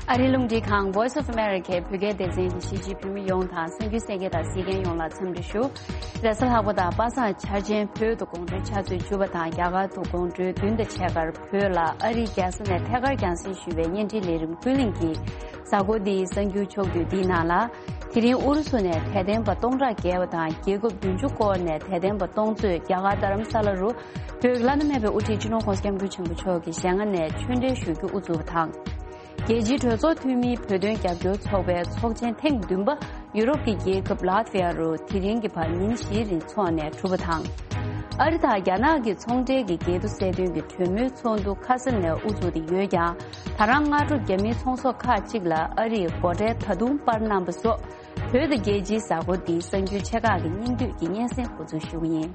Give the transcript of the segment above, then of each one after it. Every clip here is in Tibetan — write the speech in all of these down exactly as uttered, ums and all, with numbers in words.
ཨ་རིའི་རླུང་འཕྲིན་ཁང་Voice of America བོད་སྐད་སྡེ་ཚན་གྱི་གཞིས་བྱེས་བོད་མི་ཡོངས་དང་གསན་རྒྱུ་གསན་མཁན་དང་གཟིགས་མཁན་ཡོངས་ལ་འཚམས་འདྲི་ཞུ། རེས་གཟའ་ལྷག་པ་དང་པ་སངས་འཆར་ཅན་བོད་དུ་དགོང་དྲོའི་ཆུ་ཚོད་བཅུ་པ་དང་རྒྱ་གར་དུ་དགོང་དྲོའི་བདུན་དང་ཕྱེད་ཀར་བོད་ལ་ཨ་རིའི་རྒྱལ་ས་ནས་ཐད་ཀར་རྒྱང་སྲིང་ཞུས་པའི་བརྙན་འཕྲིན་ལས་རིམ་ཀུན་གླེང་གི་གཟའ་འཁོར་འདིའི་གསར་འགྱུར་ཕྱོགས་བསྡུས་འདིའི་ནང་ལ། དེ་རིང་ཨུ་རུ་སུ་ནས་དད་ལྡན་པ་སྟོང་ཕྲག་བརྒལ་བ་དང་རྒྱལ་ཁབ་བདུན་ཅུ་སྐོར་ནས་དད་ལྡན་པ་སྟོང་ཚོས་རྒྱ་གར་རྡ་རམ་ས་ལ་རུ་བོད་ཀྱི་བླ་ན་མེད་པའི་དབུ་ཁྲིད་སྤྱི་ནོར་༸གོང་ས་༸སྐྱབས་མགོན་ཆེན་པོ་མཆོག་གི་ཞལ་སྔ་ནས་ཆོས་འབྲེལ་ཞུ་རྒྱུ་དབུ་བཙུགས་པ་དང་། རྒྱལ་སྤྱིའི་གྲོས་ཚོགས་འཐུས་མིའི་བོད་དོན་རྒྱབ་སྐྱོར་ཚོགས་པའི་ཚོགས་ཆེན་ཐེངས་བདུན་པ་ཡུ་རོབ་ཀྱི་རྒྱལ་ཁབ་ལཱ་ཐི་ཝ་རུ་དེ་རིང་གི་བར་ཉིན་བཞིའི་རིང་འཚོགས་ནས་གྲུབ་པ་དང་། ཨ་རི་དང་རྒྱ་ནག་གི་ཚོང་འབྲེལ་གྱི་འགལ་འདུ་སེལ་དོན་གྱི་གྲོས་མོལ་ཚོགས་འདུ་ཁ་སང་ནས་དབུ་ཚུགས་ཏེ་ཡོད་ཀྱང་། ད་རང་སྔ་དྲོ་རྒྱ་མིའི་ཚོང་ཟོག་ཁག་ཅིག་ལ་ཨ་རིས་སྒོ་ཁྲལ་ད་དུང་སྤར་གནང་པ་སོགས། བོད་དང་རྒྱལ་སྤྱིའི་གཟའ་འཁོར་འདིའི་གསར་འགྱུར་ཆེ་ཁག་གི་སྙིང་བསྡུས་ཀྱི་སྙན་སེང་འགོ་འཛུགས་ཞུ་གི་ཡིན།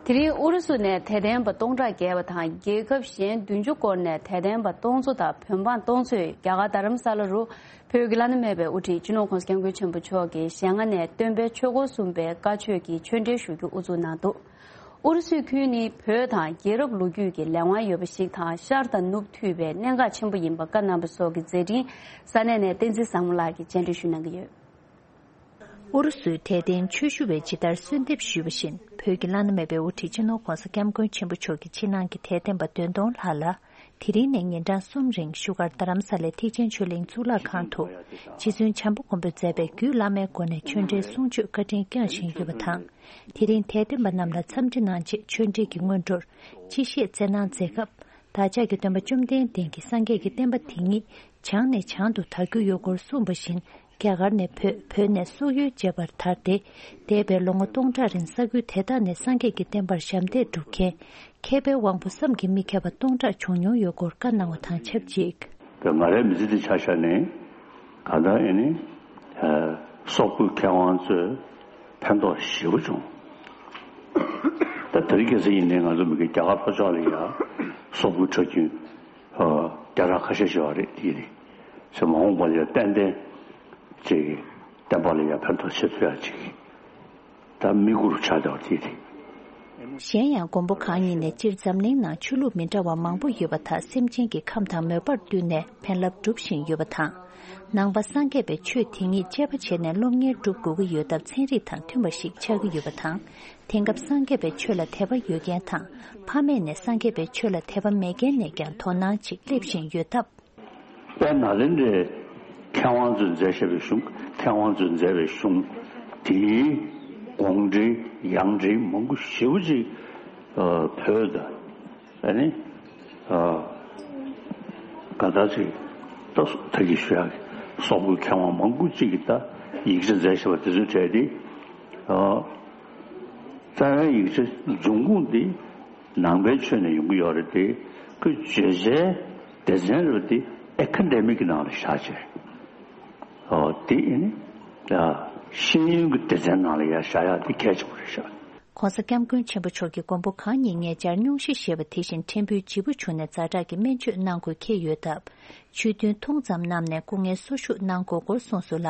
དེ་རིང་ཨུ་རུ་སུ་ནས་དད་ལྡན་པ་སྟོང་ཕྲག་བརྒལ་བ་དང་རྒྱལ་ཁབ་གཞན་བདུན་ཅུ་སྐོར་ནས་དད་ལྡན་པ་སྟོང་ཚོ་དང་བོད་འབངས་སྟོང་ཚོས་རྒྱ་གར་རྡ་རམ་ས་ལ་རུ་བོད་ཀྱི་བླ་ན་མེད་པའི་དབུ་ཁྲིད་སྤྱི་ནོར་༸གོང་ས་༸སྐྱབས་མགོན་ཆེན་པོ་མཆོག་གི་ཞལ་སྔ་ནས་སྟོན་པའི་ཆོས་འཁོར་གསུམ་པའི་བཀའ་ཆོས་ཀྱི་ཆོས་འབྲེལ་ཞུ་རྒྱུ་དབུ་འཛུགས་གནང་འདུག་ཨུ་རུ་སུའི་ཁུལ་ནི་བོད་དང་རྒྱལ་རབས་ལོ་རྒྱུས་ཀྱི་ལས་དབང་ཡོད་པ་ཞིག་དང་ཤར་དང་ནུབ་མཐུད་པའི་གནད་འགག་ཆེན་པོ་ཡིན་པ་བཀའ་གནང་པ་སོགས་ཀྱི་མཛད་འཕྲིན་ས་གནས་ནས་བསྟན་འཛིན་བཟང་མོ་ལགས་ཀྱིས་བཅར་འདྲི་ཞུ་གནང་གི་ཡོད། ཨུ་རུ་སུའི་དད་ལྡན་ཆོས་ཞུ་བས་ཇི་ལྟར་གསོལ་འདེབས་ཞུས་པ་བཞིན་བོད་ཀྱི་བླ་ན་མེད་པའི་དབུ་ཁྲིད་སྤྱི་ནོར་༸གོང་ས་༸སྐྱབས་མགོན་ཆེན་པོ་མཆོག་གི་ཕྱི་ནང་གི་དད་ལྡན་པ་བདུན་སྟོང་ལྷག་ལ། དེ་རིང་ནས་ཉིན་གྲངས་གསུམ་རིང་བཞུགས་སྒར་རྡ་རམ་ས་ལའི་ཐེག་ཆེན་ཆོས་གླིང་གཙུག་ལག་ཁང་དུ་རྗེ་བཙུན་བྱམས་པ་མགོན་པོས་མཛད་པའི་རྒྱུད་བླ་མའི་སྒོ་ནས་ཆོས་འབྲེལ་གསུང་ཆོས་བཀའ་དྲིན་བསྐྱངས་བཞིན་ཡོད་པ་དང་། དེ་རིང་དད་ལྡན་པ་རྣམས་ལ་འཚམས་འདྲི་གནང་རྗེས་ཆོས་འབྲེལ་གྱི་སྔོན་འགྲོར་སྤྱི་བཤད་སྩལ་གནང་མཛད་སྐབས། བདག་ཅག་གི་སྟོན་པ་བཅོམ་ལྡན་འདས་ཀྱིས་སངས་རྒྱས་ཀྱི་བསྟན་པ་དེ་ཉིད་བྱང་ནས་བྱང་དུ་དར་རྒྱུ་ཡོད་སྐོར་གསུངས་པ་བཞིན། རྒྱ་གར་ནས་བོད། བོད་ནས་སོག་ཡུལ་བཅས་པར་དར་ཏེ། འདས་པའི་ལོ་ངོ་སྟོང་ཕྲག་རིང་ས་ཁུལ་དེ་དག་ནས་སངས་རྒྱས་ཀྱི་བསྟན་པར་ཞབས་འདེགས་སྒྲུབ་མཁན་མཁས་པའི་དབང་པོ་བསམ་གྱིས་མི་ཁྱབ་པ་སྟོང་ཕྲག་བྱུང་མྱོང་ཡོད་སྐོར་བཀའ་གནང་བ་དང་ཆབས་ཅིག། ང་རའི་མི་ཚེ་འདི་ཆ་བཞག་ནས་གང་ལྟར་ཨེ་ནི་སོག་པོའི་མཁས་དབང་ཚོས་ཕན་ཐོགས་ཞེ་པོ་བྱུང་། ད་དེ་རིང་ཁ་སང་ཡིན་ནའི་ང་ཚོ་མི་རྒན་རྒྱ་གར་ལྷོ་ཕྱོགས་ལ་ཡང་སོག་པོའི་ཁྲག་རྒྱུན་རྒྱ་ར་ཁ་ཤས་ཤིག་ཡོད་རེད། དེ་རེད། ཚེ་མ་འོངས་པ་ལ་ཡང་ཏན་ཏན་ཅིག་བསྟན་པ་ལ་ཡང་ཕན་ཐོགས་ཆེ་ཚུལ་ཡང་ཅིག་ད་དམིགས་ཡུལ་ཆགས་བསྡད་པ་དེ་རེད། གཞན་ཡང་མགོན་པོ་གང་ཉིད་ནས་སྤྱིར་འཛམ་གླིང་ནང་ཆོས་ལུགས་མི་འདྲ་བ་མང་པོ་ཡོད་པ་དག་སེམས་ཅན་གྱི་ཁམས་དང་མོས་པར་བསྟུན་ནས་ཕན་རླབས་སྒྲུབ་བཞིན་ཡོད་པ་དང་། ནང་པ་སངས་རྒྱས་པའི་ཆོས་དེ་ཉིད་དཔྱད་པ་བྱས་ནས་སློབ་གཉེར་སྒྲུབ་དགོས་ཀྱི་ཡོད་སྟབས་ཚན་རིག་དང་མཐུན་པ་ཞིག་ཆགས་ཀྱི་ཡོད་པ་དང་། དེང་སྐབས་སངས་རྒྱས་པའི་ཆོས་ལ་དད་པ་ཡོད་མཁན་དང་ཕ་མེས་ནས་སངས་རྒྱས་པའི་ཆོས་ལ་དད་པ་མེད་མཁན་ནས་ཀྱང་དོ་སྣང་ཅིག་སླེབས་བཞིན་ཡོད་སྟབས། དཔལ་ནཱ་ལེནྡྲའི་མཁས་དབང་ཚོས་མཛད་བཞག་པའི་གཞུང་། མཁས་དབང་ཚོས་མཛད་པའི་གཞུང་དེའི་དགོངས་འགྲེལ་ཡང་འགྲེལ་མང་པོ་ཞེ་པོ་ཅིག་བོད་དང་ཨ་ནི་ག་ད་ཅིག་ད་ད་གི་ཞུ་ཡག་གི་སོག་པོའི་མཁས་དབང་མང་པོ་ཅིག་གིས་ད་ཡིག་ཆ་མཛད་བཞག་པ་དེ་ཚོའི་གྲས་དེ། རྩ་བའི་ཡིག་ཆ་འབྱུང་ཁུངས་དེ་ནང་པའི་ཆོས་ནས་ཡོང་གི་ཡོད་རེད་དེ། ཁོས་བརྗོད་བྱའི་སྡེ་ཚན་རེད་དེ་ཨེ་ཁ་ཌེ་མིག་གི་ནང་ལ་བཞག་བྱས། ཨོ་དེ་ཨེ་ནི་ཤེས་ཡོན་གྱི་སྡེ་ཚན་ནང་ལ་ཡང་བཞག་ཡག་དེ་གལ་ཆེན་པོ་རེད་ཤག། ༸གོང་ས་༸སྐྱབས་མགོན་ཆེན་པོ་མཆོག་གིས་མགོན་པོ་གང་ཉིད་ཉེ་ཆར་སྙུང་གཞི་བཞེས་པ་དེ་བཞིན་ཕྲན་བུའི་ལྗིད་པོ་བྱུང་ནས་ཛ་དྲག་གི་སྨན་བཅོས་གནང་དགོས་འཁེལ་ཡོད་སྟབས། ཆོས་ཐུན་ཐུང་ཙམ་གནང་ནས་སྐུ་ངལ་གསོ་བཞུགས་གནང་དགོས་སྐོར་གསུངས་སོང་ལ།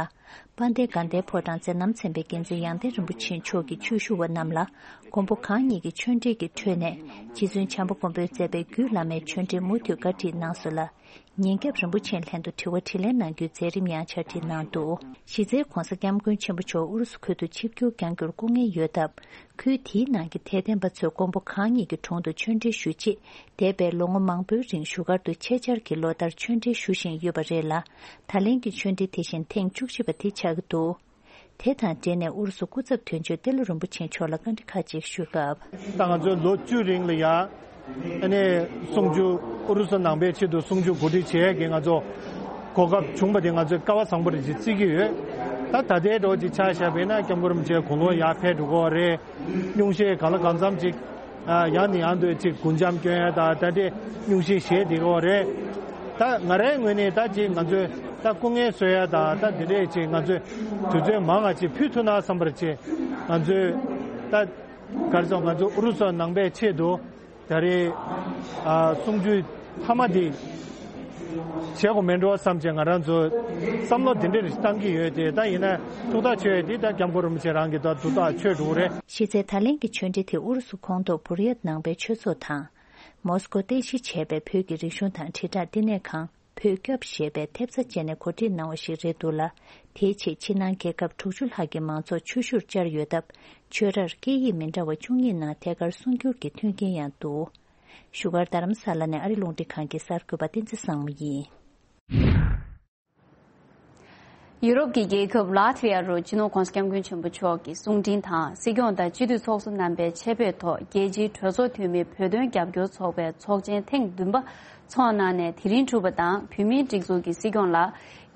དཔལ་ལྡན་དགའ་ལྡན་ཕོ་བྲང་མཛད་རྣམ་ཚན་པའི་འགན་འཛིན་ཡང་སྟེང་རིན་པོ་ཆེ་མཆོག་གིས་ཆོས་ཞུ་བ་རྣམས་ལ་མགོན་པོ་གང་ཉིད་ཀྱི་ཆོས་འབྲེལ་གྱི་ཁྲོད་ནས་རྗེ་བཙུན་བྱམས་པ་མགོན་པོས་མཛད་པའི་རྒྱུད་བླ་མའི་ཆོས་འབྲེལ་མུ་མཐུད་བཀའ་ཁྲིད་གནང་སོང་ལ། ཉིན་རྒྱབ་རིན་པོ་ཆེའི་ལྷན་དུ་དྲི་བ་དྲིས་ལན་གནང་རྒྱུའི་མཛད་རིམ་ཡང་ཆར་ཁྲིད་གནང་འདུག། གཞི་རྩའི་༸གོང་ས་༸སྐྱབས་མགོན་ཆེན་པོ་མཆོག་ཨུ་རུ་སུ་ཁུལ་དུ་ཆིབས་བསྒྱུར་བསྐྱང་རྒྱུར་སྐུ་ངལ་ཡོད་སྟབས། ཁུལ་དེའི་ནང་གི་དད་ལྡན་པ་ཚོས་མགོན་པོ་གང་ཉིད་ཀྱི་དྲུང་དུ་ཆོས་འབྲེལ་ཞུ་ཆེད། འདས་པའི་ལོ་ངོ་མང་པོའི་རིང་བཞུགས་སྒར་དུ་ཆེད་བཅར་གྱིས་ལོ་ལྟར་ཆོས་འབྲེལ་ཞུ་བཞིན་ཡོད་པ་རེད་ལ། ད་ལན་གྱི་ཆོས་འབྲེལ་དེ་བཞིན་ཐེངས་བཅུ་གཅིག་པ་དེ་ཆགས་ཀྱི་འདུག། དེ་དང་འབྲེལ་ནས་ཨུ་རུ་སུ་སྐུ་ཚབ་དོན་གཅོད་ཏེ་ལོ་རིན་པོ་ཆེ་མཆོག་ལ་བཀའ་འདྲི་ཁག་ཅིག་ཞུས་སྐབས། ད་ང་ཚོས་ལོ་བཅུ་རིང་ལ་ཡ། ཨ་ནི་གསུང་ཆོས་ཨུ་རུ་སུ་ནང་པའི་ཆེད་དུ་གསུང་ཆོས་གོ་སྒྲིག་བྱེད་ཡས་ཀྱི་ང་ཚོ་གོ་སྐབས་བྱུང་བ་དེ་ང་ཚོས་སྐལ་བ་བཟང་པོ་རེད་ཅེས་བརྩི་གི་ཡོད། ད་ད་ལྟའི་འགྲོ་ཅིག་ཆ་བཞག་པ་ཡིན་ན་སྐྱབས་མགོན་རིན་པོ་ཆེ་དགུང་ལོ་ཡར་ཕེབས་འགྲོ་གི་ཡོད་རེད། སྙུང་གཞི་གང་ལ་གང་འཚམ་ཅིག་ཡང་ནས་ཡང་དུ་ཅིག་སྒོ་འགྱམ་སྐྱོན་ཡ་དང་ད་ལྟའི་སྙུང་གཞི་བཞེས་བསྡད་ཀྱི་ཡོད་རེད། ད་ང་རའི་ངོས་ནས་ད་ཅིག་ང་ཚོས་ད་སྐུ་ངལ་གསོ་ཡ་དང་ད་འདི་འདྲས་ཅིག་ང་ཚོས་དུས་ཚོད་མང་ང་ཅིག་ཕུལ་ཐུབ་ན་བསམ་པར་ཅིག་ང་ཚོས་ད་ག་རེ་ཟེར་ང་ཚོ་ཨུ་རུ་སུ་ནང་པའི་ཆེད་དུ། ད་རེས་ཨ་གསུང་ཆོས་མཐའ་མ་དེ་ བྱེད་དགོས་མེད་འགྲོ་བསམ་བྱས་ང་རང་ཚོ་བསམ་བློ་དེ་འདྲ་རེ་བཏང་གི་ཡོད་དེ། ད་ཡིན་ན་ཐུགས་ཐག་ཆོད་དེ་ད་སྐྱབས་མགོན་རིན་པོ་ཆེ་རང་གིས་ད་ཐུགས་ཐག་ཆོད་འགྲོ་གི་རེད། གཞི་རྩའི་ད་ལན་གྱི་ཆོས་འབྲེལ་དེ་ཨུ་རུ་སུ་ཁོངས་གཏོགས་བུ་རི་ཡ་ནང་པའི་ཆོས་ཚོགས་དང་། མོ་སི་ཀོ་རྟེན་གཞི་བྱས་པའི་བོད་ཀྱི་རིག་གཞུང་དང་དྲིལ་བསྒྲགས་བསྟི་གནས་ཁང་བོད་སྐྱབས་ཞེས་པའི་ཐེབས་རྩ་བཅས་ནས་གོ་སྒྲིག་གནང་བ་ཞིག་རེད་འདུག་ལ། དེའི་ཆེད་ཕྱི་ནང་རྒྱལ་ཁབ་དྲུག་ཅུ་ལྷག་གི་མང་ཚོགས་ཆོས་ཞུར་བཅར་ཡོད་སྟབས། ཆོས་རར་སྐད་ཡིག་མི་འདྲ་བ་བཅུ་གཉིས་ནང་ཐད་ཀར་གསུང་སྒྱུར་གྱི་མཐུན་རྐྱེན་ཡང་འདུག་བཞུགས་སྒར་རྡ་རམ་ས་ལ་ནས་ཨ་རི་རླུང་འཕྲིན་ཁང་གི་གསར་འགོད་པ་བསྟན་འཛིན་བཟང་མོ་ཡིན། ཡུ་རོབ་ཀྱི་རྒྱལ་ཁབ་ལཱ་ཐི་ཝི་ཡ་རུ་སྤྱི་ནོར་༧གོང་ས་༧སྐྱབས་མགོན་ཆེན་པོ་མཆོག་གི་གསུང་འཕྲིན་དང་། སྲིད་སྐྱོང་དང་སྤྱི་འཐུས་ཚོགས་གཙོ་རྣམ་པའི་ཆེད་ཕེབས་ཐོག་རྒྱལ་སྤྱིའི་གྲོས་ཚོགས་འཐུས་མི་བོད་དོན་རྒྱབ་སྐྱོར་ཚོགས་པའི་ཚོགས་ཆེན་ཐེངས་བདུན་པ་འཚོགས་གནང་ནས་དེ་རིང་གྲུབ་པ་དང་། བོད་མིའི་སྒྲིག་འཛུགས་ཀྱི་སྲིད་སྐྱོང་ལ་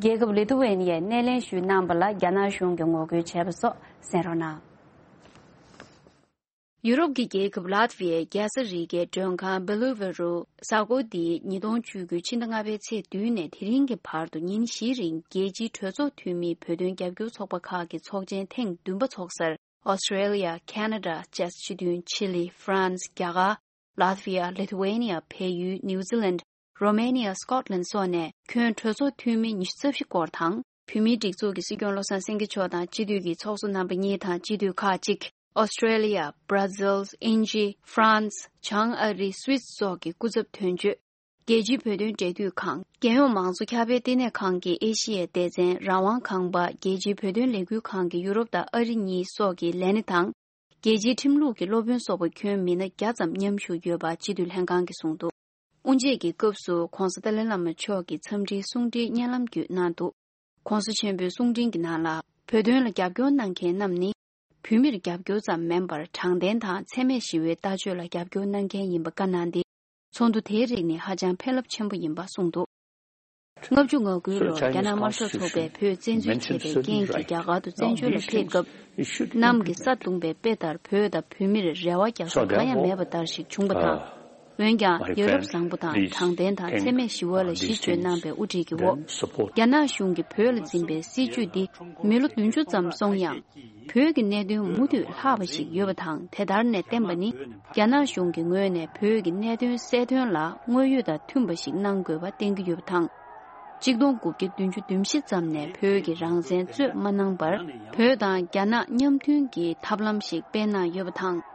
རྒྱལ་ཁབ་ལི་ཐུ་ཝེ་ནི་ཡས་སྣེ་ལེན་ཞུས་གནང་པ་ལ་རྒྱ་ནག་གཞུང་གིས་ངོ་རྒོལ་བྱས་པ་སོགས་གསན་རོགས་གནང་། ཡུ་རོབ་ཀྱི་རྒྱལ་ཁབ་ལཱ་ཐི་ཝི་ཡའི་རྒྱལ་ས་རི་གའི་མགྲོན་ཁང་བེ་ལུ་ཝེ་རུ་གཟའ་འཁོར་འདིའི་ཉིས་སྟོང་བཅུ་དགུ་ཕྱི་ཟླ་ལྔ་པའི་ཚེས་བདུན་ནས་དེ་རིང་གི་བར་དུ་ཉིན་བཞིའི་རིང་རྒྱལ་སྤྱིའི་གྲོས་ཚོགས་འཐུས་མིའི་བོད་དོན་རྒྱབ་སྐྱོར་ཚོགས་པ་ཁག་གི་ཚོགས་ཆེན་ཐེངས་བདུན་པ་འཚོགས་སར། ཨོ་སི་ཀྲེ་ལི་ཡ། ཁེ་ན་ཌ། ཅེཀ་སྤྱི་མཐུན། ཆི་ལི། ཧྥ་རན་སི། རྒྱ་གར། ལཱ་ཐི་ཝི་ཡ། ལི་ཐུ་ཝེ་ནི་ཡ། བལ་ཡུལ། ནིའུ་ཛི་ལན། རོ་མེ་ནི་ཡ། སི་ཀོཊ་ལན་སོགས་ནས་ཁྱོན་གྲོས་ཚོགས་འཐུས་མི་ཉི་ཤུ་རྩ་བཞི་སྐོར་དང་། བོད་མིའི་སྒྲིག་འཛུགས་ཀྱི་སྲིད་སྐྱོང་བློ་བཟང་སེང་གེ་མཆོག་དང་སྤྱི་འཐུས་ཀྱི་ཚོགས་གཙོ་རྣམ་པ་གཉིས་དང་སྤྱི་འཐུས་ཁག་ཅིག་ཨོ་སི་ཀྲེ་ལི་ཡ། བྷར་ཛིལ། དབྱིན་ཇི། ཧྥ་རན་སི། བྱང་ཨ་རི། སུད་སི་སོགས་ཀྱི་སྐུ་ཚབ་དོན་གཅོད། རྒྱལ་སྤྱིའི་བོད་དོན་འབྲེལ་མཐུད་ཁང་། རྒྱལ་ཡོངས་མང་གཙོ་ཁྱབ་སྤེལ་ལྟེ་གནས་ཁང་གི་ཨེ་ཤི་ཡའི་སྡེ་ཚན་རང་དབང་ཁང་པ། རྒྱལ་སྤྱིའི་བོད་དོན་ལས་འགུལ་ཁང་གི་ཡུ་རོབ་དང་ཨ་རི་གཉིས་སོགས་ཀྱི་ལས་སྣེ་དང་། རྒྱལ་སྤྱིའི་ཁྲིམས་ལུགས་ཀྱི་སློབ་དཔོན་སོགས་པ་ཁྱོན་མི་སྣ་བརྒྱ་ཙམ་མཉམ་ཞུགས་ཡོད་པ་སྤྱི་འཐུས་ལྷན་ཁང་གིས་གསུངས་འདུག་དབུ་འབྱེད་ཀྱི་སྐབས་སུ་༧གོང་ས་ཏཱ་ལའི་བླ་མ་མཆོག་གིས་འཚམས་འདྲིའི་གསུང་འཕྲིན་བརྙན་ལམ་བརྒྱུད་གནང་འདུག ༧གོང་ས་ཆེན་པོའི་གསུང་འཕྲིན་གྱི་ནང་ལ། བོད་དོན་ལ་རྒྱབ་སྐྱོར་གནང་མཁན་རྣམས་ནི། བོད་མིར་རྒྱབ་སྐྱོར་ཙམ་མིན་པར། དྲང་བདེན་དང་འཚེ་མེད་ཞི་བའི་ལྟ་སྤྱོད་ལ་རྒྱབ་སྐྱོར་གནང་མཁན་ཡིན་པ་བཀའ་གནང་སྟེ། ཚོགས་འདུ་དེའི་རིགས་ནི་ཧ་ཅང་ཕན་རླབས་ཆེན་པོ་ཡིན་པ་གསུངས་འདུག་ལྔ་བཅུ་ང་དགུ་ལོར་རྒྱ་ནག་དམར་ཤོག་ཚོགས་པས་བོད་བཙན་འཛུལ་བྱས་པའི་རྐྱེན་གྱིས་རྒྱ་གར་དུ་བཙན་བྱོལ་ལ་ཕེབས་སྐབས། གནམ་གྱིས་ས་བརྡུངས་པའི་དཔེ་ལྟར་བོད་དང་བོད་མིར་རེ་བ་རྒྱག་ས་གང་ཡང་མེད་པ་ལྟར་ཞིག་བྱུང་བ་དང་། འོན་ཀྱང་། ཡ་རབས་བཟང་པོ་དང་དྲང་བདེན་དང་འཚེ་མེད་ཞི་བ་ལ་གཞི་བཅོལ་གནང་པའི་དབུ་ཁྲིད་ཀྱི་འོག་རྒྱ་ནག་གཞུང་གིས་བོད་ལ་འཛིན་པའི་སྲིད་བྱུས་འདི་མི་ལོ་བདུན་ཅུ་ཙམ་སོང་ཡང་། བོད་ཀྱི་གནད་དོན་མུ་མཐུད་ལྷག་པ་ཞིག་ཡོད་པ་དང་། དེ་ལྟར་ནས་བསྟན་པ་ནི། རྒྱ་ནག་གཞུང་གི་ངོས་ནས་བོད་ཀྱི་གནད་དོན་སེལ་དོན་ལ་དངོས་ཡོད་དང་མཐུན་པ་ཞིག་གནང་དགོས་པ་བསྟན་གྱི་ཡོད་པ་དང་། གཅིག་སྟོང་དགུ་བརྒྱ་བདུན་ཅུ་དོན་བཞི་ཙམ་ནས་བོད་ཀྱི་རང་བཙན་རྩོད་མ་གནང་བར། བོད་དང་རྒྱ་ནག་མཉམ་མཐུན་གྱི་ཐབས་ལམ་ཞིག་སྤེལ་གནང་ཡོད་པ་དང་།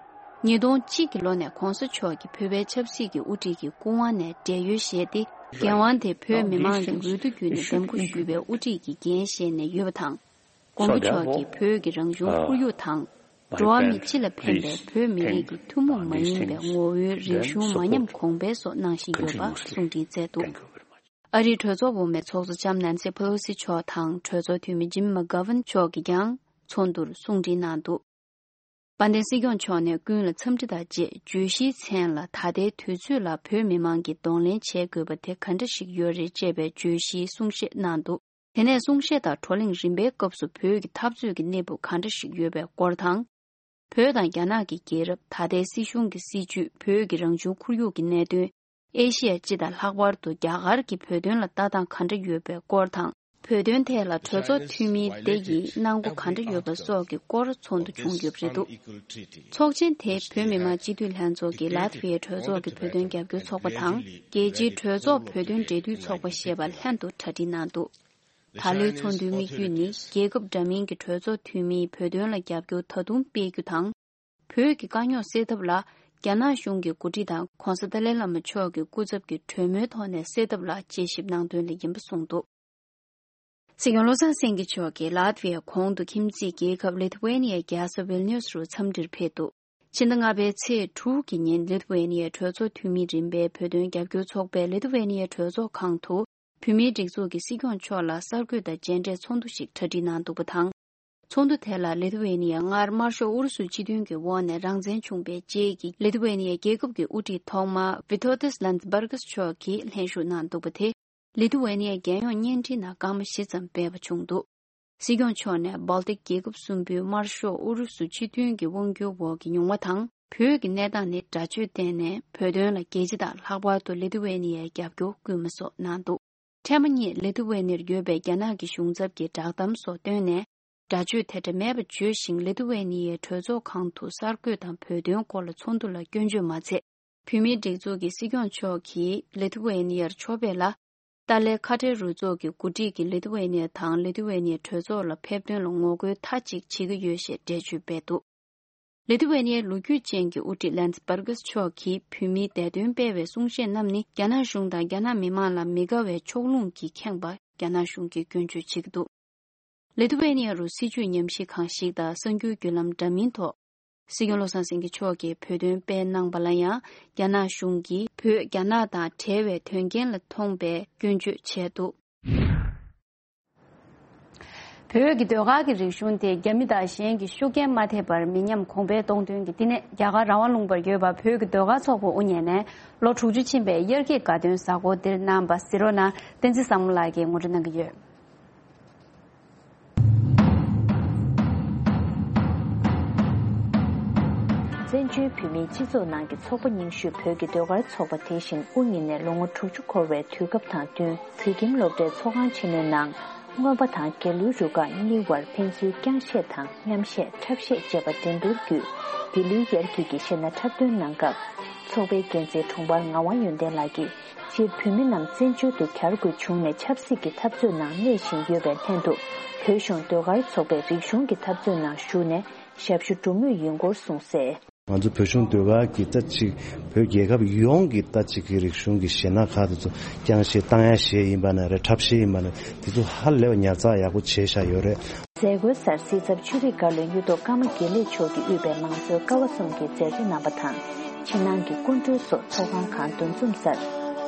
ཉིས་སྟོང་གཅིག་གི་ལོ་ནས་༧གོང་ས་མཆོག་གིས་བོད་པའི་ཆབ་སྲིད་ཀྱི་དབུ་ཁྲིད་ཀྱི་སྐུ་དབང་ནས་བགྲེས་ཡོལ་བཞེས་ཏེ། འགན་དབང་དེ་བོད་མི་མང་གི་འོས་བསྡུ་བརྒྱུད་ནས་འདེམས་བསྐོ་ཞུས་པའི་དབུ་ཁྲིད་ཀྱི་འགན་བཞེས་ནས་ཡོད་པ་དང་། མགོན་པོ་མཆོག་གིས་བོད་ཀྱི་རང་བྱུང་ཁོར་ཡུག་དང་། འགྲོ་བ་མི་སྤྱི་ལ་ཕན་པའི་བོད་མི་རིགས་ཀྱི་ཐུན་མོང་མ་ཡིན་པའི་ངོ་བོའི་རིག་གཞུང་མ་ཉམས་གོང་འཕེལ་སོགས་གནང་བཞིན་ཡོད་པ་གསུང་འཕྲིན་བསྩལ་འདུག་ཨ་རིའི་གྲོས་ཚོགས་འོག་མའི་ཚོགས་གཙོ་ལྕམ་ནན་སི་ཕེ་ལོ་སི་མཆོག་དང་གྲོས་ཚོགས་འཐུས་མི་ཇིམ་མ་གྷ་ཝན་མཆོག་གིས་ཀྱང་ཚོགས་འདུར་གསུང་འཕྲིན་གནང་འདུག་དཔལ་ལྡན་སྲིད་སྐྱོང་མཆོག་ནས་ཀུན་ལ་འཚམས་འདྲི་དང་བཅས་བརྗོད་གཞིའི་མཚན་ལ། ད་ལྟའི་དུས་ཚོད་ལ་བོད་མི་མང་གིས་གདོང་ལེན་བྱེད་དགོས་པ་དེ་ག་འདྲ་ཞིག་ཡོད་རེད་ཅེས་པའི་བརྗོད་གཞིའི་གསུང་བཤད་གནང་འདུག་དེ་ནས་གསུང་བཤད་དང་བགྲོ་གླེང་རིམ་པའི་སྐབས་སུ་བོད་ཀྱི་འཐབ་རྩོད་ཀྱི་གནས་བབ་ག་འདྲ་ཞིག་ཡོད་པའི་སྐོར་དང་། བོད་དང་རྒྱ་ནག་གི་རྒྱལ་རབས། ད་ལྟའི་སྲིད་གཞུང་གི་སྲིད་བྱུས། བོད་ཀྱི་རང་བྱུང་ཁོར་ཡུག་གི་གནད་དོན། ཨེ་ཤི་ཡ་སྤྱི་དང་ལྷག་པར་དུ་རྒྱ་གར་གྱི་བོད་དོན་ལ་ལྟ་སྟངས་ག་འདྲ་ཡོད་པའི་སྐོར་དང་། བོད་དོན་ཐད་ལ་གྲོས་ཚོགས་འཐུས་མི་དེ་ཡིས་གནང་སྒོ་ག་འདྲ་ཡོད་པ་སོགས་ཀྱི་སྐོར་ཚོགས་འདུ་བྱུང་ཡོད་པ་རེད་འདུག་ཚོགས་ཆེན་དེ་བོད་མི་མང་སྤྱི་འཐུས་ལྷན་ཚོགས་ཀྱི་ལཱ་ཐི་ཝའི་གྲོས་ཚོགས་ཀྱི་བོད་དོན་རྒྱབ་སྐྱོར་ཚོགས་པ་དང་། རྒྱལ་སྤྱིའི་གྲོས་ཚོགས་བོད་དོན་འབྲེལ་མཐུད་ཚོགས་པ་ཞེས་པ་ལྷན་དུ་གྲ་སྒྲིག་གནང་འདུག་ད་ལོའི་ཚོགས་འདུའི་དམིགས་ཡུལ་ནི། རྒྱལ་ཁབ་འདྲ་མིན་གྱི་གྲོས་ཚོགས་འཐུས་མིའི་བོད་དོན་ལ་རྒྱབ་སྐྱོར་ད་དུང་སྤེལ་རྒྱུ་དང་། བོད་ཀྱི་དཀའ་རྙོག་སེལ་ཐབས་ལ། རྒྱ་ནག་གཞུང་གི་འགོ་ཁྲིད་དང་༧གོང་ས་ཏཱ་ལའི་བླ་མ་མཆོག་གི་སྐུ་ཚབ་ཀྱི་གྲོས་མོལ་ཐོག་ནས་སེལ་ཐབས་ལ་དཔྱད་ཞིབ་གནང་དོན་ལ་ཡིན་པ་གསུངས་འདུག་སྲིད་སྐྱོང་བློ་བཟང་སེང་གེ་མཆོག་གིས་ལཱ་ཐི་ཝའི་གོང་དུ་ཁྱིམ་མཚེས་རྒྱལ་ཁབ་ལི་ཐི་ཝེ་ནི་ཡའི་རྒྱལ་ས་ཝིལ་ནིའུ་སི་རུ་འཚམས་འདྲིར་ཕེབས་འདུག་ཕྱི་ཟླ་ལྔ་པའི་ཚེས་དྲུག་གི་ཉིན་ལི་ཐི་ཝེ་ནི་ཡའི་གྲོས་ཚོགས་འཐུས་མི་རིམ་པའི་བོད་དོན་རྒྱབ་སྐྱོར་ཚོགས་པས་ལི་ཐི་ཝེ་ནི་ཡའི་གྲོས་ཚོགས་ཁང་དུ། བོད་མིའི་སྒྲིག་འཛུགས་ཀྱི་སྲིད་སྐྱོང་མཆོག་ལ་གསར་འགོད་དང་མཇལ་འཕྲད་ཚོགས་འདུ་ཞིག་གྲ་སྒྲིག་གནང་འདུག་པ་དང་། ཚོགས་འདུ་དེ་ལ་ལི་ཐི་ཝེ་ནི་ཡ་སྔར་དམར་ཤོག་ཨུ་རུ་སུའི་སྤྱི་མཐུན་གྱི་འོག་ནས་རང་བཙན་བྱུང་བའི་རྗེས་ཀྱི་ལི་ཐི་ཝེ་ནི་ཡའི་རྒྱལ་ཁབ་ཀྱི་དབུ་ཁྲིད་ཐོག་མ་ཝི་ཐོ་ཏིས་ལན་སྦར་གྷི་མཆོག་གིས་ལྷན་ཞུགས་གནང་འདུག་པ་དེས་ལི་ཐི་ཝེ་ནི་ཡའི་རྒྱལ་ཡོངས་བརྙན་འཕྲིན་ནང་སྐར་མ་བཞི་ཙམ་སྤེལ་བ་བྱུང་འདུག་སྲིད་སྐྱོང་མཆོག་ནས་སྦལ་ཏིག་རྒྱལ་ཁབ་གསུམ་པོའི་དམར་ཤོག་ཨུ་རུ་སུ་སྤྱི་མཐུན་གྱི་དབང་སྒྱུར་འོག་གི་མྱོང་བ་དང་། བོད་ཀྱི་གནས་སྟངས་ནི་སྒྲ་བརྗོད་བཏོན་ནས་བོད་དོན་ལ་རྒྱལ་སྤྱི་དང་ལྷག་པར་དུ་ལི་ཐི་ཝེ་ནི་ཡའི་རྒྱབ་སྐྱོར་སྐུལ་མ་སོགས་གནང་འདུག་འཕྲལ་མ་ཉིད་ལི་ཐི་ཝེ་ནིར་ཡོད་པའི་རྒྱ་ནག་གི་གཞུང་ཚབ་ཀྱི་བསྒྲགས་གཏམ་སོགས་བཏོན་ནས། སྒྲ་བརྗོད་དེ་འདྲ་མེད་པ་བརྗོད་བཞིན་ལི་ཐི་ཝེ་ནི་ཡའི་གྲོས་ཚོགས་ཁང་དུ་གསར་འགོད་དང་བོད་དོན་སྐོར་ལ་ཚོགས་འདུ་ལ་སྐྱོན་བརྗོད་མ་ཚད། བོད་མིའི་སྒྲིག་འཛུགས་ཀྱི་སྲིད་སྐྱོང་མཆོག་གིས་ལི་ཐི་ཝེ་ནི་ཡར་མཆོད་པ་ལ། ཏཱ་ལའི་ཁ་བྲལ་རུ་ཚོགས་ཀྱི་འགོ་ཁྲིད་ཀྱིས་ལི་ཐུ་ཝེ་ནི་ཡ་དང་ལི་ཐུ་ཝེ་ནི་ཡའི་གྲོས་ཚོགས་ལ་ཕེབས་དོན་ལ་ངོ་རྒོལ་མཐའ་གཅིག་བྱེད་ཀྱི་ཡོད་ཞེས་འགྲེལ་བརྗོད་སྤེལ་འདུག་ལི་ཐུ་ཝེ་ནི་ཡའི་ལོ་རྒྱུས་ཅན་གྱི་དབུ་ཁྲིད་ལན་སི་བར་གྷི་སི་མཆོག་གིས་བོད་མིའི་བདེ་དོན་སྤེལ་བའི་གསུང་བཤད་གནང་ནི་རྒྱ་ནག་གཞུང་དང་རྒྱ་ནག་མི་དམངས་ལ་མི་དགའ་བའི་ཕྱོགས་ལྷུང་གིས་ཁེངས་པ་རྒྱ་ནག་གཞུང་གིས་སྐྱོན་བརྗོད་བྱེད་ཀྱི་འདུག་ལི་ཐུ་ཝེ་ནི་ཡ་རུ་སྲིད་བྱུས་ཉམས་ཞིབ་ཁང་ཞིག་དང་གསར་འགྱུར་བརྒྱུད་ལམ་འདྲ་མིན་ཐོག་སྲིད་སྐྱོང་བློ་བཟང་སེང་གེ་མཆོག་གིས་བོད་དོན་སྤེལ་གནང་པ་ལ་ཡང་རྒྱ་ནག་གཞུང་གིས་བོད་རྒྱ་ནག་དང་བྲལ་བའི་དོན་རྐྱེན་ལ་མཐོང་པའི་སྐྱོན་བརྗོད་བྱས་འདུག་བོད་ཀྱི་ཟློས་གར་གྱི་རིག་གཞུང་དེ་རྒྱ་མི་དང་གཞན་གྱི་ཤུགས་རྐྱེན་མ་ཐེབས་པར་མི་ཉམས་གོང་འཕེལ་གཏོང་དོན་གྱི་བསྟི་གནས་རྒྱ་གར་རང་དབང་ལུང་པར་ཡོད་པ་བོད་ཀྱི་ཟློས་གར་ཚོགས་པ་དབུ་བརྙེས་ནས་ལོ་དྲུག་ཅུ་ཕྱིན་པའི་དབྱར་སྐྱིད་དགའ་སྟོན་གཟའ་འཁོར་འདིར་གནང་བ་གཟིགས་རོགས་གནང་། བསྟན་འཛིན་བཟང་མོ་ལགས་ཀྱིས་ངོ་སྤྲོད་གནང་གི་ཡོད། བཙན་བྱོལ་བོད་མིའི་སྤྱི་ཚོགས་ནང་གི་ཚོགས་པ་རྙིང་ཤོས་བོད་ཀྱི་ཟློས་གར་ཚོགས་པ་དེ་བཞིན་དབུ་བརྙེས་ནས་ལོ་ངོ་དྲུག་ཅུ་འཁོར་བའི་དུས་སྐབས་དང་བསྟུན་བོད་ཁྱིམ་སློབ་གྲྭའི་ཚོགས་ཁང་ཆེན་མོའི་ནང་། རྔོན་པ་དང་རྒྱ་ལོའི་རུ་ཁག་གཉིས་བར་ཕན་ཚུན་རྐྱང་བཤད་དང་མཉམ་བཤད་འཁྲབ་བཤད་བཅས་པ་འགྲན་བསྡུར་བརྒྱུད། འདི་ལོའི་དབྱར་སྐྱིད་ཀྱི་གཞས་སྣ་འཁྲབ་སྟོན་གནང་སྐབས། ཚོགས་པའི་འགན་འཛིན་དྲུང་འཕར་ངག་དབང་ཡོན་ཏན་ལགས་ཀྱིས། སྤྱིར་བོད་མི་རྣམས་བཙན་བྱོལ་དུ་གྱར་དགོས་བྱུང་ནས་ཆབ་སྲིད་ཀྱི་འཐབ་རྩོད་ནང་གནས་བཞིན་ཡོད་པའི་ལྷན་དུ། བོད་གཞུང་ཟློས་གར་ཚོགས་པས་རིག་གཞུང་གི་འཐབ་རྩོད་ནང་ཞུགས་ནས་ཞབས་ཞུ་སྒྲུབ་མུས་ཡིན་སྐོར་གསུངས་གསལ། ང་ཚོ་བོད་གཞུང་ཟློས་གར་གྱི་ད་ཅིག་བོད་རྒྱལ་ཁབ་ཡོངས་ཀྱི་ད་ཅིག་གི་རིག་གཞུང་གི་གཞས་སྣ་ཁག་དེ་ཚོ་རྐྱང་གཞས་བཏང་ཡ་གཞས་ཡིན་པ་ན་རེད། འཁྲབ་གཞས་ཡིན་པ་ན་དེ་ཚོ་ཧ་ལས་པ་ཉར་ཚགས་ཡག་པོ་བྱས་བཞག་ཡོད་རེད། མཛད་སྒོའི་སར་སྲིད་ཚབ་ཆོས་རིག་བཀའ་བློན་གཡུ་ཐོག་ཀརྨ་དགེ་ལེགས་མཆོག་གིས་དབུས་པའི་མང་གཙོའི་ཀ་བ་གསུམ་གྱི་མཛད་གཙོ་རྣམ་པ་དང་། ཕྱི་ནང་གི་སྐུ་མགྲོན་སོགས་ཚོགས་ཁང་གང་འདུ་འཛོམས་སར།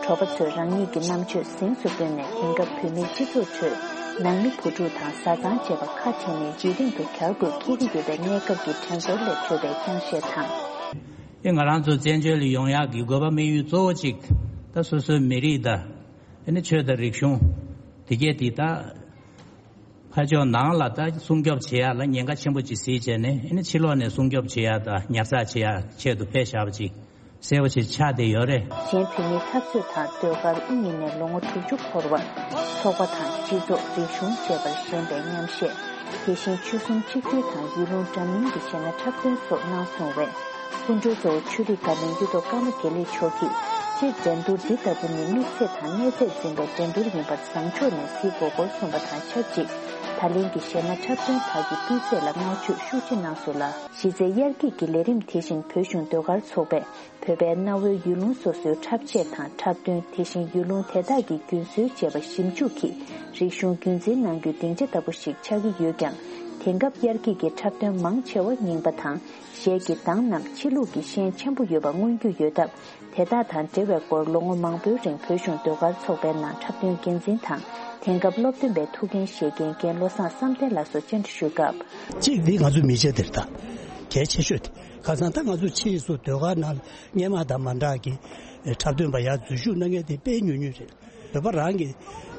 དྲོ་པ་ཚོས་རང་ཉིད་ཀྱི་རྣམ་དཔྱོད་གཟེངས་སུ་བཏོན་ནས་དེང་སྐབས་བོད་མིའི་སྤྱི་ཚོགས་ཁྲོད་ནང་མི་བུ་ཕྲུག་དང་བཟའ་ཚང་བཅས་པ་ཁ་བྲལ་ནས་རྗེས་དྲན་དུ་གྱར་དགོས་འཁེལ་གྱི་ཡོད་པའི་གནས་སྐབས་ཀྱི་དྲན་གསོ་ལས་འཕྲོས་པའི་རྐྱང་གཞས་དང་། ཨེ་ང་རང་ཚོ་བཙན་བྱོལ་ལ་ཡོང་ཡག་གི་དགོས་པ་དམིགས་ཡུལ་གཙོ་བོ་གཅིག་ད་སོ་སོའི་མི་རིགས་དང་ཨེ་ནི་ཆོས་དང་རིག་གཞུང་དེ་གས་དེ་ད། ཕར་ཕྱོགས་ནང་ལ་ད་སྲུང་སྐྱོབ་བྱེད་ཡ་ལ་ཉེན་ཁ་ཆེན་པོ་ཅིག་གཟིགས་བྱས་ནས་ཨེ་ནི་ཕྱི་ལོགས་ནས་སྲུང་སྐྱོབ་བྱེད་ཡ་དང་ཉར་ཚགས་བྱེད་ཡ་ཆེད་དུ་ཕེབས་བཞག་པ་ཅིག་གསལ་པོ་ཅིག་ཆགས་བསྡད་ཡོད་རེད། གཞན་བོད་མིའི་འཐབ་རྩོད་དང་ཟློས་གར་དབུ་བརྙེས་ནས་ལོ་ངོ་དྲུག་ཅུ་འཁོར་བར་ཚོགས་པ་དང་སྤྱི་ཚོགས་རིག་གཞུང་བཅས་པར་ཞེན་པའི་མཉམ་གཞས། དེ་བཞིན་ཆོལ་གསུམ་གཅིག་སྒྲིལ་དང་ཡུལ་ལུང་འདྲ་མིན་གྱི་གཞས་སྣ་འཁྲབ་སྟོན་སོགས་གནང་སོང་བས། སྐུ་མགྲོན་གཙོ་བོ་ཆོས་རིག་བཀའ་བློན་གཡུ་ཐོག་ཀརྨ་དགེ་ལེགས་མཆོག་གིས་སྤྱིར་འགྲན་བསྡུར་འདི་ལྟ་བུ་ནི་དམིགས་ཚད་དང་གནས་ཚད་འཛིན་པའི་འགྲན་བསྡུར་ཡིན་པར་བཟང་ཕྱོགས་ནས་གཟིགས་དགོས་སྐོར་གསུངས་པ་དང་ཆབས་ཅིག་ད་ལན་གྱི་གཞས་སྣ་འཁྲབ་སྟོན་ཁག་གི་སྤུས་ཚད་ལ་བསྔགས་བརྗོད་ཤུགས་ཆེ་གནང་སོང་ལ། གཞི་རྩའི་དབྱར་སྐྱིད་ཀྱི་ལས་རིམ་དེ་བཞིན་བོད་གཞུང་ཟློས་གར་ཚོགས་པས་བོད་པའི་གནའ་བོའི་ཡུལ་ལུང་སོ་སོའི་འཁྲབ་ཆས་དང་འཁྲབ་སྟོན། དེ་བཞིན་ཡུལ་ལུང་དེ་དག་གི་རྒྱུན་སྲོལ་བཅས་པ་ཞིབ་འཇུག་གིས་རིག་གཞུང་རྒྱུན་འཛིན་གནང་རྒྱུའི་སྡིངས་ཆ་ལྟ་བུ་ཞིག་ཆགས་ཀྱི་ཡོད་ཀྱང་། དེང་སྐབས་དབྱར་སྐྱིད་ཀྱི་འཁྲབ་སྟོན་མང་ཆེ་བ་རྙིང་པ་དང་། གཞས་ཀྱི་གདངས་རྣམས་ཕྱི་ལུགས་ཀྱི་ཤན་ཆེན་པོ་ཡོད་པ་མངོན་རྒྱུ་ཡོད་སྟབས། དེ་དག་དང་འབྲེལ་བའི་སྐོར་ལོ་ངོ་མང་པོའི་རིང་བོད་གཞུང་ཟློས་གར་ཚོགས་པའི་ནང་འཁྲབ་སྟོན་འགན་འཛིན་དང་། དེང་སྐབས་སློབ་སྟོན་པའི་ཐུགས་འགན་བཞེས་མཁན་རྒན་བློ་བཟང་བསམ་གཏན་ལགས་སུ་བཅར་འདྲི་ཞུས་སྐབས། གཅིག་འདི་ང་ཚོའི་མི་ཆེ་དེར་ད་གལ་ཆེ་ཤོས་དེ་ཁ་སང་ད་ང་ཚོ་ཕྱིས་སུ་ཟློས་གར་ནང་སྔོན་མ་དང་མ་འདྲ་གི་འཁྲབ་སྟོན་པ་ཡར་འཛུལ་ཞུགས་གནང་མཁན་དེ་དཔེ་ཉུང་ཉུང་རེད། བོད་པ་རང་གི་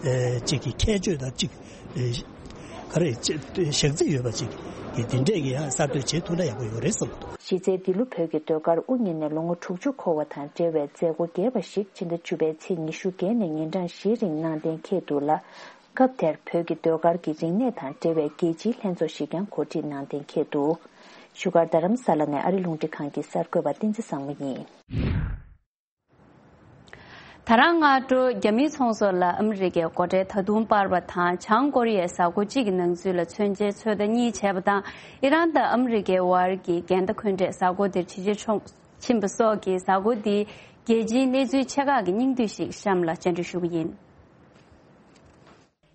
ཨེ་གཅིག་གི་ཁྱད་ཆོས་དང་གཅིག་ཨེ་ག་རེ་ཅེ་གཞག་ཚད་ཡོད་པ་ཅིག་གི་དེ་འདྲས་ཀྱི་ཡང་གསར་གཏོད་བྱེད་ཐུབ་ན་ཡག་པོ་ཡོད་རེད་བསམ་གྱི་འདུག་གཞི་རྩའི་འདི་ལོ་བོད་ཀྱི་ཟློས་གར་དབུ་བརྙེས་ནས་ལོ་ངོ་དྲུག་ཅུ་འཁོར་བ་དང་འབྲེལ་བའི་མཛད་སྒོ་རྒྱས་པ་ཞིག་ཕྱི་ཟླ་བཅུ་པའི་ཚེས་ཉི་ཤུ་བརྒྱད་ནས་ཉིན་གྲངས་བཞིའི་རིང་གནང་གཏན་འཁེལ་འདུག་ལ། སྐབས་དེར་བོད་ཀྱི་ཟློས་གར་གྱི་རིག་གནས་དང་འབྲེལ་བའི་རྒྱལ་སྤྱིའི་ལྷན་ཚོགས་ཤིག་ཀྱང་གོ་སྒྲིག་གནང་གཏན་འཁེལ་འདུག་བཞུགས་སྒར་རྡ་རམ་ས་ལ་ནས་ཨ་རི་རླུང་འཕྲིན་ཁང་གི་གསར་འགོད་པ་བསྟན་འཛིན་བཟང་མོ་ཡིན། ད་རང་སྔ་དྲོ་རྒྱ་མིའི་ཚོང་ཟོག་ལ་ཨ་མི་རི་ཀའི་སྒོ་ཁྲལ་ད་དུང་སྤར་བ་དང་། བྱང་ཀོ་རི་ཡས་གཟའ་འཁོར་གཅིག་གི་ནང་ཚུད་ལ་མཚོན་ཆའི་ཚོད་ལྟ་གཉིས་བྱས་པ་དང་། ཨི་རན་དང་ཨ་མི་རི་ཀའི་དབར་གྱི་འགལ་ཟླ་འཁོན་འགྲས་གཟའ་འཁོར་འདིར་ཇེ་ཆེར་ཕྱིན་པ་སོགས་ཀྱིས་གཟའ་འཁོར་འདིའི་རྒྱལ་སྤྱིའི་གནས་ཚུལ་ཆེ་ཁག་གི་སྙིང་བསྡུས་ཤིག་གཤམ་ལ་སྤྱན་འབུལ་ཞུ་གི་ཡིན།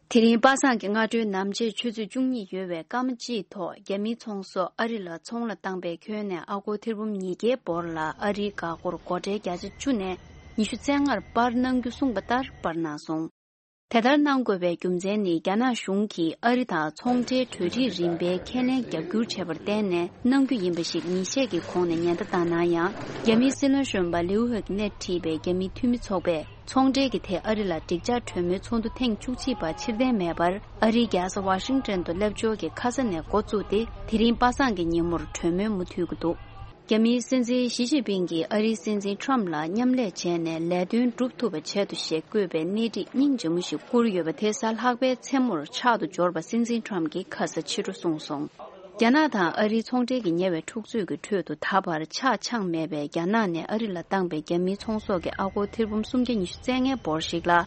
དེ་རིང་པ་སངས་ཀྱི་སྔ་དྲོའི་ནམ་ཕྱེད་ཆུ་ཚོད་བཅུ་གཉིས་ཡོལ་བའི་སྐར་མ་གཅིག་ཐོག་རྒྱ་མིའི་ཚོང་ཟོག་ཨ་རི་ལ་ཚོང་ལ་བཏང་པའི་ཁྱོན་ནས་ཨ་སྒོར་ཐེར་འབུམ་ཉིས་བརྒྱའི་སྦོར་ལ་ཨ་རིའི་འགག་སྒོར་སྒོ་ཁྲལ་བརྒྱ་ཆ་བཅུ་ནས་ཉི་ཤུ་རྩ་ལྔར་སྤར་གནང་རྒྱུ་གསུངས་པ་ལྟར་སྤར་གནང་སོང་། དེ་ལྟར་གནང་དགོས་པའི་རྒྱུ་མཚན་ནི་རྒྱ་ནག་གཞུང་གིས་ཨ་རི་དང་ཚོང་འབྲེལ་གྲོས་འགྲིག་རིམ་པའི་ཁས་ལེན་རྒྱབ་སྐྱོར་བྱས་པར་བརྟེན་ནས་གནང་རྒྱུ་ཡིན་པ་ཞིག་ཉིན་ཤས་ཀྱི་གོང་ནས་ཉེན་བརྡ་བཏང་ན་ཡང་། རྒྱ་མིའི་སྲིད་བློན་གཞོན་པ་ལིའུ་ཧེ་ནས་ཁྲིད་པའི་རྒྱ་མིའི་འཐུས་མི་ཚོགས་པས། ཚོང་འབྲེལ་གྱི་ཐད་ཨ་རི་ལ་འགྲིག་འཇགས་གྲོས་མོལ་ཚོགས་འདུ་ཐེངས་བཅུ་གཅིག་པ་ཕྱིར་འཐེན་མེད་པར། ཨ་རིའི་རྒྱལ་ས་ཝ་ཤིང་ཏོན་དུ་སླེབས་འབྱོར་གྱི་ཁ་ས་ནས་འགོ་བཙུགས་ཏེ། དེ་རིང་པ་སངས་ཀྱི་ཉིན་མོར་གྲོས་མོལ་མུ་མཐུད་ཀྱི་འདུག་རྒྱ་མིའི་སྲིད་འཛིན་ཞི་ཅིན་ཕིང་གིས་ཨ་རིའི་སྲིད་འཛིན་ཁྲོམ་ལ་མཉམ་ལས་བྱས་ནས་ལས་དོན་སྒྲུབ་ཐུབ་པ་བྱེད་དོ་ཞེས་བཀོད་པའི་གནས་འགྲིག་སྙིང་རྗེ་མོ་ཞིག་བསྐུར་ཡོད་པ་དེ་གཟའ་ལྷག་པའི་མཚན་མོར་ཕྱག་ཏུ་འབྱོར་བ་སྲིད་འཛིན་ཁྲོམ་གྱིས་ཁ་ས་ཕྱི་དྲོ་གསུངས་སོང་། རྒྱ་ནག་དང་ཨ་རིའི་ཚོང་འབྲེལ་གྱི་ཉེ་བའི་འཁྲུག་རྩོད་ཀྱི་ཁྲོད་དུ་ད་བར་ཆག་འཆང་མེད་པའི་རྒྱ་ནག་ནས་ཨ་རི་ལ་བཏང་པའི་རྒྱ་མིའི་ཚོང་ཟོག་གི་ཨ་སྒོར་ཐེར་འབུམ་སུམ་བརྒྱ་ཉི་ཤུ་རྩ་ལྔའི་སྦོར་ཞིག་ལ།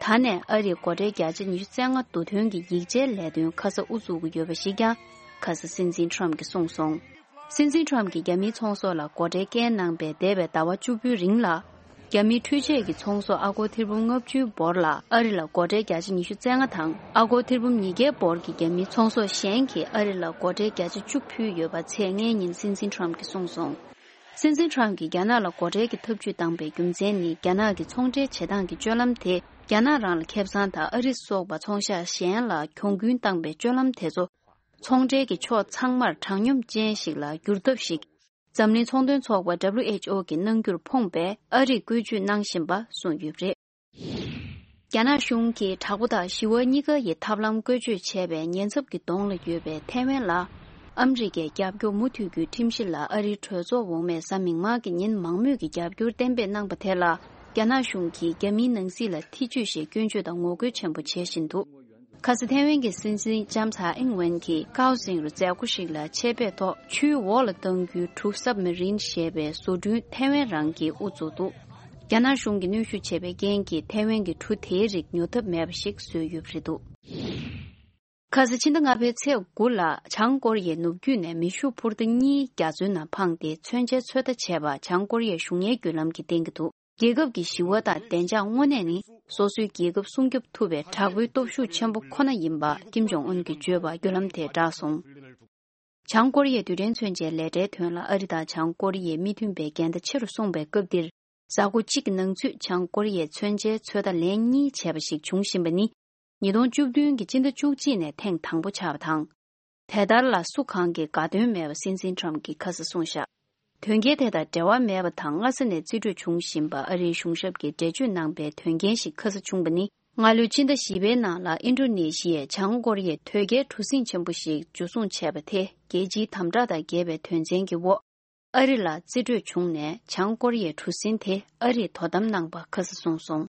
ད་ནས་ཨ་རིས་སྒོ་ཁྲལ་བརྒྱ་ཆ་ཉི་ཤུ་རྩ་ལྔ་བསྡུ་ཐོན་གྱི་ཡིག་ཆའི་ལས་དོན་ཁ་ས་དབུ་འཛུགས་ཀྱི་ཡོད་པ་ཞིག་ཀྱང་ཁ་ས་སྲིད་འཛིན་ཁྲོམ་གྱིས་གསུངས་སོང་། སྲིད་འཛིན་ཁྲོམ་གྱིས་རྒྱ་མིའི་ཚོང་ཟོག་ལ་སྒོ་ཁྲལ་བཀལ་གནང་པའི་འདས་པའི་ཟླ་བ་བཅུ་དགུའི་རིང་ལ། རྒྱ་མིའི་འཕྲུལ་ཆས་ཀྱི་ཚོང་ཟོག་ཨ་སྒོར་ཐེར་འབུམ་ལྔ་བཅུའི་འབོར་ལ་ཨ་རི་ལ་སྒོ་ཁྲལ་བརྒྱ་ཆ་ཉི་ཤུ་རྩ་ལྔ་དང་ཨ་སྒོར་ཐེར་འབུམ་ཉིས་བརྒྱའི་འབོར་གྱི་རྒྱ་མིའི་ཚོང་ཟོག་གཞན་གྱིས་ཨ་རི་ལ་སྒོ་ཁྲལ་བརྒྱ་ཆ་བཅུ་ཕུལ་ཡོད་པ་ཚེས་ལྔའི་ཉིན་སྲིད་འཛིན་ཁྲོམ་གྱིས་གསུངས་སོང་། སྲིད་འཛིན་ཁྲོམ་གྱིས་རྒྱ་ནག་ལ་སྒོ་ཁྲལ་གྱི་ཐབས་ཇུས་བཏང་པའི་རྒྱུ་མཚན་ནི། རྒྱ་ནག་གི་ཚོང་འབྲེལ་བྱེད་སྟངས་ཀྱི་སྤྱོད་ལམ་དེ་རྒྱ་ནག་རང་ལ་ཁེ་བཟང་དང་ཨ་རི་སོགས་པ་ཚོང་ཤག་གཞན་ལ་གྱོང་གུན་བཏང་པའི་སྤྱོད་ལམ་དེ་ཚོ་ཚོང་འབྲེལ་གྱི་ཕྱོགས་ཚང་མར་དྲང་སྙོམས་ཅན་ཞིག་ལ་བསྒྱུར་ཐབས་ཤིག་འཛམ་གླིང་ཚོང་དོན་ཚོགས་པ་W H O གིས་གནང་རྒྱུར་ཕོངས་པའི་ཨ་རིས་བཀོལ་སྤྱོད་གནང་བཞིན་པ་གསུངས་ཡོད་པ་རེད། རྒྱ་ནག་གཞུང་གིས་དྲག་པོ་དང་ཞི་བ་གཉིས་ཀ་ཡི་ཐབས་ལམ་བཀོལ་སྤྱོད་བྱས་པའི་ཉེན་ཚབས་ཀྱི་གདོང་ལ་ཡོད་པའི་ཐའེ་ཝན་ལ། ཨ་མི་རི་ཀའི་རྒྱབ་སྐྱོར་མུ་མཐུད་རྒྱུའི་ཁྲིམས་གཞི་ལ་ཨ་རིའི་གྲོས་ཚོགས་འོག་མས་གཟའ་མིག་དམར་གྱི་ཉིན་མང་མོས་ཀྱི་རྒྱབ་སྐྱོར་གཏན་འབེབས་གནང་པ་དེ་ལ། རྒྱ་ནག་གཞུང་གིས་རྒྱ་མིའི་ནང་སྲིད་ལ་ཐེ་བྱུས་ཤིག་སྐྱོན་བརྗོད་དང་ངོ་རྒོལ་ཆེན་པོ་བྱེད་བཞིན་འདུག་ཁ་ས་ཐའེ་ཝན་གྱི་སྲིད་འཛིན་ལྕམ་ཚའེ་ཨིང་ཝེན་གྱིས་ཀའོ་ཟིང་རུ་མཛད་སྒོ་ཞིག་ལ་ཆེད་ཕེབས་ཐོག་ཆུའི་འོག་ལ་གཏོང་རྒྱུའི་གྲུ་སབ་མ་རིན་ཞེས་པའི་བཟོ་སྐྲུན་ཐའེ་ཝན་རང་གིས་དབུ་བཙུགས་འདུག་རྒྱ་ནག་གཞུང་གིས་གནོན་ཤུགས་བྱས་པའི་རྐྱེན་གྱིས་ཐའེ་ཝན་གྱི་གྲུ་དེའི་རིགས་ཉོ་ཐབས་མེད་པ་ཞིག་བཟོས་ཡོད་པ་རེད་འདུག་ཁ་ས་ཕྱི་ཟླ་ལྔ་པའི་ཚེས་དགུ་ལ་བྱང་ཀོ་རི་ཡའི་ནུབ་རྒྱུད་ནས་མེ་ཤུགས་འཕུར་མདའ་གཉིས་རྒྱ་མཚོའི་ནང་འཕངས་ཏེ་མཚོན་ཆའི་ཚོད་ལྟ་བྱས་པ་བྱང་ཀོ་རི་ཡའི་གཞུང་གཉེར་བརྒྱུད་ལམ་གྱིས་བསྟན་གྱི་འདུག་རྒྱལ་ཁབ་ཀྱི་ཞི་བ་དང་བདེ་འཇགས་དངོས་གནས་ནི་སོ་སོའི་རྒྱལ་ཁབ་སྲུང་སྐྱོབ་ཐུབ་པའི་དྲག་པོའི་སྟོབས་ཤུགས་ཆེན་པོ་ཁོ་ན་ཡིན་པ་ཀིམ་ཇོང་ཨུན་གྱིས་བརྗོད་པ་བརྒྱུད་ལམ་དེས་བསྒྲགས་སོང་། བྱང་ཀོ་རི་ཡའི་རྡུལ་ཕྲན་མཚོན་ཆའི་ལས་གྲྭའི་དོན་ལ་ཨ་རི་དང་བྱང་ཀོ་རི་ཡའི་མི་མཐུན་པའི་འགལ་ཟླ་ཆེ་རུ་སོང་པའི་སྐབས་འདིར། གཟའ་འཁོར་གཅིག་གི་ནང་ཚུད་བྱང་ཀོ་རི་ཡས་མཚོན་ཆའི་ཚོད་ལྟ་ལན་གཉིས་བྱས་པ་ཞིག་བྱུང་བཞིན་པ་ནི། ཉིས་སྟོང་བཅུ་བདུན་གྱི་སྤྱི་ཟླ་བཅུ་གཅིག་ནས་ཐེངས་དང་པོ་ཆགས་པ་དང་། དེ་ལྟར་ལ་སུ་གང་གིས་དགའ་དོན་མེད་པ་སྲིད་འཛིན་ཁྲོམ་གྱིས་ཁ་སང་གསུངས་བཞག་དོན་རྐྱེན་དེ་དང་འབྲེལ་བ་མེད་པ་དང་སྔ་ས་ནས་རྩིས་སྤྲོད་བྱུང་བཞིན་པ་ཨ་རིའི་གཞུང་ཞབས་ཀྱིས་འགྲེལ་བརྗོད་གནང་པའི་དོན་རྐྱེན་ཞིག་ཁ་སང་བྱུང་པ་ནི། སྔ་ལོའི་ཕྱི་ཟླ་བཞི་པའི་ནང་ལ་ཨིན་ཌོ་ནེ་ཤི་ཡས་བྱང་ཀོ་རི་ཡའི་དོས་སྐྱེལ་གྲུ་གཟིངས་ཆེན་པོ་ཞིག་འཇུ་བཟུང་བྱས་པ་དེ་རྒྱལ་སྤྱིའི་དམ་དྲག་དང་འགལ་བའི་དོན་ཚན་གྱི་འོག་ཨ་རི་ལ་རྩིས་སྤྲོད་བྱུང་ནས་བྱང་ཀོ་རི་ཡའི་གྲུ་གཟིངས་དེ་ཨ་རིས་དོ་དམ་གནང་པ་ཁ་སང་གསུངས་སོང་།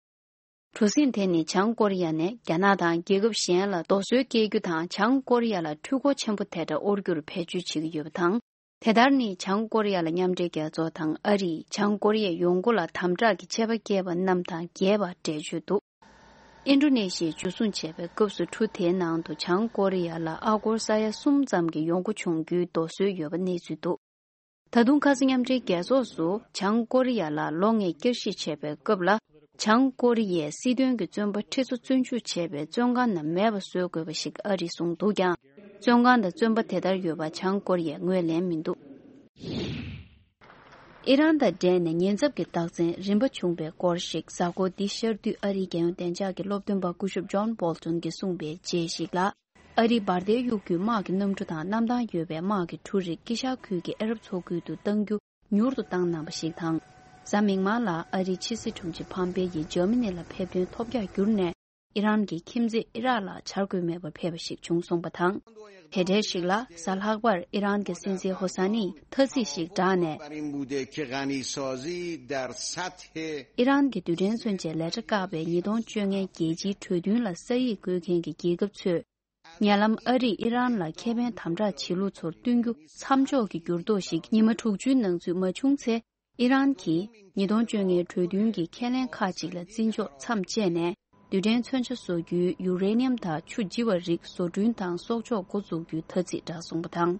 གྲུ་གཟིངས་དེ་ནི་བྱང་ཀོ་རི་ཡ་ནས་རྒྱ་ནག་དང་རྒྱལ་ཁབ་གཞན་ལ་རྡོ་སོལ་སྐྱེལ་རྒྱུ་དང་བྱང་ཀོ་རི་ཡ་ལ་འཕྲུལ་འཁོར་ཆེན་པོ་དེ་འདྲ་དབོར་རྒྱུར་བེད་སྤྱོད་བྱེད་ཀྱི་ཡོད་པ་དང་། དེ་ལྟར་ནི་བྱང་ཀོ་རི་ཡ་ལ་མཉམ་འབྲེལ་རྒྱལ་ཚོགས་དང་ཨ་རིས་བྱང་ཀོ་རི་ཡའི་ཡོང་སྒོ་ལ་དམ་དྲག་གི་ཆད་པ་བཀལ་བ་རྣམས་དང་འགལ་བར་འགྲེལ་བརྗོད་འདུག་ཨིན་ཌོ་ནེ་ཤི་ཡས་འཇུ་བཟུང་བྱས་པའི་སྐབས་སུ་གྲུ་དེའི་ནང་དུ་བྱང་ཀོ་རི་ཡ་ལ་ཨ་སྒོར་ས་ཡ་གསུམ་ཙམ་གྱི་ཡོང་སྒོ་བྱུང་རྒྱུའི་རྡོ་སོལ་ཡོད་པ་གནས་ཚུལ་འདུག་ད་དུང་ཁ་སང་མཉམ་འབྲེལ་རྒྱལ་ཚོགས་སུ་བྱང་ཀོ་རི་ཡ་ལ་ལོ་ལྔའི་བསྐྱར་ཞིབ་བྱས་པའི་སྐབས་ལ། བྱང་ཀོ་རི་ཡའི་སྲིད་དོན་གྱི་བཙོན་པ་ཁྲི་ཚོ་བཙོན་འཇུག་བྱས་པའི་བཙོན་ཁང་ནང་མེད་པ་བཟོ་དགོས་པ་ཞིག་ཨ་རིས་གསུངས་འདུག་ཀྱང་། བཙོན་ཁང་དང་བཙོན་པ་དེ་ལྟར་ཡོད་པ་བྱང་ཀོ་རི་ཡས་ངོས་ལེན་མི་འདུག་ཨི་རན་དང་འབྲེལ་ནས་ཉེན་ཚབས་ཀྱི་རྟགས་མཚན་རིམ་པ་བྱུང་པའི་སྐོར་ཞིག་གཟའ་འཁོར་འདི་ཤར་དུས་ཨ་རིའི་རྒྱལ་ཡོངས་བདེ་འཇགས་ཀྱི་སློབ་སྟོན་པ་སྐུ་ཞབས་ཇོན་བོལ་ཊོན་གྱིས་གསུངས་པའི་རྗེས་ཤིག་ལ། ཨ་རིའི་འབར་མདེལ་གཡུག་རྒྱུའི་དམག་གི་གནམ་གྲུ་དང་གནམ་ཐང་ཡོད་པའི་དམག་གི་གྲུ་རིགས་དཀྱིལ་ཤར་ཁུལ་གྱི་ཨ་རབ་མཚོ་ཁུལ་དུ་གཏང་རྒྱུ་མྱུར་དུ་བཏང་གནང་བ་ཞིག་དང་། གཟའ་མིག་དམར་ལ་ཨ་རིའི་ཕྱི་སྲིད་དྲུང་ཆེ་ཕམ་པེ་ཡིས་འཇར་མ་ནི་ལ་ཕེབས་ཐོན་ཐོབ་རྒྱག་གྱུར་ནས། ཨི་རན་གྱི་ཁྱིམ་མཚེས་ཨི་རག་ལ་བྱ་དགོས་མེད་པར་ཕེབས་པ་ཞིག་བྱུང་སོང་པ་དང་། དེ་འབྲེལ་ཞིག་ལ་གཟའ་ལྷག་པར་ཨི་རན་གྱི་སྲིད་འཛིན་ཧོ་ས་ནིས་ཐ་ཚིག་ཞིག་བསྒྲགས་ནས། ཨི་རན་གྱི་རྡུལ་ཕྲན་མཚོན་ཆའི་ལས་གྲྭ་བཀག་པའི་ཉིས་སྟོང་བཅོ་ལྔའི་རྒྱལ་སྤྱིའི་གྲོས་མཐུན་ལ་ས་ཡིག་བཀོད་མཁན་གྱི་རྒྱལ་ཁབ་ཚོས། ཉེ་ལམ་ཨ་རིས་ཨི་རན་ལ་ཁེ་ཕན་དམ་དྲག་བྱེད་ལུགས་ཚོར་བསྟུན་རྒྱུ་མཚམས་འཇོག་གི་འགྱུར་ལྡོག་ཞིག་ཉི་མ་དྲུག་ཅུའི་ནང་ཚུད་མ་བྱུང་ཚེ། ཨི་རན་གྱིས་ཉིས་སྟོང་བཅོ་ལྔའི་གྲོས་མཐུན་གྱི་ཁས་ལེན་ཁག་ཅིག་ལ་བརྩི་འཇོག་མཚམས་བཅད་ནས། རྡུལ་ཕྲན་མཚོན་ཆ་བཟོ་རྒྱུའི་ཡུ་རེ་ནི་ཡམ་དང་ཆུ་ལྗི་བ་རིགས་བཟོ་སྐྲུན་དང་གསོག་འཇོག་འགོ་འཛུགས་རྒྱུའི་ཐ་ཚིག་བསྒྲགས་སོང་པ་དང་།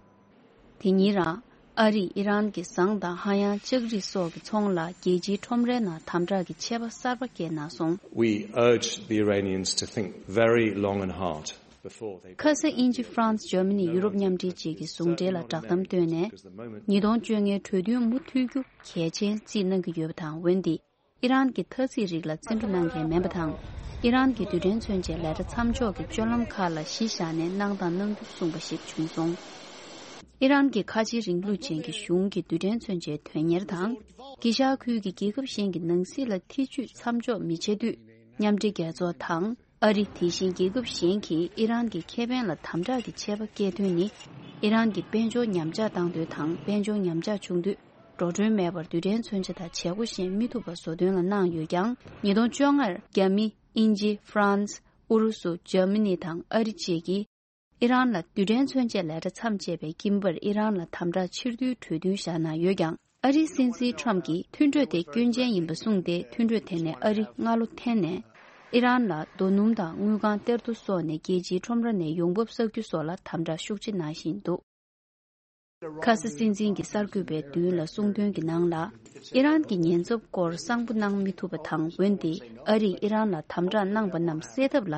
དེ་ཉིན་རང་ཨ་རིས་ཨི་རན་གྱི་ཟངས་དང་ཧ་ཡང་ལྕགས་རིགས་སོགས་ཀྱི་ཚོང་ལ་རྒྱལ་སྤྱིའི་ཁྲོམ་རའི་ནང་དམ་དྲག་གི་ཆད་པ་གསར་པ་བཀལ་གནང་སོང་། We urge the Iranians to think very long and hard before they ཁ་ས་དབྱིན་ཇི་ཧྥ་རན་སི་འཇར་མ་ནི་ཡུ་རོབ་མཉམ་འབྲེལ་བཅས་ཀྱི་ཟུང་འབྲེལ་ལ་བསྒྲགས་གཏམ་བཏོན་ནས། ཉིས་སྟོང་བཅོ་ལྔའི་གྲོས་མཐུན་མུ་མཐུད་རྒྱུ་གལ་ཆེན་བརྩིས་གནང་གི་ཡོད་པ་དང་འོན་ཏེ། ཨི་རན་གྱི་ཐ་ཚིག་རིགས་ལ་བརྩི་འགྲོ་གནང་མཁན་མིན་པ་དང་། ཨི་རན་གྱི་རྡུལ་ཕྲན་མཚོན་ཆའི་ལས་གྲྭ་མཚམས་འཇོག་གི་སྤྱོད་ལམ་ཁག་ལ་གཞི་བཞག་ནས་གནང་དང་གནང་རྒྱུ་གསུངས་པ་ཞིག་བྱུང་སོང་། ཨི་རན་གྱི་ཁ་ཆེའི་རིང་ལུགས་ཅན་གྱི་གཞུང་གི་རྡུལ་ཕྲན་མཚོན་ཆའི་དོན་གཉེར་དང་། དཀྱིལ་ཤར་ཁུལ་གྱི་རྒྱལ་ཁབ་གཞན་གྱི་ནང་སྲིད་ལ་ཐེ་ཇུས་མཚམས་འཇོག་མི་བྱེད་དུས། མཉམ་འབྲེལ་རྒྱལ་ཚོགས་དང་། ཨ་རི་དེ་བཞིན་རྒྱལ་ཁབ་གཞན་གྱིས་ཨི་རན་གྱི་ཁེ་ཕན་ལ་དམ་དྲག་གི་ཆད་པ་བཀལ་དོན་ནི། ཨི་རན་གྱི་དཔལ་འབྱོར་ཉམས་ཆག་བཏང་དོན་དང་དཔལ་འབྱོར་ཉམས་ཆག་བྱུང་དུས། འགྲོ་གྲོན་མེད་པར་རྡུལ་ཕྲན་མཚོན་ཆ་དང་བྱེད་སྒོ་གཞན་མི་ཐུབ་པ་བཟོ་དོན་ལ་གནང་ཡོད་ཀྱང་། ཉིས་སྟོང་བཅོ་ལྔར་རྒྱ་མི། དབྱིན་ཇི། ཧྥ་རན་སི། ཨུ་རུ་སུ། འཇར་མ་ནི་དང་ཨ་རི་བཅས་ཀྱིས་ཨི་རན་ལ་རྡུལ་ཕྲན་མཚོན་ཆའི་ལས་གྲྭ་མཚམས་བཅད་པའི་དཀྱིལ་འབར་ཨི་རན་ལ་དམ་དྲག་ཕྱིར་བསྡུའི་གྲོས་མཐུན་བཞག་གནང་ཡོད་ཀྱང་། ཨ་རིའི་སྲིད་འཛིན་ཁྲོམ་གྱིས་མཐུན་གྲོས་དེ་སྐྱོན་ཅན་ཡིན་པ་གསུངས་ཏེ། མཐུན་གྲོས་དེ་ནས་ཨ་རི་སྔ་ལོ་འཐེན་ནས། ཨི་རན་ལ་རྡོ་སྣུམ་དང་དངུལ་ཁང་གཏེར་རྡོ་སོགས་ནས་རྒྱལ་སྤྱིའི་ཁྲོམ་ར་ནས་ཡོང་འབབ་བསགས་རྒྱུ་སོགས་ལ་དམ་དྲག་ཤུགས་ཆེ་གནང་བཞིན་འདུག་ཁ་ས་སྲིད་འཛིན་གྱི་གསར་འགོད་པའི་མདུན་ལ་གསུངས་དོན་གྱི་ནང་ལ། ཨི་རན་གྱི་ཉེན་ཚབས་སྐོར་གསང་པོ་གནང་མི་ཐུབ་པ་དང་། འོན་ཏེ་ཨ་རིས་ཨི་རན་ལ་དམ་དྲག་གནང་པ་རྣམས་སེལ་ཐབས་ལ།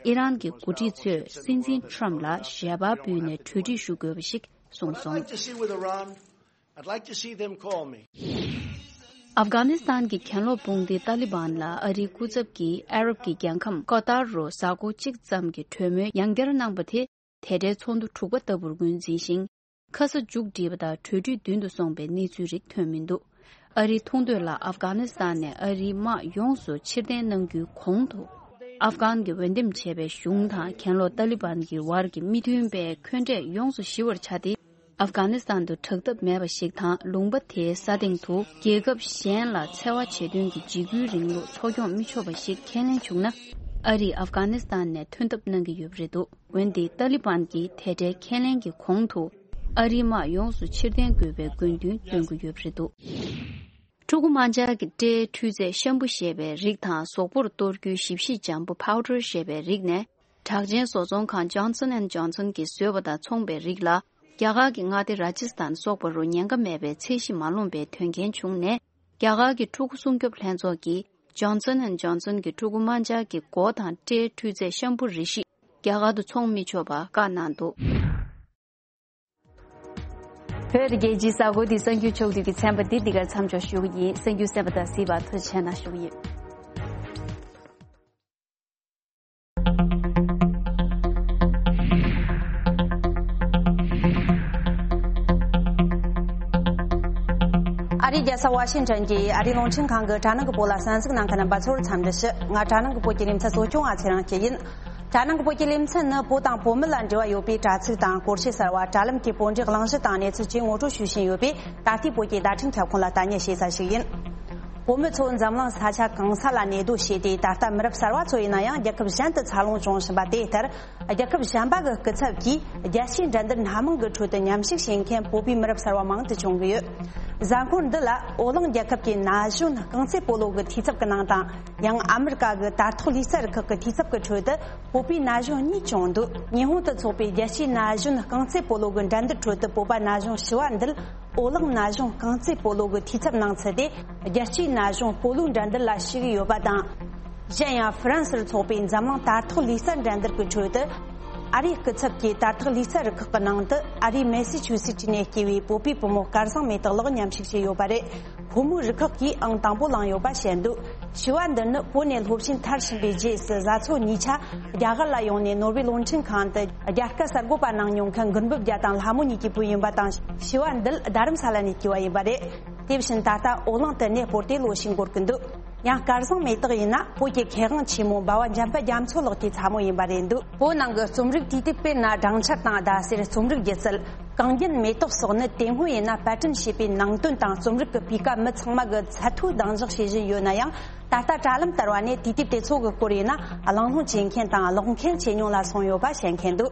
ཨི་རན་གྱི་འགོ་ཁྲིད་ཚོས་སྲིད་འཛིན་ཁྲམ་ལ་ཞལ་པར་ཕུལ་ནས་གྲོས་འགྲིག་ཞུ་དགོས་པ་ཞིག་གསུངས་སོང་། I'd like to see them call me. ཨབ་གྷ་ནི་སི་ཐན་གྱི་གྱེན་ལོག་དཔུང་སྡེ་ཏཱ་ལི་བན་ལ་ཨ་རིའི་སྐུ་ཚབ་ཀྱིས་ཨ་རབ་ཀྱི་རྒྱལ་ཁམས་ཀ་ཏར་རུ་གཟའ་འཁོར་གཅིག་ཙམ་གྱི་གྲོས་མོལ་ཡང་བསྐྱར་གནང་པ་དེ། དེ་འདྲའི་ཚོགས་འདུ་དྲུག་པ་ལྟ་བུར་ངོས་འཛིན་ཞིང་། ཁ་ས་མཇུག་བསྒྲིལ་བ་དང་གྲོས་མཐུན་མདུན་དུ་སོང་པའི་གནས་ཚུལ་རིགས་ཐོན་མི་འདུག་ཨ་རིའི་མཐོང་འདོད་ལ་ཨབ་གྷ་ནི་སི་ཐན་ནས་ཨ་རིའི་དམག་ཡོངས་སུ་ཕྱིར་འཐེན་གནང་རྒྱུའི་གོང་དུ། ཨབ་གྷན་གྱི་འོས་འདེམས་བྱས་པའི་གཞུང་དང་གྱེན་ལོག་ཏཱ་ལི་བན་གྱི་བར་གྱི་མི་མཐུན་པའི་འཁོན་འགྲས་ཡོངས་སུ་ཞི་བར་བྱ་སྟེ། ཨབ་གྷ་ནི་སི་ཐན་དུ་དྲག་འཐབ་མེད་པ་ཞིག་དང་། ལུང་པ་དེའི་ས་སྟེང་དུ་རྒྱལ་ཁབ་གཞན་ལ་འཚེ་བ་བྱེད་དོན་གྱི་འཇིགས་སྐུལ་རིང་ལུགས་འཚོ་སྐྱོང་མི་ཆོག་པ་ཞིག་ཁས་ལེན་བྱུང་ན། ཨ་རིས་ཨབ་གྷ་ནི་སི་ཐན་ནས་ཐོན་ཐབས་གནང་གི་ཡོད་པ་རེད་འདུག་འོན་ཏེ་ཏཱ་ལི་བན་གྱིས་དེ་འདྲའི་ཁས་ལེན་གྱི་གོང་དུ། ཨ་རིའི་དམག་ཡོངས་སུ་ཕྱིར་འཐེན་དགོས་པའི་དགོས་འདུན་བཏོན་གྱི་ཡོད་པ་རེད་འདུག་ཕྲུ་གུ་དམར་འབྱར་གྱི་སྐྲའི་འཕྲུལ་རྫས་ཤམ་བུ་ཞེས་པའི་རིགས་དང་། གཟུགས་པོར་གཏོར་རྒྱུའི་ཞིབ་བཤེར་འཇམ་པོ་པའུ་ཌར་ཞེས་པའི་རིགས་ནས། གྲགས་ཅན་བཟོ་ཚོང་ཁང་Johnson and Johnson གྱིས་བཟོས་པ་དང་མཚུངས་པའི་རིགས་ལ། རྒྱ་གར་གྱི་མངའ་སྡེ་ར་ཇི་སི་ཐན་སོགས་པ་རུ་ཉེན་ཁ་མེད་པའི་ཚད་གཞི་མ་ལོངས་པའི་དོན་རྐྱེན་བྱུང་ནས། རྒྱ་གར་གྱི་ཕྲུ་གུ་སྲུང་སྐྱོབ་ལྷན་ཚོགས་ཀྱིས་Johnson and Johnson གྱི་ཕྲུ་གུ་དམར་འབྱར་གྱི་མགོ་དང་སྐྲའི་འཕྲུལ་རྫས་ཤམ་བུ་རེ་ཞིག་རྒྱ་གར་དུ་འཚོང་མི་ཆོག་པ་བཀག་གནང་འདུག་བོད་རྒྱལ་སྤྱིའི་གཟའ་འཁོར་འདིའི་གསར་འགྱུར་ཕྱོགས་བསྡུས་ཀྱི་ཚན་པ་འདི་འདི་གར་མཚམས་འཇོག་ཞུ་གི་ཡིན། གསར་འགྱུར་གསན་པ་དང་གཟིགས་པར་ཐུགས་རྗེ་ཆེ་གནང་ཞུ་གི་ཡིན། ཨ་རིའི་རྒྱལ་ས་ཝ་ཤིང་ཊོན་གྱི་ཨ་རིའི་རླུང་འཕྲིན་ཁང་གི་དྲ་ནང་གི་བོད་ལ་གསན་གཟིགས་གནང་མཁན་རྣམ་པ་ཚོར་འཚམས་འདྲི་ཞུ། ང་དྲ་ནང་གི་བོད་ཀྱི་ལེ་ཚན་གཙོ་སྐྱོང་བ་ཚེ་རིང་སྐྱིད་ཡིན། དྲ་ནང་གི་བོད་ཀྱི་ལེ་ཚན་ནི་བོད་དང་བོད་མི་ལ་འབྲེལ་བ་ཡོད་པའི་དྲ་ཚིགས་དང་སྐོར་ཞིབ་གསར་བ། དྲ་ལམ་གྱི་བོད་འབྲེལ་གླེང་གཞི་དང་གནས་ཚུལ་བཅས་ངོ་སྤྲོད་ཞུ་བཞིན་ཡོད་པས། ད་ལྟའི་བོད་ཀྱི་བརྡ་འཕྲིན་ཁྱབ་ཁོངས་ལ་ལྟ་རྙེད་བྱེད་ས་ཞིག་ཡིན། བོད་མི་ཚོ་འཛམ་གླིང་ས་ཆ་གང་ས་ལ་གནས་སྡོད་བྱས་ཏེ། ད་ལྟ་མི་རབས་གསར་བ་ཚོ་ཡིན་ན་ཡང་རྒྱལ་ཁབ་གཞན་དུ་འཚར་ལོངས་བྱུང་བཞིན་པ་དེ་ལྟར། རྒྱལ་ཁབ་གཞན་པ་གི་སྐུ་ཚབ་ཀྱིས་རྒྱལ་སྤྱིའི་འགྲན་བསྡུར་སྣ་མང་གི་ཁྲོད་དུ་མཉམ་ཞུགས་བྱེད་མཁན་བོད་པའི་མི་རབས་གསར་བ་མང་དུ་བྱུང་གི་ཡོད། གཟའ་འཁོར་འདི་ལ་ཨོ་གླིང་རྒྱལ་ཁབ་ཀྱི་ན་གཞོན་རྐང་རྩེད་སྤོ་ལོ་གི་འཐུས་ཚབ་ཀྱི་ནང་དང་། ཡང་ཨ་མི་རི་ཀ་གི་དར་ཐོག་ལུས་རྩལ་རུ་ཁག་གི་འཐུས་ཚབ་ཀྱི་ཁྲོད་དུ་བོད་པའི་ན་གཞོན་གཉིས་བྱུང་འདུག་ཉི་ཧོང་དུ་འཚོགས་པའི་རྒྱལ་སྤྱིའི་ན་གཞོན་རྐང་རྩེད་སྤོ་ལོ་གི་འགྲན་བསྡུར་ཁྲོད་དུ་བོད་པ་ན་གཞོན་བཞི་བ་འདིར་ཨོ་གླིང་ན་གཞོན་རྐང་རྩེད་སྤོ་ལོ་གི་འཐུས་ཚབ་གནང་ཚུལ་དེ་རྒྱལ་སྤྱིའི་ན་གཞོན་སྤོ་ལོའི་འགྲན་བསྡུར་ལ་ཞུགས་ཡོད་པ་དང་། གཞན་ཡང་ཧྥ་རན་སིར་འཚོགས་པའི་འཛམ་གླིང་དར་ཐོག་ལུས་རྩལ་འགྲན་བསྡུར་གྱི་ཁྲོད་དུ། ཨ་རིའི་སྐུ་ཚབ་ཀྱིས་དར་ཐོག་ལུས་རྩལ་རུ་ཁག་གི་ནང་དུ་ཨ་རིའི་མེ་སི་ཆུ་སི་ཊི་ནས་སྐྱེས་པའི་བོད་པའི་བུ་མོ་སྐལ་བཟང་མེ་ཏོག་ལགས་མཉམ་ཞུགས་བྱས་ཡོད་པ་རེད། ཕོ་མོའི་རུ་ཁག་གིས་ཨང་དང་པོ་བླངས་ཡོད་པ་བཤད་འདུག་ཞུ་བ་འདི་ནི་བོད་ནས་སློབ་ཆེན་མཐར་ཕྱིན་པའི་རྗེས་སུ་བཟའ་ཚོ་གཉིས་ཆ་རྒྱ་གར་ལ་ཡོང་ནས་ནོར་ཝེ་རླུང་འཕྲིན་ཁང་དུ་རྒྱ་སྐད་གསར་འགོད་པ་གནང་མྱོང་མཁན་མགོན་པོ་རྒྱལ་དང་ལྷ་མོ་གཉིས་ཀྱི་བུ་ཡིན་པ་དང་། ཞུ་བ་འདི་རྡ་རམ་ས་ལ་ནས་སྐྱེས་པ་ཡིན་པ་རེད། དེ་བཞིན་ད་ལྟ་ཨོ་གླིང་དུ་གནས་སྤོར་ཏེ་ལོ་ཞིག་འགོར་གྱི་འདུག་ཡང་སྐལ་བཟང་མེ་ཏོག་ཡིན་ན་བོད་ཀྱི་མཁས་དབང་ཆེན་མོ་འབའ་བ་འཇམ་དཔལ་རྒྱ་མཚོ་ལགས་ཀྱི་ཚ་མོ་ཡིན་པ་རེད་འདུག་བོད་ནང་གི་རྩོམ་རིག་དུས་དེབ་དཔེར་ན་སྦྲང་ཆར་དང་ཟླ་ཟེར། རྩོམ་རིག་སྒྱུ་རྩལ། གངས་རྒྱན་མེ་ཏོག་སོགས་ནི་དེ་སྔོན་ཡིན་ན་པར་སྐྲུན་བྱས་པའི་ནང་དོན་དང་རྩོམ་རིག་གི་སྤུས་ཀ་མི་ཚང་མ་གི་ཚད་མཐོའི་གདེང་འཇོག་བྱེད་བཞིན་ཡོད་ན་ཡང་། ད་ལྟ་དྲ་ལམ་ལྟར་བ་ནས་དུས་དེབ་དེ་ཚོ་གི་སྐོར་ཡིན་ན་གླེང་སློང་བྱེད་མཁན་དང་ཀློག་མཁན་ཇེ་ཉུང་ལ་སོང་ཡོད་པ་བཤད་མཁན་འདུག་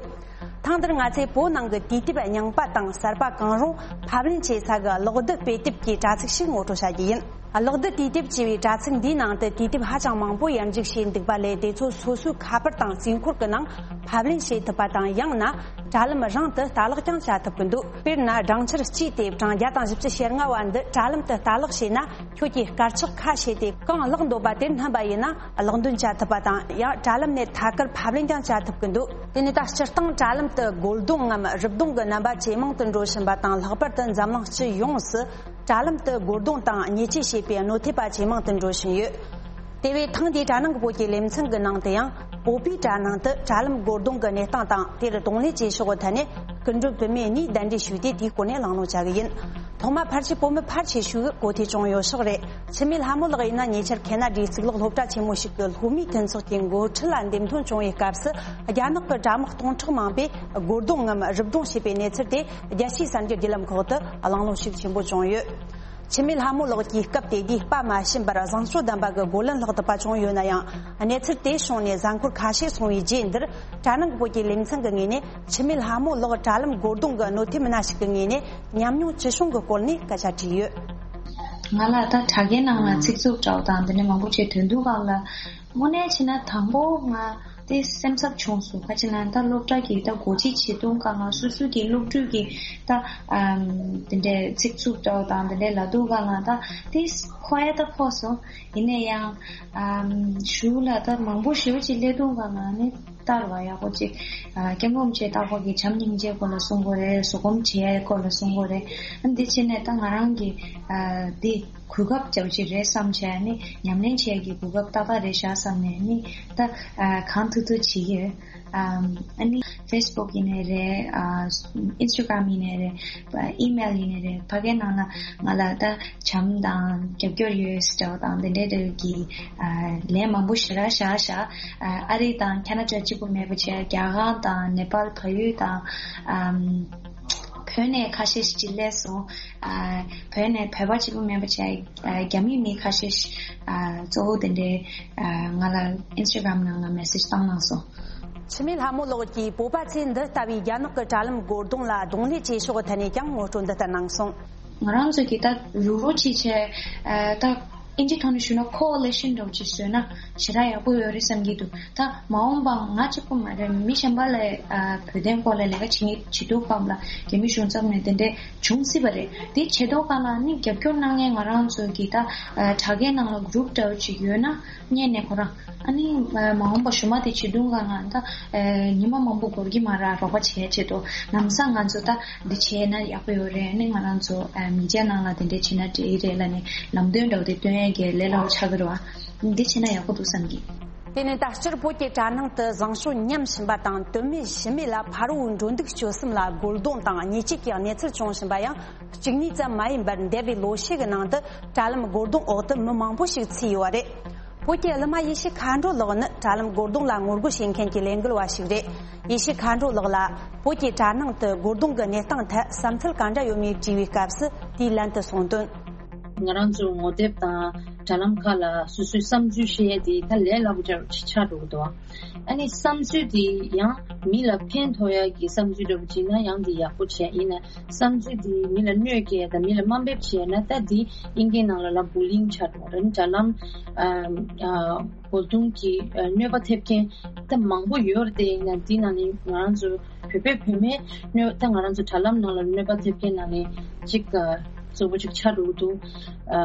ཐེངས་འདིར་ང་ཚོས་བོད་ནང་གི་དུས་དེབ་རྙིང་པ་དང་གསར་པ་གང་རུང་ཕབ་ལེན་བྱེད་ས་གི་གློག་རྡུལ་དཔེ་དེབ་ཀྱི་དྲ་ཚིགས་ཤིག་ངོ་སྤྲོད་བྱ་རྒྱུ་ཡིན། གློག་རྡུལ་དུས་དེབ་ཅེས་པའི་དྲ་ཚིགས་འདིའི་ནང་དུ་དུས་དེབ་ཧ་ཅང་མང་པོ་ཡར་འཇུག་བྱས་འདུག་པ་ལས། དེ་ཚོ་སོ་སོའི་ཁ་པར་དང་རྩིས་འཁོར་གྱི་ནང་ཕབ་ལེན་བྱེད་ཐུབ་པ་དང་། ཡང་ན་དྲ་ལམ་རང་དུ་ལྟ་ཀློག་ཀྱང་བྱ་ཐུབ་ཀྱི་འདུག་དཔེར་ན། སྦྲང་ཆར་སྐྱིད་དེབ་གྲངས་བརྒྱ་དང་བཞི་བཅུ་ཞེ་ལྔ་བ་འདི་དྲ་ལམ་དུ་ལྟ་ཀློག་བྱས་ན། ཁྱོད་ཀྱིས་དཀར་ཆག་ཁ་ཕྱེ་སྟེ་གང་ཀློག་འདོད་པ་དེར་སྣོན་པ་ཡིན་ན་ཀློག་འདོན་བྱ་ཐུབ་པ་དང་། ཡང་དྲ་ལམ་ནས་ཐད་ཀར་ཕབ་ལེན་ཀྱང་བྱ་ཐུབ་ཀྱི་འདུག་དེ་ནས་ད་སྤྱིར་བཏང་དྲ་ལམ་དུ་རྒོལ་རྡུང་ངམ་རུབ་རྡུང་གི་རྣམ་པ་ཇེ་མང་དུ་འགྲོ་བཞིན་པ་དང་། ལྷག་པར་དུ་འཛམ་གླིང་སྤྱི་ཡོངས་སུ་དྲ་ལམ་དུ་རྒོལ་རྡུང་དང་ཉེས་ཆད་བྱེད་པའི་གནོད་ཐེབས་པ་ཇེ་མང་དུ་འགྲོ་བཞིན་ཡོད། དེ་བས་ཐེངས་འདིའི་དྲ་ནང་གི་བོད་ཀྱི་ལེ་ཚན་གྱི་ནང་དུ་ཡང་བོད་པའི་དྲ་ནང་དུ་དྲ་ལམ་རྒོལ་རྡུང་གི་གནས་སྟངས་དང་། དེར་གདོང་ལེན་བྱེད་ཕྱོགས་ཀྱི་ཐད་ནས་སྐུ་མགྲོན་བུད་མེད་གཉིས་གདན་འདྲེན་ཞུས་ཏེ་དེའི་སྐོར་ནས་གླེང་སློང་བྱ་གི་ཡིན། ཐོག་མར་ཕལ་ཆེར་བོད་མི་ཕལ་ཆེ་ཤོས་ཀྱིས་གོ་ཐོས་བྱུང་ཡོད་ཤག་རེད། འཆི་མེད་ལྷ་མོ་ལགས་ཡིན་ན་ཉེ་ཆར་ཁེ་ན་ཌའི་གཙུག་ལག་སློབ་གྲྭ་ཆེན་མོ་ཞིག་གི་སློབ་མའི་མཐུན་ཚོགས་ཀྱི་འགོ་ཁྲིད་ལ་འདེམས་ཐོན་བྱུང་བའི་སྐབས་སུ། རྒྱ་ནག་གི་དྲ་དམག་སྟོང་ཕྲག་མང་པོས་རྒོལ་རྡུང་ངམ་རུབ་རྡུང་བྱས་པའི་གནས་ཚུལ་དེ་རྒྱལ་སྤྱིའི་གསར་འགྱུར་བརྒྱུད་ལམ་ཁག་ཏུ་གླེང་སློང་ཤུགས་ཆེན་པོ་བྱུང་ཡོད། འཆི་མེད་ལྷ་མོ་ལགས་ཀྱིས་སྐབས་དེ་དུས་དཔའ་མ་ཞུམ་པར་བཟང་སྤྱོད་ལྡན་པ་གི་རྒོལ་ལན་སློག་ཐུབ་པ་བྱུང་ཡོད་ན་ཡང་། གནས་ཚུལ་དེ་བྱུང་ནས་གཟའ་འཁོར་ཁ་ཤས་སོང་བའི་རྗེས་འདིར། དྲ་ནང་གི་བོད་ཀྱི་ལེ་ཚན་གྱི་ངོས་ནས་འཆི་མེད་ལྷ་མོ་ལགས་དྲ་ལམ་རྒོལ་རྡུང་གི་གནོད་ཐེབས་མི་སྣ་ཞིག་གི་ངོས་ནས་ཉམས་མྱོང་ཅི་བྱུང་གི་སྐོར་ནས་སྐད་ཆ་དྲིས་ཡོད། ང་ལ་ད་དྲ་རྒྱའི་ནང་ལ་ཚིག་རྩུབ་འདྲ་བོ་དང་དེ་འདྲ་མང་པོ་བྱས། དོན་དུ་ཁག་ལ་ དངོས་གནས་བྱས་ན་དང་པོ་ང་དེ་སེམས་འཚབ་བྱུང་སོང་། ག་ཅི་ན་ད་སློབ་གྲྭ་གི་ད་སྒོ་འབྱེད་བྱེད་དུས་སྒང་ལ་སོ་སོ་གི་སློབ་ཕྲུག་གི་ད་ཨམ་དེ་འདྲའི་ཚིག་རྩུབ་འདྲ་བོ་དང་དེ་འདྲའི་ལབ་དུས་སྒང་ལ་ད་དེ་ཁོ་ཡ་ད་ཁོ་སོང་། ཡིན་ན་ཡང་ཨམ་གཞུག་ལ་ད་མང་པོ་ཞེ་པོ་ཅིག་སླེབས་དུས་སྒང་ལ་ནི་ལྟར་བ་ཡག་པོ་ཅིག་ཨ་སྐྱབས་མགོན་ཆེན་རྟག་པར་གྱི་བྱམས་སྙིང་རྗེའི་སྐོར་ལ་གསུང་དགོས་རེད། བཟོད་སྒོམ་བྱེད་ཡའི་སྐོར་ལ་གསུང་དགོས་རེད། ཨ་འདི་བྱས་ནས་ད་ང་རང་གི་ཨ་འདི་གོ་སྐབས་ཅིག་རེད་བསམ་བྱས་ནས་ཉམས་ལེན་བྱེད་ཀྱི་གོ་སྐབས་ཏག་ཏག་རེད་ཤག་བསམ་ནས་ནི་ད་ཨ་གང་ཐུབ་ཐུབ་བྱེད་ཀྱི་ཡོད། ཨམ་ཨ་ནི་Facebook་ཡིན་ནའི་རེད། ཨ་Instagram་ཡིན་ནའི་རེད། ཨི་མེལ་ཡིན་ནའི་རེད། ཕ་གའི་ནང་ལ་ང་ལ་ད་བྱམས་དང་རྒྱབ་སྐྱོར་ཡོད་ཟེར་བ་དང་དེ་འདྲའི་འདྲ་གི་ཨ་ལན་མང་པོ་ཞེ་དྲག་བཞག་བཞག་ཨ་ཨ་རི་དང་ཁ་ན་ཌ་གཅིག་པུ་མེད་པ་བྱས། རྒྱ་གར་དང་ནེ་པཱལ། བལ་ཡུལ་དང་ཨམ་བོད་ནས་ཁ་ཤས་ཤིག་སླེབས་སོང་། ཨ་བོད་ནས་བོད་པ་གཅིག་པུ་མིན་པ་བྱས། ཨ་རྒྱ་མིའི་མི་ཁ་ཤས་ཤིག་ཨ་གཙོ་བོ་དེ་འདྲའི་ཨ་ང་ལ་Instagram་ནང་ལ་མེ་སེཇ་བཏང་གནང་སོང་། འཆི་མེད་ལྷ་མོ་ལགས་ཀྱིས་བོད་པ་ཚོས་འདི་ལྟ་བུའི་རྒྱ་ནག་གི་དྲ་ལམ་སྒོར་གདོང་ལ་གདོང་ལེན་བྱེད་ཕྱོགས་ཐད་ནས་ཀྱང་ངོ་སྤྲོད་འདི་ལྟར་གནང་སོང་། ང་རང་ཚོ་གིས་ད་རུག་རུག་བྱས་བྱས་ཨ་ད་ཨིན་ཇིའི་ཐོག་ནས་ཞུས་ན་ཁོ་ཨ་ལི་ཤན་འདྲ་བོ་ཅིག་བཟོས་ན་ཞེ་དྲག་ཡག་པོ་ཡོད་རེད་བསམ་གྱི་འདུག་ད་མ་འོངས་པ་ང་གཅིག་པུ་མ་རེད། མི་གཞན་པ་ལ་ཨ་བོད་དོན་སྐོར་ལ་ལས་ཀ་བྱེད་མཁན་བྱེད་དུས་སྒང་ལ་རྒྱ་མི་གཞུང་ཚབ་ནས་དེ་འདྲས་བྱུང་སྲིད་པ་རེད། དེ་བྱེད་དུས་སྒང་ལ་ནི་རྒྱབ་སྐྱོར་གནང་མཁན་ང་རང་ཚོ་གི་ད་ཨ་དྲ་རྒྱའི་ནང་ལ་གུ་རུབ་འདྲ་བོ་ཅིག་ཡོད་ན་སྔོན་ནས་ཁོ་རང་ཨ་ནི་ཨ་མ་འོངས་པ་གཞུག་མ་དེ་བྱེད་དུས་སྒང་ལ་ད་ཨ་ཉི་མ་མང་པོ་འགོར་གྱི་མ་རེད། རོགས་པ་བྱེད་ཆེད་དུ་ལམ་སང་ང་ཚོ་ད་འདི་བྱས་ན་ཡག་པོ་ཡོད་རེད། ཨ་ནི་ང་རང་ཚོ་ཨ་མི་ཆ་ནང་ལ་དེ་འདྲས་བྱས་ན་འགྲིག་གི་རེད་ལབ་ནས་ལམ་སྟོན་འདྲ་བོ་དེ་སྟོན་ཡས་ཀྱི་ལས་སླ་པོ་ཆགས་ཀྱི་རེད་བ། འདི་བྱས་ན་ཡག་པོ་འདུག་བསམ་གྱི། དེ་ནས་ད་སྤྱིར་བོད་ཀྱི་དྲ་ནང་དུ་བཟང་སྤྱོད་ཉམས་བཞིན་པ་དང་དོན་མེད་གཞི་མེད་ལ་ཕ་རོལ་འགྲོ་འདུག་སྤྱོད་གསུམ་ལ་རྒོལ་རྡུང་དང་ཉེས་ཆད་ཀྱི་གནས་ཚུལ་བྱུང་བཞིན་པ་ཡང་གཅིག་གཉིས་ཙམ་མ་ཡིན་པར་འདས་པའི་ལོ་ཤས་ཀྱི་ནང་དུ་དྲ་ལམ་རྒོལ་རྡུང་འོག་ཏུ་མི་མང་པོ་ཞིག་ཚུད་ཡོད་པ་རེད། བོད་ཀྱི་གླུ་མ་ཡེ་ཤེས་མཁའ་འགྲོ་ལགས་ནི་དྲ་ལམ་རྒོལ་རྡུང་ལ་ངོ་རྒོལ་བྱེད་མཁན་གྱི་ལས་འགུལ་བ་ཞིག་རེད། ཡེ་ཤེས་མཁའ་འགྲོ་ལགས་ལ་བོད་ཀྱི་དྲ་ནང་དུ་རྒོལ་རྡུང་གི་གནས་སྟངས་ཐད་བསམ་ཚུལ་གང་འདྲ་ཡོད་མེད་དྲིས་པའི་སྐབས་སུ་དེའི་ལན་དུ་གསུངས་དོན། ང་རང་ཚོ་ངོ་དེབ་དང་དྲ་ལམ་ཁག་ལ་སོ་སོའི་བསམ་ཚུལ་བཤད་ཡས་དེ་ད་ལས་སླ་པོ་ཆགས་འགྲོ་གི་འདུག་ཨ་ནི་བསམ་ཚུལ་དེ་ཡང་མི་ལ་ཕན་ཐོགས་ཡ་གི་བསམ་ཚུལ་འདྲ་པོ་བྱས་ན་ཡང་དེ་ཡག་པོ་བྱས། ཡིན་ན་བསམ་ཚུལ་དེ་མི་ལ་གནོད་སྐྱེལ་ཡ་དང་མི་ལ་དམའ་འབེབས་བྱས་ན་ད་དེ་ཨིན་སྐད་ནང་ལ་ལ་བུ་ལིང་ཆགས་འགྲོ་རེད། དྲ་ལམ་ཨ་ཨ་རྒོལ་རྡུང་གི་ཨ་གནོད་པ་ཐེབས་མཁན་ད་མང་པོ་ཡོད་རེད་དེ། ཡིན་ན་དེ་ནང་ནས་ང་རང་ཚོ་བོད་པའི་བུད་མེད་གནོད་ད་ང་རང་ཚོ་དྲ་ལམ་ནང་ལ་གནོད་པ་ཐེབས་མཁན་ནང་ནས་གཅིག་ཨ་གཙོ་བོ་གཅིག་ཆགས་འགྲོ་གི་འདུག་ཨ་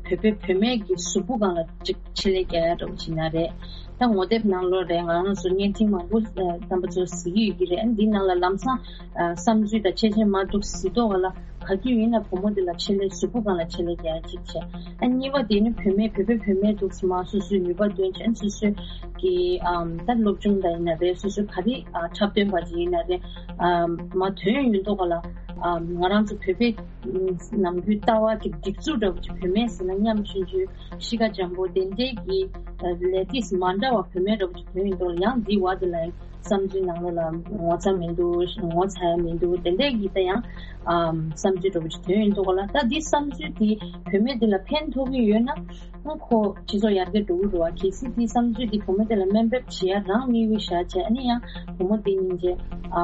བོད་པའི་བུད་མེད་ཀྱི་གཟུགས་པོ་སྒང་ལ་གཅིག་ཆེད་ལས་རྒྱག་ཡ་འདྲ་པོ་ཅིག་ན་རེད། ད་ངོ་དེབ་ནང་ལོགས་རེད། ང་རང་ཚོ་བརྙན་འཕྲིན་མང་པོ་ཨ་རྣམ་པ་ཚོ་གཟིགས་ཀྱི་ཡོད་ཀྱི་རེད། ཨ་འདིའི་ནང་ལ་ལམ་སང་ཨ་བསམ་ཚུལ་དང་ཆེ་ཆེ་མ་འདུག་གཟིགས་མདོག་ག་ལ་ག་དུས་ཡིན་ན་བུ་མོ་དེ་ལ་ཆེད་ལས་གཟུགས་པོ་སྒང་ལ་ཆེད་ལས་རྒྱག་ཡ་གཅིག་བྱས། ཨ་གཉིས་པ་དེ་ནི་བུད་མེད་བོད་པའི་བུད་མེད་འདུག་སེ་མ་སོ་སོའི་ནུས་པ་འདོན་བྱས། ཨ་སོ་སོའི་གི་ཨམ་ད་སློབ་སྦྱོང་དང་ཡིན་ན་རེད། སོ་སོའི་ག་རེ་ཨ་འཁྲབ་སྟོན་པ་ཅིག་ཡིན་ན་རེད། ཨམ་མ་དོན་ཡོད་མདོག་ག་ལ་ཨམ་ང་རང་ཚོ་བོད་པའི་ནམ་རྒྱུན་ལྟ་བ་གི་སྒྲིག་འཛུགས་འདྲ་པོ་ཅིག་བུད་མེད་ཟེར་ན་ཉམ་ཆུང་ཆུང་གཤིས་ཀ་འཇམ་པོ་དེ་འདྲའི་གི་ལས་དུས་མ་འདྲ་བ་བུད་མེད་འདྲ་པོ་ཅིག་དོན་ཡོད་མདོག་ལ་ཡང་འདི་བ་དེ་ལ་ཡང་བསམ་ཚུལ་ནང་ལོགས་ལ་ངོ་ཚ་མི་འདུག་ངོ་ཚ་ཡ་མི་འདུག་དེ་འདྲའི་གི་ད་ཡང་ཨམ་བསམ་ཚུལ་འདྲ་པོ་ཅིག་དོན་ཡོད་མདོག་ལ། ད་འདི་བསམ་ཚུལ་དེ་བུད་མེད་དེ་ལ་ཕན་ཐོགས་ཀྱི་ཡོད་ན་ཁོ་སྤྱི་ཚོགས་ཡར་རྒྱས་འགྲོ་གི་འདུག་བ། གལ་སྲིད་འདི་བསམ་ཚུལ་འདི་བུ་མོ་དེ་ལ་དམའ་འབེབས་བྱེད་ཡ་རང་དམིགས་ཡུལ་བཞག་བྱས། ཨ་ནི་ཡང་བུ་མོ་དེ་ཡིན་བྱས་ཨ་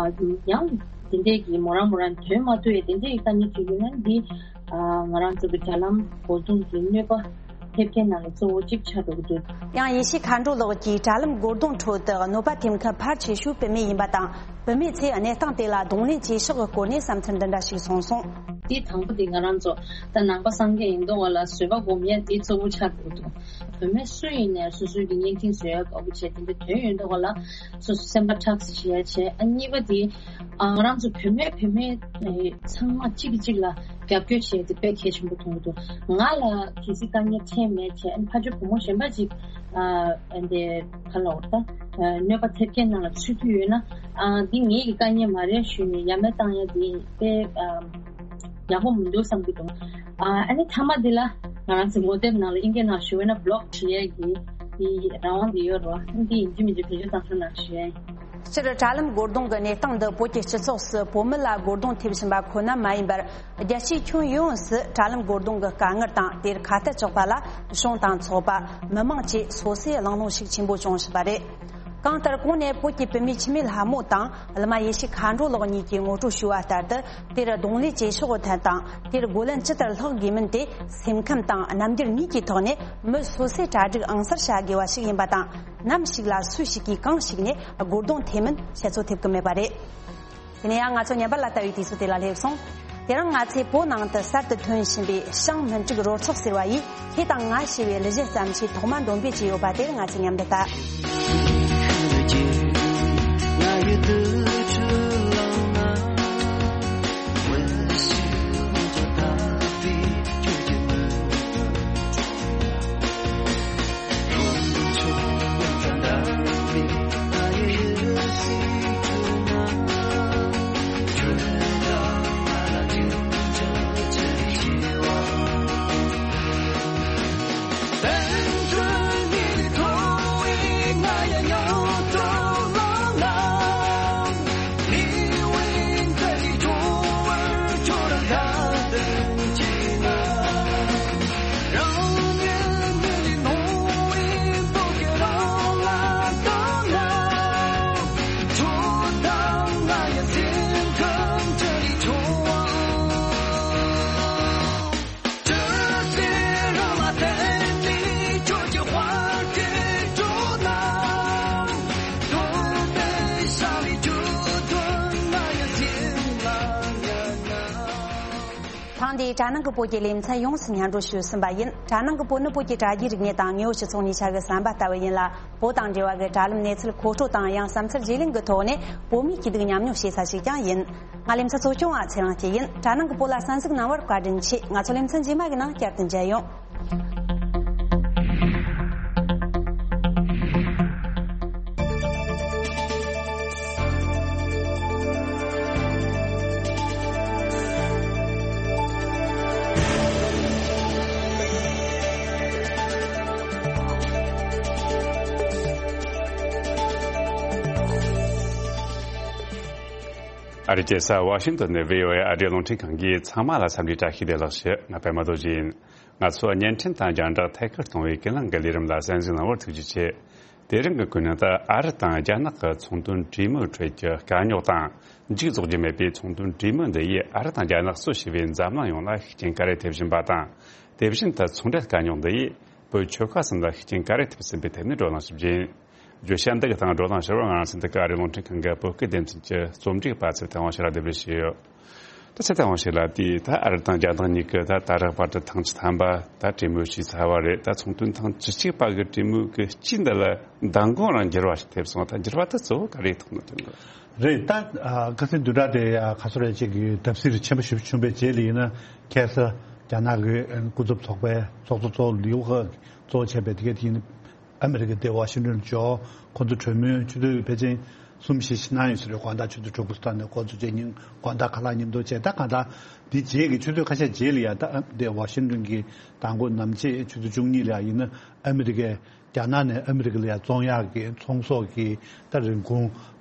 ཡང་དེ་འདྲས་ཀྱི་མོ་རང་མོ་རང་དོན་མ་ཐུབ་ཡས་དེ་འདྲས་ཀྱི་དཀའ་ངལ་འཕྲད་ཡོད་ན་འདི་ཨ་ང་རང་ཚོ་གི་དྲ་ལམ་རྒོལ་རྡུང་གི་གནོད་པ་ཐེབས་མཁན་ནང་ལ་གཙོ་བོ་གཅིག་ཆགས་འགྲོ་གི་འདུག་ཡང་ཡེ་ཤེས་མཁའ་འགྲོ་ལགས་ཀྱིས་དྲ་ལམ་རྒོལ་རྡུང་ཁྲོད་དུ་གནོད་པ་ཐེབས་མཁན་ཕལ་ཆེ་ཤོས་བུད་མེད་ཡིན་པ་དང་། བུད་མེད་ཚོས་གནས་སྟངས་དེ་ལ་གདོང་ལེན་བྱེད་ཕྱོགས་ཀྱི་སྐོར་ནས་བསམ་ཚུལ་འདི་འདྲ་ཞིག་གསུངས་སོང་། དེ་དང་པོ་དེ་ང་རང་ཚོ་ད་ནང་པ་སངས་རྒྱས་ཡིན་མདོག་ག་ལ་བཟོད་པ་སྒོམ་ཡ་དེ་གཙོ་བོ་ཆགས་འགྲོ་གི་འདུག་བུད་མེད་སུ་ཡིན་ནའི་སོ་སོའི་གི་བརྙན་འཕྲིན་བཟོ་ཡ་དགའ་པོ་བྱས། དེ་འདྲ་དོན་ཡོད་མདོག་ག་ལ་སོ་སོ་སེམས་པ་ཁྲག་ཟེར་བྱེད་ཡ་བྱས། ཨ་གཉིས་པ་དེ་ཨ་ང་རང་ཚོ་བུད་མེད་བུད་མེད་ཨེ་ཚང་མ་གཅིག་གིས་གཅིག་ལ་རྒྱབ་སྐྱོར་བྱེད་དེ་དཔེ་གལ་ཆེན་པོ་མཐོང་གི་འདུག་ང་ལ་གལ་སྲིད་དཀའ་ངལ་འཕྲད་མེད་བྱས། ཨ་ཕར་ཕྱོགས་བུ་མོ་གཞན་པ་ཅིག་ཨ་འདི་ག་ལ་འོ་ད་གནོད་པ་ཐེབས་མཁན་ནང་ལ་ཚུད་ཀྱི་ཡོད་ན་ཨ་འདི་ངའི་གི་དཀའ་ངལ་མ་རེད་ཞུས་ནས་ཡ་མེད་བཏང་ཡ་དེ་དཔེ་ཨ་ཡག་པོ་མི་འདུག་བསམ་གྱི་འདུག་ཨ་ཨ་ནི་མཐའ་མ་འདི་ལ་ང་རང་ཚོ་ངོ་དེབ་ནང་ལ་ཨིན་སྐད་ནང་ཞུ་བས་ན་བྷི་ལོག་བྱེད་ཡ་གི་དེ་རང་དབང་དེ་ཡོད་རེད་བ། འདི་ཡིན་གཅིག་མིན་གཅིག་བེད་སྤྱོད་བཏང་ཐུབ་ན་ཞུ་ཡ་ཡིན། སྤྱིར་དྲ་ལམ་རྒོལ་རྡུང་གི་གནས་སྟངས་འདི་བོད་ཀྱི་སྤྱི་ཚོགས་སུ་བོད་མི་ལ་རྒོལ་རྡུང་ཐེབས་བཞིན་པ་ཁོ་ན་མ་ཡིན་པར། རྒྱལ་སྤྱིའི་ཁྱོན་ཡོངས་སུ་དྲ་ལམ་རྒོལ་རྡུང་གི་དཀའ་ངལ་དང་དེར་ཁ་གཏད་གཅོག་པ་ལ་གཞུང་དང་ཚོགས་པ། མི་མང་བཅས་སོ་སོས་གླེང་སློང་ཤུགས་ཆེན་པོ་བྱུང་བཞིན་པ་རེད། གང་ལྟར་གོང་ནས་བོད་ཀྱི་བུད་མེད་འཆི་མེད་ལྷ་མོ་དང་བླ་མ་ཡེ་ཤེས་མཁའ་འགྲོ་ལགས་གཉིས་ཀྱིས་ངོ་སྤྲོད་ཞུས་པ་ལྟར་དུ། དེར་གདོང་ལེན་བྱེད་ཕྱོགས་ཐད་དང་དེར་རྒོལ་ལན་ཇི་ལྟར་བསློག་དགོས་མིན་དེ་སེམས་ཁམས་དང་རྣམ་འགྱུར་གཉིས་ཀྱི་ཐོག་ནས་མི་སོ་སོས་གྲ་སྒྲིག་ཨང་གསར་བྱ་དགོས་པ་ཞིག་ཡིན་པ་དང་། ནམ་ཞིག་ལ་སུ་ཞིག་གིས་གང་ཞིག་ནས་རྒོལ་རྡུང་ཐེབས་མིན་བཤད་ཚོད་ཐེབས་ཀྱི་མེད་པ་རེད། དེ་ནས་ཡང་ང་ཚོ་ཉམས་པ་ལ་ལྟ་བའི་དུས་ཚོད་དེ་ལ་སླེབས་སོང་། དེ་རིང་ང་ཚོས་བོད་ནང་དུ་གསར་དུ་ཐོན་བཞིན་པའི་ཤང་མི་འགྲིག་རོལ་ཚོགས་ཟེར་བ་ཡིས་ཁྱེད་དང་ང་ཞེས་པའི་གླུ་གཞས་བརྩམས་ཆོས་ཐོག་མ་འདོན་སྤེལ་བྱས་ཡོད་པ་དེར་ང་ཚོས་མཉམ་དུ་ལྟ། ཐེངས་འདིའི་དྲ་ནང་གི་བོད་ཀྱི་ལེ་ཚན་ཡོངས་སུ་སྙན་སྒྲོན་ཞུས་ཟིན་པ་ཡིན། དྲ་ནང་གི་བོད་ནི་བོད་ཀྱི་དྲ་རྒྱའི་རིག་གནས་དང་དངོས་ཡོད་སྤྱི་ཚོགས་གཉིས་ཆ་གི་ཟམ་པ་ལྟ་བུ་ཡིན་ལ། བོད་དང་འབྲེལ་བ་གི་དྲ་ལམ་གནས་ཚུལ་མཁོ་སྤྲོད་དང་ཡང་བསམ་ཚུལ་བརྗེ་ལེན་གྱི་ཐོག་ནས་བོད་མིའི་སྐྱིད་སྡུག་མཉམ་མྱོང་བྱེད་ས་ཞིག་ཀྱང་ཡིན། ང་ལེ་ཚན་གཙོ་སྐྱོང་བ་ཚེ་རིང་སྐྱིད་ཡིན། དྲ་ནང་གི་བོད་ལ་གསན་གཟིགས་གནང་བར་བཀའ་དྲིན་ཆེ། ང་ཚོ་ལེ་ཚན་རྗེས་མ་གི་ནང་བསྐྱར་དུ་མཇལ་ཡོང་། ཨ་རིའི་རྒྱལ་ས་ཝ་ཤིང་ཏོན་ནས་བྷི་ཨོ་ཨེ་ཨ་རིའི་རླུང་འཕྲིན་ཁང་གིས་ཚང་མ་ལ་འཚམས་འདྲིའི་བཀྲ་ཤིས་བདེ་ལེགས་ཞུ། ང་པད་མ་རྡོ་རྗེ་ཡིན། ང་ཚོ་བརྙན་འཕྲིན་དང་རྒྱང་བསྒྲགས་ཐད་ཀར་གཏོང་བའི་ཀུན་གླེང་གི་ལས་རིམ་ལ་གསན་གཟིགས་གནང་བར་ཐུགས་རྗེ་ཆེ། དེ་རིང་གི་ཀུན་གླེང་དུ་ཨ་རི་དང་རྒྱ་ནག་གི་ཚོང་དོན་གྲོས་མོལ་ཁྲོད་ཀྱི་དཀའ་རྙོག་དང་། མཇུག་རྫོགས་རྒྱུ་མེད་པའི་ཚོང་དོན་གྲོས་མོལ་འདི་ཡིས་ཨ་རི་དང་རྒྱ་ནག་གཙོ་བྱས་པའི་འཛམ་གླིང་ཡོངས་ལ་ཤུགས་རྐྱེན་ག་རེ་ཐེབས་བཞིན་པ་དང་། དེ་བཞིན་དུ་ཚོང་འབྲེལ་དཀའ་རྙོག་འདི་ཡིས་བོད་ཆོལ་ཁ་གསུམ་ལ་ཤུགས་རྐྱེན་ག་རེ་ཐེབས་ཟིན་པའི་ཐད་ནས་བགྲོ་གླེང་ཞིབ་རྒྱས། བརྗོད་བྱ་འདི་གི་སྟེང་བགྲོ་གླེང་ཞུ་བར་ང་རང་ཚོའི་འདི་ག་ཨ་རིའི་རླུང་འཕྲིན་ཁང་གི་བོད་སྐད་སྡེ་ཚན་གྱི་རྩོམ་སྒྲིག་པ་ཚེ་ཐར་དབང་ཕྱུག་ལ་གདན་འདྲེན་ཞུས་ཡོད། ད་ཚེ་ཐར་དབང་ཕྱུག་ལགས། དེ་ད་ཨ་རི་དང་རྒྱ་ནག་གཉིས་ཀྱི་ད་ད་རག་བར་དུ་ཐེངས་བཅུ་ཐམ་པ་ད་གྲོས་མོལ་བྱས་ཚར་བ་རེད། ད་ཚོང་དོན་ཐེངས་བཅུ་གཅིག་པ་གི་གྲོས་མོལ་གྱི་དཀྱིལ་འདི་ལ་མདང་དགོང་རང་འགྱུར་བ་ཞིག་ཐེབས་སོང་། ད་འགྱུར་བ་དེ་གཙོ་བོ་ག་རེ་ཐུག་ན་ཐུག་ན། རེད། ད་ཁ་སང་བདུན་ཕྲག་དེ་ཁ་སོ་རེ་གཅིག་གི་བརྡབ་གསིག་ཆེན་པོ་ཞིག་བྱུང་བའི་རྗེས་ལ་ཡིན་ན། ཁ་སང་རྒྱ་ནག་གི་སྐུ་ཚབ་ཚོགས་པའི་ཚོགས་གཙོ་གཙོ་བོ་ལིའུ་ཧེ་གཙོ་བྱས་པའི་དེ་གའི་དེ་ཡིན། ཨ་མི་རི་ཀ་དེ་ཝ་ཤིང་ཏོན་འབྱོར། ཁོང་ཚོ་གྲོས་མོལ་ཆུ་ཚོད་ཕལ་ཆེར་གསུམ་བཞི་ཞིག་གནང་ཡོད་ས་རེད། དགོང་དག་ཆུ་ཚོད་དྲུག་པ་ཙམ་ནས་འགོ་འཛུགས་བྱས། ཉིན་དགོང་དག་ཁ་ལག་མཉམ་དུ་བྱས། ད་གང་ལྟར་འདི་རྗེས་ཀྱི་ཆུ་ཚོད་ཁ་ཤས་རྗེས་ལ་ཡ། ད་དེ་ཝ་ཤིང་ཏོན་གྱི་མདང་དགོང་ནམ་ཕྱེད་ཆུ་ཚོད་བཅུ་གཉིས་ལ་ཡ་ཡིན་ན། ཨ་མི་རི་ཀའི་རྒྱ་ནག་ནས་ཨ་མི་རི་ཀ་ལ་ཡ་བཙོང་ཡག་གི་ཚོང་ཟོག་གི་ད་རིན་གོང་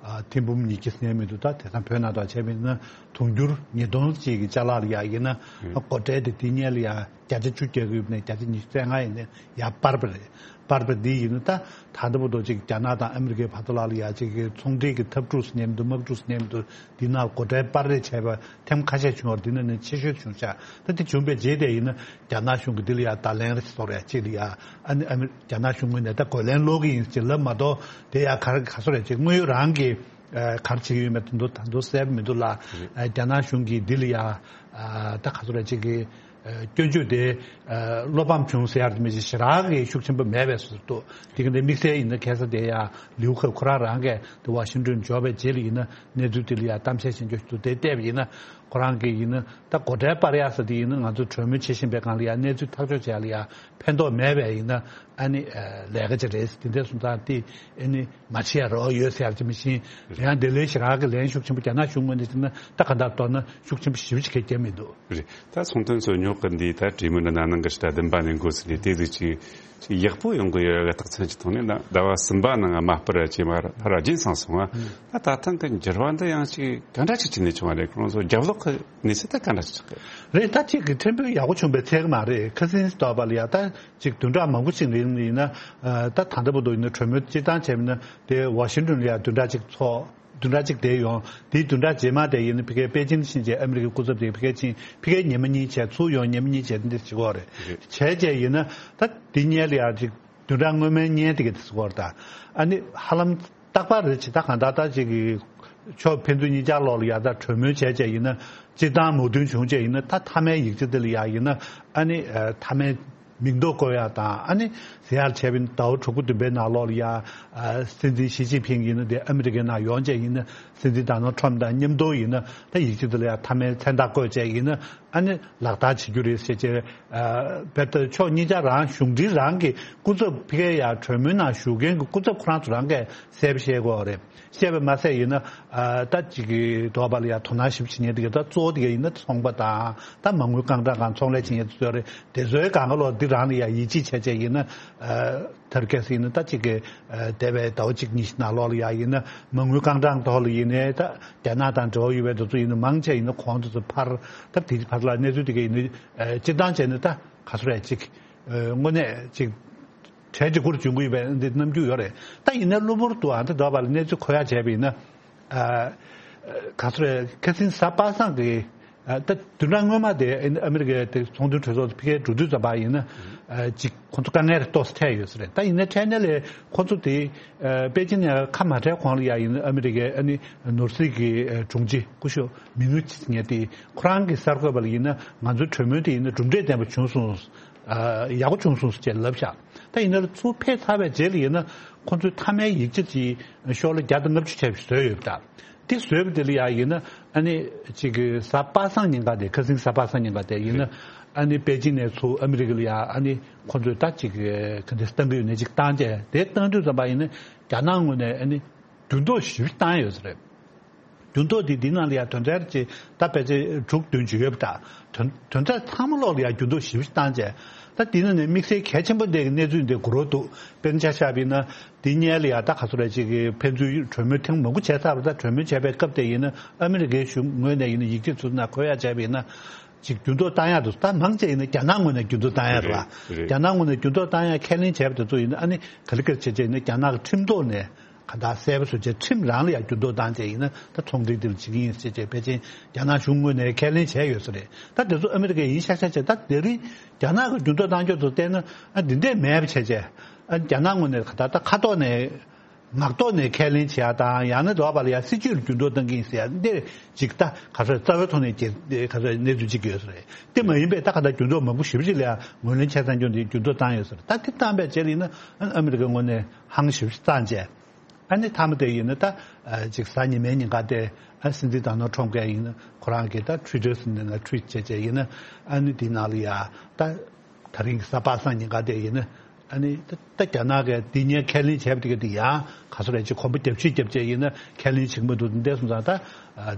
ཐེར་འབུམ་ཉིས་བརྒྱ་ཟིན་ཡ་མི་འདུག་ད་དེང་སང་བོད་ནང་དུ་བྱས་པ་ཡིན་ན་དུང་ཕྱུར་ཉིས་སྟོང་ཅིག་གི་ཅ་ལག་ལ་ཡ་ཡིན་ན། སྒོ་ཁྲལ་དེ་དེ་སྔོན་ལ་ཡ་བརྒྱ་ཆ་བཅུ་རྒྱག་གི་ཡོད་ནས་བརྒྱ་ཆ་ཉི་ཤུ་རྩ་ལྔ་ཡིན་ནས་ཡར་སྤར་བ་རེད། སྤར་བ་འདི་ཡིན་ན་ད་ད་ལྟ་བར་དུ་ཅིག་རྒྱ་ནག་དང་ཨ་མི་རི་ཀའི་བར་དུ་ལ་ལ་ཡ་ཅིག་གི་ཚོང་འབྲེལ་གྱི་འཐབ་འཁྲུག་ཟེར་མཁན་འདུག་དམག་འཁྲུག་ཟེར་མཁན་འདུག་འདི་ནང་སྒོ་ཁྲལ་སྤར་རེས་བྱས་པ་ཐེངས་ཁ་ཤས་བྱུང་བ་འདི་ནང་ནས་ཆེ་ཤོས་བྱུང་ཤག་ད་དེ་བྱུང་བའི་རྗེས་དེ་ཡིན་ན་རྒྱ་ནག་གཞུང་གི་འདི་ལ་ཡ་བརྡ་ལན་རེ་སོགས་རེ་ཅིག་ལ་ཡ། ཨ་ནི་ཨ་མི་རྒྱ་ནག་གཞུང་ངོས་ནས་ད་རྒོལ་ལན་སློག་གི་ཡིན་ཅེས་ལབ་མ་གཏོགས། དེ་ཡ་ག་རེ་ག་སོ་རེ་ཅིག་དངོས་ཡོད་རང་གི་ཨ་ག་རེ་བྱེད་ཀྱི་ཡོད་མེད་དོན་དུ་ད་དུང་གསལ་པོ་མི་འདུག་ལ། ཨ་རྒྱ་ནག་གཞུང་གིས་འདི་ལ་ཡ་ཨ་ད་ག་སོ་རེ་ཅིག་གི་ཨ་སྐྱོན་བརྗོད་དེ་ཨ་བློ་ཕམ་བྱུང་ཟེར་ཡ་དེ་མི་ཅིག་ཞེ་དྲག་གི་ཤུགས་ཆེན་པོ་མེད་པའི་བཟོ་འདུག་དེ་ག་འདི་དམིགས་བསལ་ཡིན་ན་ཁ་སང་དེ་ཡ་ལིའུ་ཁེ་ཁོ་རང་རང་གིས་དེ་ཝ་ཤིང་ཏོན་འབྱོར་བའི་རྗེས་ལ་ཡིན་ན་གནས་ཚུལ་དེ་ལ་ཡ་གཏམ་བཤད་བྱེད་འཇོག་ཞུ་དེ་བལྟས་པ་ཡིན་ན། ཁོ་རང་གིས་ཡིན་ན་ད་སྒོ་ཁྲལ་སྤར་ཡག་ཟེར་དེ་ཡིན་ན་ང་ཚོ་གྲོས་མོལ་བྱེད་བཞིན་པའི་སྒང་ལ་ཡ་གནས་ཚུལ་ཐག་གཅོད་བྱེད་ཡག་ལ་ཡ་ཕན་ཐོགས་མེད་པས་ཡིན་ན་ཨ་ནི་ལས་ཀ་ཅིག་རེད། དེ་འདྲ་སོང་ཙང་དེ་ཨ་ནི་མ་བྱེད་ཡ་རོགས་ཡོད་ཟེར་ཡ་ཅིག་མི་ཤེས། ཡང་དེ་ལས་ཞེ་དྲག་གི་ལན་ཤུགས་ཆེན་པོ་རྒྱ་ནག་གཞུང་ངོས་ནས་བྱས་ན་ད་ག་འདྲ་མདོར་ན་ཤུགས་ཆེན་པོ་ཞེ་པོ་ཅིག་གང་ཡང་མི་འདུག་རེད། ད་ཚོང་དོན་ཚོ་ཉོ་ གི་འདི་ད་གྲོས་མོལ་འདི་ན་ནང་གི་ཞིག་ད་བདུན་པ་ནས་འགོ་ཚུགས་ནས་དེ་ཟིག་ཅིག་ཅིག་ཡག་པོ་ཡོང་གི་ཡོད་པའི་རྟགས་མཚན་ཅིག་མཐོང་ནས། ད་ཟླ་བ་གསུམ་པ་ནང་དམའ་སྤར་ཅིག་མར་ཕར་རྒྱུན་སངས་སོང་བ། ད་ད་ཐེངས་ཀྱི་འགྱུར་བ་འདི་ཡང་ཅིག་ག་འདྲ་ཅིག་བྱས་ནས་བྱུང་བ་རེད། ཁོང་ཚོ་རྒྱབ་ལོགས་ཀྱི་གནས་ཚུལ་ད་ག་འདྲ་ཅིག་ཆགས་ཀྱི་རེད། ད་ཅིག་གི་ཕྲན་བུ་ཡག་པོ་བྱུང་བའི་ཚད་གི་མ་རེད། ཁ་སང་ཟླ་བ་ལ་ཡ་ད་ཅིག་བདུན་ཕྲག་མང་པོ་ཞིག་རིང་ཡིན་ན། ད་ད་ལྟ་བར་དུ་ཡིན་ན་གྲོས་མོལ་སྤྱིར་བཏང་བྱས་ན་དེ་ཝ་ཤིང་ཏོན་ལ་ཡ་བདུན་ཕྲག་གཅིག་ཚོགས། བདུན་ཕྲག་གཅིག་དེ་ཡོང་། དེའི་བདུན་ཕྲག་རྗེས་མ་དེ་ཡིན་ན་ཕ་གིའི་པེ་ཅིན་ཕྱིན་རྗེས་ཨ་མི་རི་ཀའི་སྐུ་ཚབ་དེ་ཕ་གིར་ཕྱིན། ཕ་གིར་ཉི་མ་གཉིས་བྱས། ཚུར་ཡོང་ཉི་མ་གཉིས་བྱས། འདི་བྱེད་ཀྱི་ཡོད་རེད། བྱས་རྗེས་ཡིན་ན་ད་འདི་སྔོན་ལ་ཡ་ཅིག་བདུན་ཕྲག་སྔོན་མའི་སྔོན་དེ་ག་དེ་ཟེར་གྱི་ཡོད་རེད། ད་ཨ་ནི་ཧ་ལམ་རྟག་པར་རེད། ཅིག་ད་གང་ལྟར་ད་ཅིག་གི་ཕྱོགས་ཕན་ཚུན་གཉིས་ཆར་ལོགས་ལ་ཡ་ད་གྲོས་མོལ་བྱས་རྗེས་ཡིན་ན། སྤྱིར་བཏང་མོས་མཐུན་བྱུང་རྗེས་ཡིན་ན། ད་མཐའ་མའི་ཡིག་ཆ་དེ་ལ་ཡ་ཡིན་ན་ཨ་ནི་ཨ་མཐའ་མའི་མིང་འདོགས་བཀོད་ཡ་དང་། ཨ་ནི་ཟེར་ཡ་བྱས་པ་ཡིན་ན་ཟླ་བ་དྲུག་པ་བདུན་པའི་ནང་ལོགས་ལ་ཡ། ཨ་སྲིད་འཛིན་ཞི་ཅིན་ཕིང་ཡིན་ན་དེ་ཨ་མི་རི་ཀའི་ནང་ཡོང་རྗེས་ཡིན་ན། སྲིད་འཛིན་ཌོ་ནལ་ཊམ་དང་མཉམ་དུ་ཡིན་ན་ད་ཡིག་ཆ་དེ་ལ་ཡ་མཐའ་མའི་མཚན་རྟགས་བཀོད་རྗེས་ཡིན་ན་ཨ་ནི་ལག་བསྟར་བྱེད་རྒྱུ་རེད་ཟེར་བྱས། ཨ་བེད་ཕྱོགས་གཉིས་ཆ་རང་། གཞུང་འབྲེལ་རང་གི་སྐུ་ཚབ་ཕ་གིའི་ཡ་གྲོས་མོལ་ནང་ཞུགས་མཁན་གྱི་སྐུ་ཚབ་ཁོ་རང་ཚོ་རང་གིས་གསལ་པོ་བཤད་ཀྱི་ཡོད་རེད། བཤད་པ་མ་ཟད་ཡིན་ན། ཨ་ད་ཅིག་གི་ཟླ་བ་ལ་ཡ་དོ་སྣང་ཞིབ་བྱེད་མཁན་དེ་ག་ད་གཙོ་བོ་དེ་ག་ཡིན་ན་ཚོང་པ་དང་ད་མ་དངུལ་རྐང་གྲངས་སྒང་ཚོང་ལས་བྱེད་མཁན་དེ་ཚོ་རེད། དེ་ཚོའི་སྒང་ག་ལོག་འདི་རང་ལ་ཡ་ཡིད་ཆེས་བྱས་བྱས་ཡིན་ན། ཨ་ཐར་ཀེ་སི་ཡིན་ན་ད་ཅིག་གི་ཨ་འདས་པའི་ཟླ་བ་གཅིག་གཉིས་ནང་ལོགས་ལ་ཡ་ཡིན་ན་མ་དངུལ་རྐང་གྲངས་ཐོག་ལ་ཡིན་ནའི་ད་རྒྱ་ནག་དང་འབྲེལ་བ་ཡོད་པའི་དེ་ཚོ་ཡིན་ན་མང་ཆེ་ཡིན་ན་གོང་དེ་ཚོ་ཕར། ད་དེ་ཕར་ལ་གནས་ཚུལ་དེ་ག་ཡིན་ན། ཨ་སྤྱིར་བཏང་བྱས་ན་ད་ག་ཚོད་རེད། ཅིག་ཨ་དངོས་གནས་ཅིག་གྲལ་གཅིག་གུར་འཇོན་གྱི་ཡོད་པའི་འདི་རྣམ་འགྱུར་ཡོད་རེད། ད་ཡིན་ན་གློ་བུར་དུ་ཨ་ད་ཟླ་བ་ལ་གནས་ཚུལ་གོ་ཡ་བྱས་པ་ཡིན་ན། ཨ་ག་ཚོད་རེད། ཁ་སང་གཟའ་པ་སངས་ཀྱི་ཨ་ད་བདུན་ཕྲག་སྔོན་མ་དེ་ཨ་མི་རི་ཀའི་དེ་ཚོང་དོན་གྲོས་ཚོགས་ཕ་གིར་འགྲོ་དུས་ཙམ་པ་ཡིན་ན། ཨ་ཅིག་ཁོང་ཚོ་དཀའ་ངལ་ཏོག་ཙམ་འཕྲད་ཡོད་ས་རེད། ད་ཡིན་ན་འཕྲལ་སྣེ་ལས་ཁོང་ཚོ་དེ་ཨ་པེ་ཅིན་ནས་ཁ་མ་བྲལ་གོང་ལ་ཡ་ཡིན་ན་ཨ་མི་རི་ཀའི་ཨ་ནི་ནོར་སྲིད་ཀྱི་ཨ་དྲུང་ཆེ་སྐུ་ཞབས་མིང་ངོ་ཅི་ཟེར་མཁན་དེ་ཁོ་རང་གི་གསར་འགོད་པ་ལ་ཡིན་ན་ང་ཚོའི་གྲོས་མོལ་དེ་ཡིན་ན་གྲུབ་འབྲས་ལྡན་པ་བྱུང་སོང་། ཨ་ཡག་པོ་བྱུང་སོང་ཟེར་ལབ་ཤག་ད་ཡིན་ན་ཚུར་ཕེབས་ཚར་བའི་རྗེས་ལ་ཡིན་ན་ཁོང་ཚོའི་མཐའ་མའི་ཡིག་ཆ་ཅིག་ཤོག་ལྷེ་བརྒྱ་དང་ལྔ་བཅུ་བྱས་པ་བཟོས་ཡོད་པ་འདྲ། དེ་བཟོས་པ་དེ་ལ་ཡ་ཡིན་ན་ཨ་ནི་ཅིག་གི་གཟའ་པ་སངས་ཉིན་ཀ་དེ། ཁ་སང་གཟའ་པ་སངས་ཉིན་ཀ་དེ་ཡིན་ན་ཨ་ནི་པེ་ཅིན་ནས་ཚུར་ཨ་མི་རི་ཀ་ལ་ཡ་ཨ་ནི་ཁོང་ཚོས་ད་ཅིག་གི་ག་འདྲ་བཏང་གི་ཡོད་ན་ཅིག་བཏང་བྱས། དེ་བཏང་དུས་ཙམ་པ་ཡིན་ན་རྒྱ་ནག་ངོས་ནས་ཨ་ནི་འགྱུར་ལྡོག་ཞེ་པོ་བཏང་ཡོད་ས་རེད། འགྱུར་ལྡོག་འདི་འདི་ནང་ལ་ཡང་དོན་ཚན་ཅིག་ད་ཕལ་ཆེར་དྲུག་བདུན་ཅིག་ཡོད་པ་འདྲ། དོན་དོན་ཚན་ཚང་མ་ལོག་ལ་ཡང་འགྱུར་ལྡོག་ཞེ་པོ་ཞིག་བཏང་བྱས། ད་འདི་ནང་ནས་དམིགས་བསལ་གལ་ཆེན་པོ་འདི་གི་གནས་ཚུལ་འདི་གོ་རོགས་འདུག་དཔེར་ན་ཆ་བཞག་པ་ཡིན་ན་འདི་སྔོན་ལ་ཡང་ད་ག་ཚོད་རེད། ཅིག་གི་ཕན་ཚུན་གྲོས་མོལ་ཐེངས་མང་པོ་བྱས་ཚར་བ། ད་གྲོས་མོལ་བྱས་པའི་སྐབས་དེ་ཡིན་ན་ཨ་མི་རི་ཀའི་གཞུང་ངོས་ནས་ཡིན་ན་ཡིག་ཆ་ཚུར་ནང་འཁོད་ཡ་བྱས་པ་ཡིན་ན། ཅིག་འགྱུར་ལྡོག་བཏང་ཡ་འདུག་ད་མང་ཆེ་ཡིན་ན་རྒྱ་ནག་ངོས་ནས་འགྱུར་ལྡོག་བཏང་ཡ་རེད་བ། རེད། རྒྱ་ནག་ངོས་ནས་འགྱུར་ལྡོག་བཏང་ཡ་ཁས་ལེན་བྱས་པ་དེ་ཚོ་ཡིན་ན་ཨ་ནི་ག་ལེ་ག་ལེ་བྱས་བྱས་ཡིན་ན་རྒྱ་ནག་གི་ཁྲིམས་ཐོག་ནས་ག་འདྲ་གསལ་པོ་བཟོ་བྱས། ཁྲིམས་རང་ལ་ཡང་འགྱུར་ལྡོག་བཏང་བྱས་ཡིན་ན་ད་ཚོང་འབྲེལ་འདི་ལ་བྱེད་ཀྱི་ཡིན་ཟེར་བྱས་ཕལ་ཆེར་རྒྱ་ནག་གཞུང་ངོས་ནས་ཁས་ལེན་བྱས་ཡོད་ས་རེད། ད་དེ་ཚོ་ཨ་མི་རི་ཀས་ཡིན་ཤག་ཤག་བྱས། ད་དེ་རིང་རྒྱ་ནག་གི་འགྱུར་ལྡོག་བཏང་རྒྱུ་ཚོ་བལྟས་ན་ཨ་འདི་འདྲས་མེད་པ་བྱས་བྱས། ཨ་རྒྱ་ནག་ངོས་ནས་ག་འདྲ་ད་ཁ་ཐོག་ནས། ངག་ཐོག་ནས་ཁས་ལེན་བྱེད་ཡ་དང་། ཡང་ན་ཟླ་བ་ལ་ཡ་སྲིད་ཇུས་ལ་འགྱུར་ལྡོག་བཏང་གི་ཡིན་ཟེར་ཡ་འདི་ཅིག་ད་ག་ཚོད་རྩ་བའི་ཐོག་ནས་ག་ཚོད་གནས་ཚུལ་ཅིག་ཡོད་ས་རེད། དེ་མ་ཡིན་པའི་ད་ག་ད་འགྱུར་ལྡོག་མང་པོ་ཞེ་པོ་ཅིག་ལ་ཡ་ངོས་ལེན་བྱས་ཚར་རྒྱུ་འདི་འགྱུར་ལྡོག་བཏང་ཡོད་ས་རེད། ད་དེ་བཏང་པའི་རྗེས་ལ་ཡིན་ན་ཨ་མི་རི་ཀའི་ངོས་ནས་ཧང་ཞེ་པོ་ཅིག་བཏང་བྱས། ཨ་ནི་མཐའ་མ་དེ་ཡིན་ན་ད་ཅིག་གཟའ་ཉི་མའི་ཉིན་ཀ་དེ་ཨ་སྲིད་འཛིན་ཌོ་ནལ་ཊམ་གྱིས་ཡིན་ན་ཁོ་རང་གི་ད་ཊུ་ཝི་ཊར་ཟེར་ནས་ན་ཊུ་ཝིཊ་བྱས་བྱས་ཡིན་ན་ཨ་ནི་དེའི་ནང་ལ་ཡ་ད། ད་རིང་གི་གཟའ་པ་སངས་ཉིན་ཀ་དེ་ཡིན་ན་ཨ་ནི་ད་ད་རྒྱ་ནག་གིས་འདི་སྔོན་ཁས་ལེན་བྱས་པ་དེ་ག་དེ་ཡང་ག་ཚོད་རེད། ཅིག་གོམ་པ་རྒྱབ་ཕྱིར་རྒྱབ་བྱས་ཡིན་ན་ཁས་ལེན་བྱེད་ཀྱི་མི་འདུག་འདས་སོང་ཙང་ད་ཨ་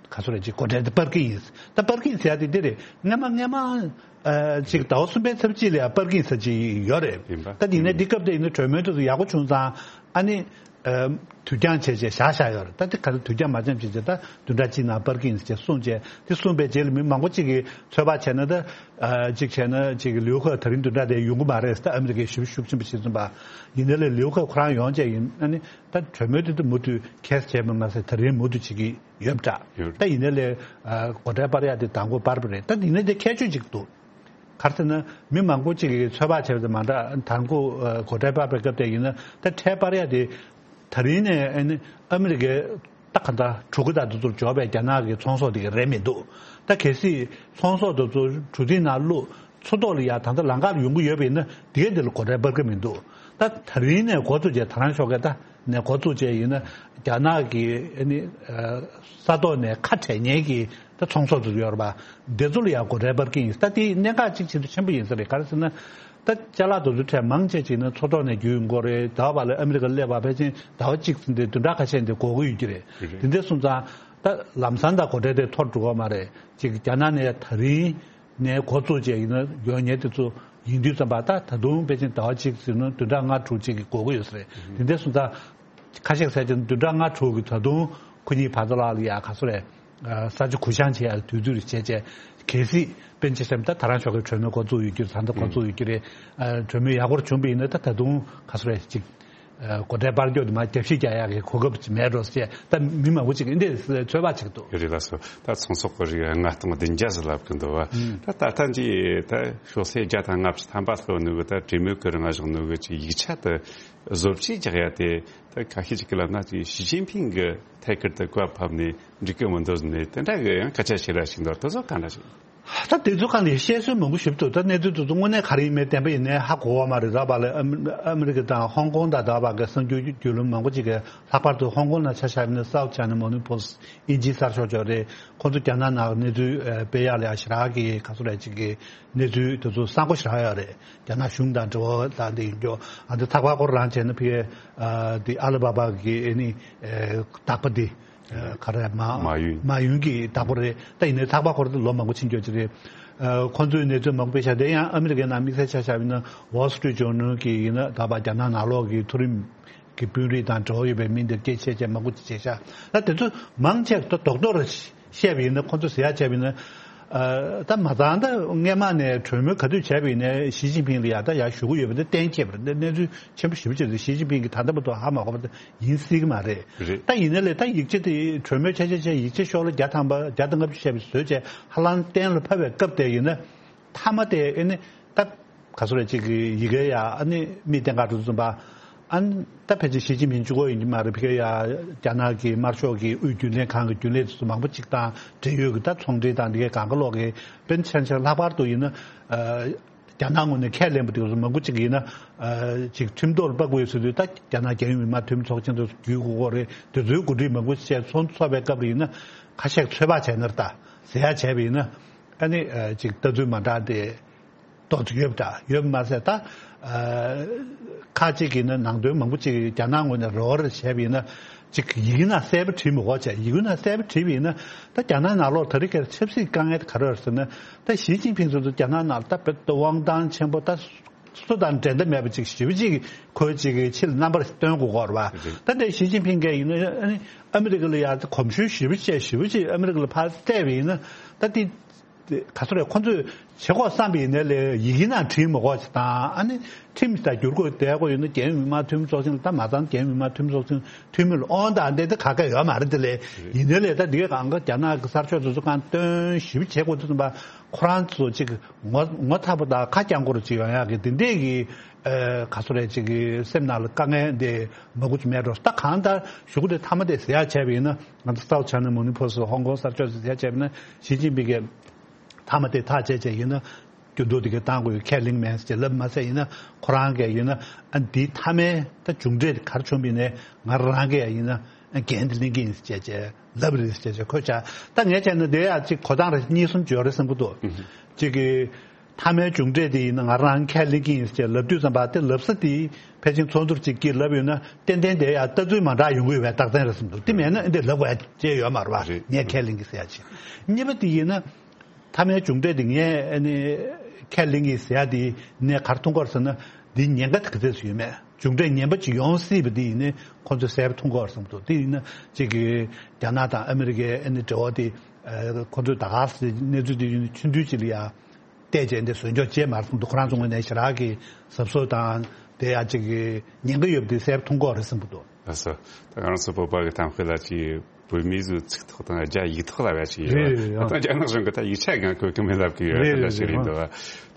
ག་ཚོད་རེད། ཅིག་སྒོ་ཁྲལ་དེ་སྤར་གྱི་ཡིན། ད་སྤར་གྱི་ཡིན་ཟེར་ཡ་དེ་འདི་རེད། སྔ་མ་སྔ་མ་ཨ་ཅིག་ཟླ་བ་གསུམ་པའི་ཚབ་ཅིག་ལ་ཡང་སྤར་གྱི་ཡིན་ཟེར་གྱི་ཡོད་རེད། ཡིན་པ། ད་དེ་ནས་འདི་སྐབས་དེ་ཡིན་ན་གྲོས་མོལ་དེ་ཚོ་ཡག་པོ་བྱུང་ཙང་ཨ་ནི། ཨ་དུས་འགྱངས་བྱས་བྱས་བཞག་བཞག་ཡོད་རེད། ད་དེ་ག་ཚོད་དུས་འགྱངས་མ་བྱས་བྱས་བྱས་ད་བདུན་ཕྲག་གཅིག་ནང་སྤར་གྱི་ཡིན་ཟེར་གསུངས་བྱས། དེ་གསུངས་པའི་རྗེས་ལ་མི་མང་པོ་གཅིག་གིས་ཚོད་དཔག་བྱས་ན་ད་ཨ་གཅིག་བྱས་ན་གཅིག་ལིའུ་ཁེ་ད་རིང་བདུན་ཕྲག་དེ་ཡོང་གི་མ་རེད་ཟེར། ད་ཨ་མི་རི་ཀའི་ཞབས་ཞུ་ཤུགས་ཆེན་པོ་བྱེད་བཙུན་པ་ཡིན་ནའི་ལས་ལིའུ་ཁེ་ཁོ་རང་ཡོང་བྱས་ཡིན་ཨ་ནི་ད་གྲོས་མོལ་དེ་ད་མུ་མཐུད་ཁེས་བྱས་པ་མ་ཟད་ད་རིང་མུ་མཐུད་བྱེད་ཀྱི་ཡོད་པ་འདྲ། ཡོད། ད་ཡིན་ནའི་ལས་ཨ་སྒོ་ཁྲལ་སྤར་ཡག་དེ་དང་པོ་སྤར་བ་རེད། ད་ཡིན་ནའི་དེ་ཁྱད་ཆོས་གཅིག་འདུག་ག་རེ་ཟེར་ན་མི་མང་པོ་གཅིག་གིས་ཚོད་དཔག་བྱས་པ་དང་མ་འདྲ། དང་པོ་ཨ་སྒོ་ཁྲལ་སྤར་བའི་སྐབས་དེ་ཡིན་ན་ད་ཁྲལ་སྤར་ཡག་དེ་ད་རིང་ནས་ཨ་ནི་ཨ་མི་རི་ཀའི་ད་ག་འདྲ་གྲུ་གུ་དང་དེ་ཚོར་འབྱོར་བའི་རྒྱ་ནག་གི་ཚོང་ཟོག་དེ་ག་རེད་མི་འདུག་ད་གལ་སྲིད་ཚོང་ཟོག་དེ་ཚོ་གྲུ་གཟིངས་ནང་བླུགས། མཚོ་ཐོག་ལ་ཡ་ད་ལྟ་ལམ་ཁ་ལ་ཡོང་གི་ཡོད་པ་ཡིན་ན་དེ་གའི་དེ་ལ་སྒོ་ཁྲལ་སྤར་གི་མི་འདུག་ད་ད་རིང་ནས་འགོ་བཙུགས་བྱས། ད་རང་ཤོག་གི་ད་ནས་འགོ་བཙུགས་བྱས་ཡིན་ན་རྒྱ་ནག་གི་ཨ་ནི་ས་ཐོག་ནས་ཁ་བྲལ་མཁན་གྱི་ད་ཚོང་ཟོག་དེ་ཚོ་ཡོད་རེད་པ། དེ་ཚོ་ལ་ཡང་སྒོ་ཁྲལ་སྤར་གྱི་ཡིན། ད་དེ་གནད་འགག་གཅིག་ཆེས་ཆེན་པོ་ཡིན་ས་རེད། ག་རེ་ཟེར་ན་ད་ཅ་ལག་དེ་ཚོ་ཁྲལ་མང་ཆེ་ཅིག་ན་མཚོ་ཐོག་ནས་བརྒྱུད་ཡོང་གི་རེད། ཟླ་བ་ལ་ཨ་མི་རི་ཀ་སླེབས་པ་ཕལ་ཆེར་ཟླ་བ་གཅིག་ཙམ་དེ་བདུན་ཕྲག་ཁ་ཤས་དེ་འགོར་གྱི་ཡོད་ཀྱི་རེད། དེ་འདྲ་སོང་ཙང་ད་ལམ་སང་ད་སྒོ་ཁྲལ་དེ་མཐོ་རུ་འགྲོ་གི་མ་རེད། ཅིག་རྒྱ་ནག་ནས་ད་རིང་ ནས་འགོ་བཙུགས་བྱས་ཡིན་ན་ཡོང་མཁན་དེ་ཚོ་ཡིན་དུས་ཙམ་པ། ད་ད་དུང་ཕལ་ཆེར་ཟླ་བ་གཅིག་ཟེར་ན་བདུན་ཕྲག་ལྔ་དྲུག་ཅིག་གི་འགོར་གྱི་ཡོད་ས་རེད། དེ་འདྲ་སོང་ཙང་ཁ་ཤས་ཟེར་གྱི་བདུན་ཕྲག་ལྔ་དྲུག་གི་ད་དུང་ཁོ་གཉིས་བར་དུ་ལ་ལ་ཡ་ག་ཚོད་རེད། ས་ཆ་གུ་བཤངས་བྱེད་ཡ་དུས་ཚོད་རེ་བྱས་བྱས། གལ་སྲིད་དཔེར་ན་ཆ་བཞག་ན་ད་ད་རང་ཕྱོགས་ཀྱི་གྲོས་མོལ་འགོ་བཙུགས་ཡོད་རྒྱུ་རེད། ད་ལྟ་འགོ་བཙུགས་ཡོད་རྒྱུ་རེད། གྲོས་མོལ་ཡག་པོ་བྱུང་བ་ཡིན་ན་ད་ད་དུང་ག་ཚོད་རེད་ཅིག་སྒོ་ཁྲལ་སྤར་རྒྱུ་དེ་མ་རྒྱབ་བཤིག་རྒྱག་ཡག་གི་གོ་སྐབས་ཅིག་མེད་འགྲོ་ཟེར། ད་མི་མང་པོ་ཅིག་འདི་འདྲའི་ཚོད་དཔག་བྱེད་ཀྱི་འདུག་ཡོད་རེད་ལགས་སོ། ད་ཚོང་ཟོག་གི་རིགས་ལྔ་སྟོང་བདུན་བརྒྱ་ཟེར་ལབ་ཀྱི་འདུག་བ། ད་ད་ལྟ་འདི་ད་ཤོག་ཚད་བརྒྱ་དང་ལྔ་བཅུ་ཐམ་པ་ལྷག་ནུས་གི་ད་གྲོས་མོལ་གི་རིང་བཞག་ནུས་གི་ཅིག་ཡིག་ཆ་དེ་བཟོ་བཅོས་རྒྱག་ཡ་དེ། ད་ཁ་ཤས་ཅིག་གིས་ལབ་ན་ཅིག་ཞི་ཅིན་ཕིང་གི་ཐད་ཀར་དུ་བཀའ་ཕབ་ནས་འགྲིག་གི་མི་འདུག་ནས་དེ་འདྲ་གི་ཡང་སྐད་ཆ་བཤད་ར་ཞིག་འདུག་དེ་ཚོ་གང་འདྲ་ཞིག་ད་དེ་ཚོ་གང་ལས་བཤད་སྲོལ་མང་པོ་ཞིག་འདུག་ད་གནས་ཚུལ་དེ་ཚོ་དངོས་གནས་ག་རེ་ཡིན་མིན་བདེན་པ་ཡིན་ནའི་ཧ་གོ་བ་མ་རེད། ར་བ་ལ་ཨ་མི་ཨ་མི་རི་ཀ་དང་ཧོང་ཀོང་དང་ད་བར་གྱི་གསར་འགྱུར་བརྒྱུད་ལམ་མང་པོ་ཅིག་གིས། ལྷག་པར་དུ་ཧོང་ཀོང་ནང་ཆ་བཞག་ན་South China Morning Post ཨིན་ཇིའི་གསར་ཤོག་ཅིག་རེད། ཁོང་ཚོ་རྒྱ་ནག་ནང་གནས་ཚུལ་ཨ་སྤེལ་ཡག་ལ་ཡ་ཞེ་དྲག་གི་ག་ཚོད་རེད་ཅིག་གི་གནས་ཚུལ་དེ་ཚོ་གསར་པ་ཞེ་དྲག་ཡོད་རེད། རྒྱ་ནག་གཞུང་དང་འབྲེལ་བ་དང་དེ་ཡིན་རྒྱུ། ཨ་འདི་ཐག་པ་སྐོར་རང་བྱས་ན་ཕ་གི་ཨ་དེ་ཨ་ལི་བྷ་བྷ་གི་ཨ་ནི་ཨེ་བདག་པོ་དེ་ཨེ་ག་རེ་མ་མ་ཡུན། མ་ཡུན་གྱི་བདག་པོ་རེད། ད་ཡིན་ནའི་ཐག་པ་སྐོར་དེ་ལོ་མང་པོ་ཕྱིན་ཡོད་ཀྱི་རེད། ཨ་ཁོང་ཚོའི་གནས་ཚུལ་མང་པོ་སྤེལ་ཤག་དེ་ཡང་ཨ་མི་རི་ཀའི་ནང་དམིགས་བསལ་ཆ་བཞག་པ་ཡིན་ན་Wall Street Journal གི་ཡིན་ན་ད་བར་རྒྱ་ནག་ནང་ལོགས་ཀྱི་མཐོ་རིམ་གི་དཔོན་རིགས་དང་འབྲེལ་བ་ཡོད་པའི་མི་འདིར་སྐད་ཆ་བཤད་བྱས་མང་པོ་ཅིག་བྱས་ཤག་ད་དེ་ཚོ་མང་ཆེ་ད་རྡོག་རྡོག་རེ་བཤད་པ་ཡིན་ན། ཁོང་ཚོ་ཟེར་ཡག་བྱས་པ་ཡིན་ན། ཨ་ད་མ་ཚང་ད་སྔས་མ་ནས་གྲོས་མོལ་ག་དུས་བྱས་པ་ཡིན་ནའི་ཞི་ཅིན་ཕིང་ལ་ཡ་ད་ཡར་ཞུ་གི་ཡོད་པ་དེ་གཏན་འཁེལ་བ་རེད། གནས་ཚུལ་ཆེན་པོ་ཞེ་པོ་ཅིག་རེད། ཞི་ཅིན་ཕིང་གིས་ད་ལྟ་བར་དུ་ཧ་མ་གོ་བ་ད་ཡིན་སྲིད་ཀྱི་མ་རེད། རེད། ད་ཡིན་ནའི་ལས་ད་ཡིག་ཆ་དེ་གྲོས་མོལ་ཆ་ཆ་བྱས། ཡིག་ཆ་ཤོག་ལྷེ་བརྒྱ་ཐམ་པ་བརྒྱ་དང་ལྔ་བཅུ་བྱས་པ་བཟོས་བྱས་ཧ་ལམ་གཏན་ལ་ཕབ་པའི་སྐབས་དེ་ཡིན་ན། མཐའ་མ་དེ་ཨེ་ནི་ད་ག་ཚོད་རེད་ཅིག་གི་ཡི་གེ་ཡ་ཨ་ནི་མིག་སྟེང་ཁ་འགྲོ་ཙམ་པ། ཨ་ནི་ད་ཕལ་ཆེར་ཞི་ཅིན་ཕིང་གཅིག་པོ་ཡིན་གྱི་མ་རེད། ཕ་གི་ཡ་རྒྱ་ནག་གི་དམར་ཤོག་གི་དབུས་རྒྱུན་ལས་ཁང་གི་རྒྱུན་ལས་དེ་ཚོ་མང་པོ་ཅིག་དང་འབྲེལ་ཡོད་ཀྱི་ད་ཚོང་འབྲེལ་དང་འདི་གའི་གང་ག་ལོག་གི་དཔེར་ན་ཆ་བཞག་ན་ལྷག་པར་དུ་ཡིན་ན་ཨ་རྒྱ་ནག་ངོས་ནས་ཁས་ལེན་པ་དེ་ཚོ་མང་པོ་ཅིག་ཡིན་ན་ཨ་ཅིག་ཁྲིམས་ཐོག་ལ་ཕབ་དགོས་ཡོད་ཟེར་དུས། ད་རྒྱ་ནག་རྒྱལ་ཡོངས་མི་དམངས་འཐུས་མི་ཚོགས་ཆེན་དུ་བརྒྱུད་དགོས་ཀྱི་རེད། དེ་ཚོའི་གོ་སྒྲིག་མང་པོ་བྱས་ཚོགས་ཚོགས་པའི་སྐབས་ལ་ཡིན་ན་ཁ་ཤས་ཚོད་དཔག་བྱས་ན་ད་ཟེར་ཡག་བྱས་པ་ཡིན་ན། ཨ་ནི་ཨ་ཅིག་ལྟ་ཚུལ་མ་འདྲ་དེ་ཏོག་ཙམ་ཡོད་པ་འདྲ་ཡོད་པ་མ་ཟད། ད་ཨ་ཁ་ཅིག་གིས་ནི་ནང་དོན་མང་པོ་ཅིག་རྒྱ་ནག་ངོས་ནས་རོགས་རེ་བྱས་པ་ཡིན་ན། ཅིག་ཡི་གེ་ནང་གསལ་པོ་བྲིས་མི་དགོས་བྱས། ཡི་གེ་ནང་གསལ་པོ་བྲིས་པ་ཡིན་ན་ད་རྒྱ་ནག་ནང་ལོགས་ད་རེས་ཀྱི་ཆབ་སྲིད་དཀའ་ངལ་དེ་ག་རེ་རེད་ཟེར་ན། ད་ཞི་ཅིན་ཕིང་ཚོ་ད་རྒྱ་ནག་ནང་ད་དཔེ་དབང་ཐང་ཆེན་པོ་ད་སུ་དང་འགྲན་ཟླ་མེད་པ་ཅིག་ཞེ་པོ་ཅིག་ཁོས་ཅིག་ཕྱི་ལ་རྣམ་པར་སྟོན་དགོས་ཀྱི་ཡོད་རེད་པ། ད་ལྟའི་ཞི་ཅིན་ཕིང་གིས་ཡིན་ན་ཨ་ནི་ཨ་མི་རི་ཀ་ལ་ཡ་གོམས་ཤུགས་ཞེ་པོ་བྱས། ཞེ་པོ་ཅིག་ཨ་མི་རི་ཀ་ལ་ཕར་བལྟས་པ་ཡིན་ན་ད་དེ། དེ་ག་ཚོད་རེད། ཁོ་ཚོས་བྱེད་དགོས་བསམ་པ་ཡིན་ནའི་ལས་ཡི་གེ་ནང་བྲིས་མི་དགོས་ཅིག་དང་། ཨ་ནི་ཁྲིམས་དང་བསྒྱུར་བཀོད་བསྡད་དགོས་ཡོད་ན་རྒྱལ་ཡོངས་མི་དམངས་འཐུས་མི་ཚོགས་ཆེན་ལ། ད་མ་ཚང་རྒྱལ་ཡོངས་མི་དམངས་འཐུས་མི་ཚོགས་ཆེན་འཐུས་མི་ལ་དབང་དང་འདི་དེ་ག་ག་ཡོད་མ་རེད། དེ་ལས་ཡིན་ནའི་ལས་ད་འདི་གང་ག་རྒྱ་ནག་གི་གསར་ཤོག་དེ་ཚོ་གང་སྟོན་ཞིབ་བྱེད་དགོས་དུས་ཙམ་པ། ཁོ་རང་ཚོ་ཅིག་ངོ་ངོ་ཚ་པོ་དང་ཁ་རྐྱང་པོ་ཅིག་ཡོང་ཡག་གི་དེ་འདྲས་ཀྱི་ཨ་ག་ཚོད་རེད་ཅིག་གི་སེམས་ནང་ལ་དཀའ་ངལ་འདི་མང་པོ་ཅིག་མེད་འགྲོ། ད་གང་ལྟར་གཞུག་གུ་དེ་མཐའ་མ་དེ་ཟེར་ཡག་བྱས་པ་ཡིན་ན། ང་ཚོ་South China Morning Post ཧོང་ཀོང་གསར་ཤོག་ཟེར་ཡག་བྱས་པ་ཡིན་ན། ཞི་ཅིན་ཕིང་གིས་མཐའ་མ་དེ་ཐག་བཅད་བྱས་ཡིན་ན་སྐྱོན་འཛུགས་དེ་གའི་བཏང་དགོས་ཡོད་ཁས་ལེན་མེད་ཟེར་ལབ་མ་ཟད། ཡིན་ན་ཁོ་རང་གིས་ཡིན་ན་ཨ་འདིའི་མཐའ་མའི་ད་མཇུག་འབྲས་དེ་ག་རེ་བྱུང་བ་ཡིན་ནའི་ང་རང་གིས་ཡིན་ན་འགན་དེ་ལེན་གྱི་ཡིན་ཟེར་བྱས་ལབ་རེད་ཟེར་བྱས་ཁོས་བྱས། ད་ངས་བྱས་ན་དེ་ཡང་ཅིག་གོ་སྟངས་རེ་གཉིས་གསུམ་ཅིག་ཡོད་རེད་བསམ་གྱི་འདུག་ཅིག་གི་མཐའ་མའི་མཇུག་འབྲས་དེ་ཡིན་ན་ང་རང་ཁས་ལེན་གྱི་ཡིན་ཟེར་ལབ་དུས་ཙམ་པ། དེ་ལབ་ས་དེ་ཕལ་ཆེར་ཚོགས་འདུར་ཅིག་གིས་ལབ་ཡོད་ན་ཏན་ཏན་དེ་ཡང་ལྟ་ཚུལ་མ་འདྲ་ཡོང་གི་ཡོད་པའི་རྟགས་མཚན་རེད་བསམ་འདུག་དེ་མེད་ན་འདི་ལབ་དགོས་ཡ་ཅིག་ཡོད་མ་རེད་པ། རེད། ངས་ཁས་ལེན་གྱི་ཟེར་ཡ་ཅིག་གཉིས་པ་དེ་ཡིན་ན་མཐའ་མའི་མཇུག་འབྲས་དེ་ངས་ཨ་ནི་ཁས་ལེན་གྱི་ཟེར་ཡ་དེ་ནས་ག་རེ་མཐོང་གི་ཡོད་རེད་ཟེར་ན། འདིའི་ཉེན་ཁ་དེ་ག་ཚོད་ཡོད་མེད། མཇུག་འབྲས་ངན་པ་ཅིག་ཡོང་སྲིད་པ་དེ་ཡིན་ན་ཁོང་ཚོས་གསལ་པོ་མཐོང་གི་ཡོད་རེད་བསམ་འདུག་དེ་ཡིན་ན་ཅིག་གི་རྒྱ་ནག་དང་ཨ་མི་རི་ཀའི་ཨ་ནི་འབྲེལ་བ་དེ་ཁོང་ཚོས་ད་ག་སེ་གནས་ཚུལ་དེ་ཡིན་ན་ཆུང་དུས་ཅིག་ལ་ཡ། བལྟས་བྱས་འདི་བཟོས་འཇོག་བྱས་མ་རེད་བསམ་འདུག་ཁོ་རང་ཚོ་ངོས་ནས་ཞེ་དྲག་གི་གཟབ་གཟབ་དང་དེ་ཡང་ཅིག་གི་ཉེན་ཁ་ཡོད་པ་དེ་གསལ་པོ་མཐོང་གི་ཡོད་རེད་བསམ་གྱི་འདུག་ལགས་སོ། ད་ང་རང་ཚོ་བོད་པ་གི་གཏམ་དཔེ་ལ་ཅིག་བོད་མིའི་ཚོའི་ཚིག་ཐོག་དང་རྒྱ་ཡིག་ཐོག་ལ་བ་ཞིག་ཡོད་རེད། རེད། ད་ལྟ་རྒྱ་ནག་གཞུང་གི་ད་ཡིག་ཆ་གང་བཀོད་གི་མེད་ལབ་གི་ཡོད་རེད། རེད། ད་ཞིག་རེད་འདུག་དེ་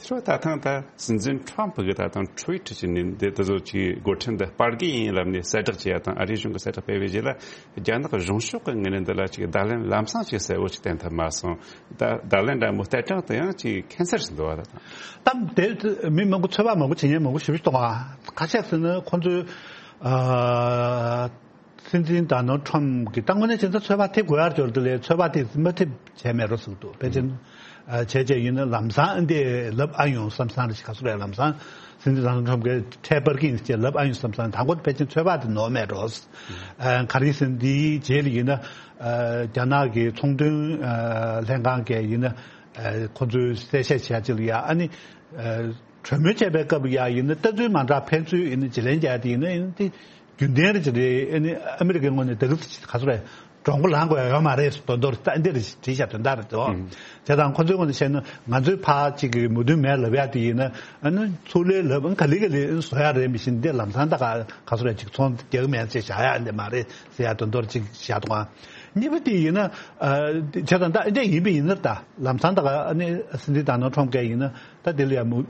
ཚོ་ད་ཐེངས་ད་སྲིད་འཛིན་ཁྲོམ་ཕུ་གི་ད་ཐེངས་ཊུ་ཝིཊ་བྱས་ནས་འདི་ད་ཚོ་ཅིག་འགོ་ཁྲིད་འདི་སྤར་གི་ཡིན་ལབ་ནས་གསལ་བསྒྲགས་བྱས་ཡ་དང་། ཨ་རིའི་གཞུང་གི་གསལ་བསྒྲགས་སྤེལ་བའི་རྗེས་ལ་རྒྱ་ནག་གཞུང་ཕྱོགས་ཀྱི་ངོས་ནས་འདི་ལ་ཅིག་བརྡ་ལན་ལམ་སང་ཅིག་གསལ་བོ་ཅིག་བསྟན་ཐུབ་མ་སོང་། ད་བརྡ་ལན་འདྲ་མོ་སྟེར་གྲངས་དེ་ཡང་ཅིག་ཁྱད་མཚར་ཞིག་འདུག་བ། ད་ད་དེ་མི་མང་པོ་ཚོད་དཔག་མང་པོ་བྱེད་མཁན་མང་པོ་ཞེ་པོ་ཅིག་འདུག་ག་ཁ་ཤས་ཟེར་ན་ཁོང་ཚོས་ཨ་སྲིད་འཛིན་ཌོ་ནལ་ཌི་ཊརམ་ཕི་གི་ད་དངོས་གནས་བྱས་ན་ཚོད་དཔག་ཐེབས་དགོས་ཡ་འབྱོར་དེ་ལས་ཚོད་དཔག་དེ་མ་ཐེབས་བྱས་མེད་འགྲོ་ཟེར་གྱི་འདུག་ཕལ་ཆེར་ཨ་བྱས་བྱས་ཡིན་ན་ལམ་སང་འདི་ལབ་ཨ་ཡོང་བསམ་བསམ་རེ་ཞིག་ག་ཚོད་རེད། ལམ་སང་སྲིད་འཛིན་ཌོ་ནལ་ཌི་ཊརམ་ཕི་གིས་ཁྲལ་སྤར་གི་ཡིན་ཟེར་ལབ་ཨ་ཡོང་བསམ་བསམ། དང་པོ་ཕལ་ཆེར་ཚོད་དཔག་དེ་ནོར་མེད་འགྲོ། ཨ་ག་རེ་ཟེར་ན་འདིའི་རྗེས་ལ་ཡིན་ན་ཨ་རྒྱ་ནག་གི་ཚོང་དོན་ཨ་ལྷན་ཁང་གིས་ཡིན་ན་ ཁོ་ཚོས་གསལ་བཤད་བྱས་ཅིག་ལ་ཡ་ཨ་ནི་གྲོས་མོལ་བྱས་པའི་སྐབས་ལ་ཡ་ཡིན་ན་ལྟ་ཚུལ་མ་འདྲ་ཕན་ཚུན་ཡིན་ན་བརྗེ་ལེན་རྒྱག་དེ་ཡིན་ན་ཡིན་ཏེ་རྒྱུན་ལྡན་རེད་ཅེས་རེད། ཨ་ནི་ཨ་མི་རི་ཀའི་ངོས་ནས་ད་གི་ག་ཚོད་རེད་གྲོང་པ་ལངས་དགོས་ཡ་ཡོད་མ་རེད་དོན་དོར་ད་འདིར་བྲིས་བཞག་དོན་དག་རེད་དོ། བྱས་ཙང་ཁོ་ཚོའི་ངོས་ནས་བཤད་ན་ང་ཚོའི་ཕ་གཅིག་གི་མོས་མཐུན་མེད་ལབ་ཡ་དེ་ཡིན་ན་ཨ་ནི་ཚུར་ལན་ལབ་ག་ལེ་ག་ལེ་བཟོ་ཡ་རེད། མི་ཤེས་འདི་ལམ་སང་ད་ག་ག་ཚོད་རེད་ཅིག་ཚོང་རྒྱག་མེད་ཅེས་བཞག་ཡ་འདི་མ་རེད་ཟེར་ཡ་དོན་དོར་ཅིག་བཞག་དོ། གཉིས་པ་དེ་ཡིན་ན་བྱས་ཙང་ད་འདི་ཡིན་པ་ཡིན་ན་ད་ལམ་སང་ད་ག་ཨ་ནི་སྲིད་འཛིན་ད་ནོ་ཁྲོམ་གས་ཡིན་ན་ད་དེ་ལ་ཡ་མུ་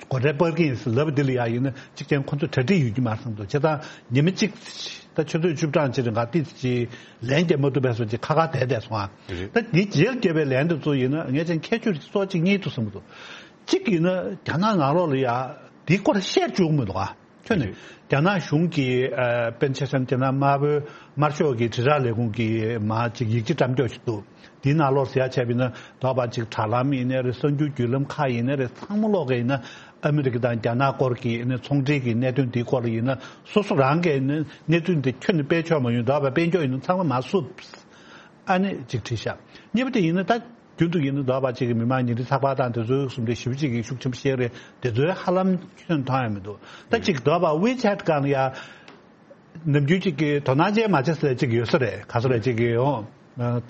སྒོ་ཁྲལ་སྤར་གྱི་ཡིན་ཟེར་ལབ་པ་འདི་ལ་ཡ་ཡིན་ན་གཅིག་ཀྱང་ཁོ་ཚོ་གྲ་སྒྲིག་ཡོད་ཀྱི་མ་རེད་བསམ་འདུག་བྱས་ཙང་ཉི་མ་གཅིག་ད་ཆུ་ཚོད་བཅུ་གྲངས་ཅིག་རིང་ག་ཏིས་ཅིག་ལན་རྒྱབ་མ་ཐུབ་པའི་སོ་ཅིག་ཁ་ཁ་བསྡད་བསྡད་སོང་ཨ། ད་འདི་རྗེས་ལ་རྒྱབ་པའི་ལན་དེ་ཚོ་ཡིན་ན་ངས་ཅང་ཁྱད་ཆོས་ཀྱི་སོ་གཅིག་གཉིས་འདུག་བསམ་གྱི་འདུག་གཅིག་ཡིན་ན་རྒྱ་ནག་ནང་ལོགས་ལ་ཡ་འདི་སྐོར་བཤད་བཅུག་མི་འདུག་ཨ། ཁྱོད་ནས་རྒྱ་ནག་གཞུང་གི་ཨ་དཔེར་ན་ཆ་བཞག་ན་རྒྱ་ནག་དམར་པོའི་དམར་ཤོག་གི་དྲིལ་བསྒྲགས་ལས་ཁུངས་ཀྱི་མ་ཅིག་ཡིག་ཆ་བཀྲམ་སྐྱོར་ཞིག་འདུག་དེའི་ནང་ལོགས་ཟེར་ཡ་བྱས་པ་ཡིན་ན་དོགས་པ་ཅིག་དྲ་ལམ་ཡིན་ནའི་རེད། གསར་འགྱུར་བརྒྱུད་ལམ་ཁག་ཡིན་ནའི་རེད། ཚང་མ་ལོག་གི་ཡིན་ན་ཨ་མི་རི་ཀ་དང་རྒྱ་ནག་སྐོར་གྱི་ཡིན་ན་ཚོང་འབྲེལ་གྱི་གནད་དོན་འདིའི་སྐོར་ལ་ཡིན་ན་སོ་སོ་རང་གིས་ཡིན་ན་གནས་ཚུལ་འདི་ཁྱོན་ནས་སྤེལ་ཆོག་མ་ཡོང་། དོགས་པ་སྤེལ་འཇོག་ཡིན་ན་ཚང་མ་མ་བསུབ། ཨ་ནི་ཅིག་བྲིས་ཤག་གཉིས་པ་དེ་ཡིན་ན་ད་རྒྱུན་དུ་ཡིན་ན་དོགས་པ་ཅིག་གི་མི་མང་ཉིན་རེའི་ཚགས་པར་དང་དེ་ཚོའི་གསུམ་དེ་ཞེ་པོ་ཅིག་གི་ཤུགས་ཆེན་པོ་བཤད་རེད། དེ་ཚོའི་ཧ་ལམ་ཁྱོན་མཐོང་ཡ་མི་འདུག་ད་ཅིག་དོགས་པ་ཝི་ཆེ་ཊི་སྒང་ལ་ཡ་ནམ་རྒྱུན་ཅིག་གི་དོ་སྣང་ཅན་མ་བྱེད་ཟེར་ཅིག་ཡོད་ས་རེད། ག་ཚོད་རེད་ཅིག་གི་ཡོང་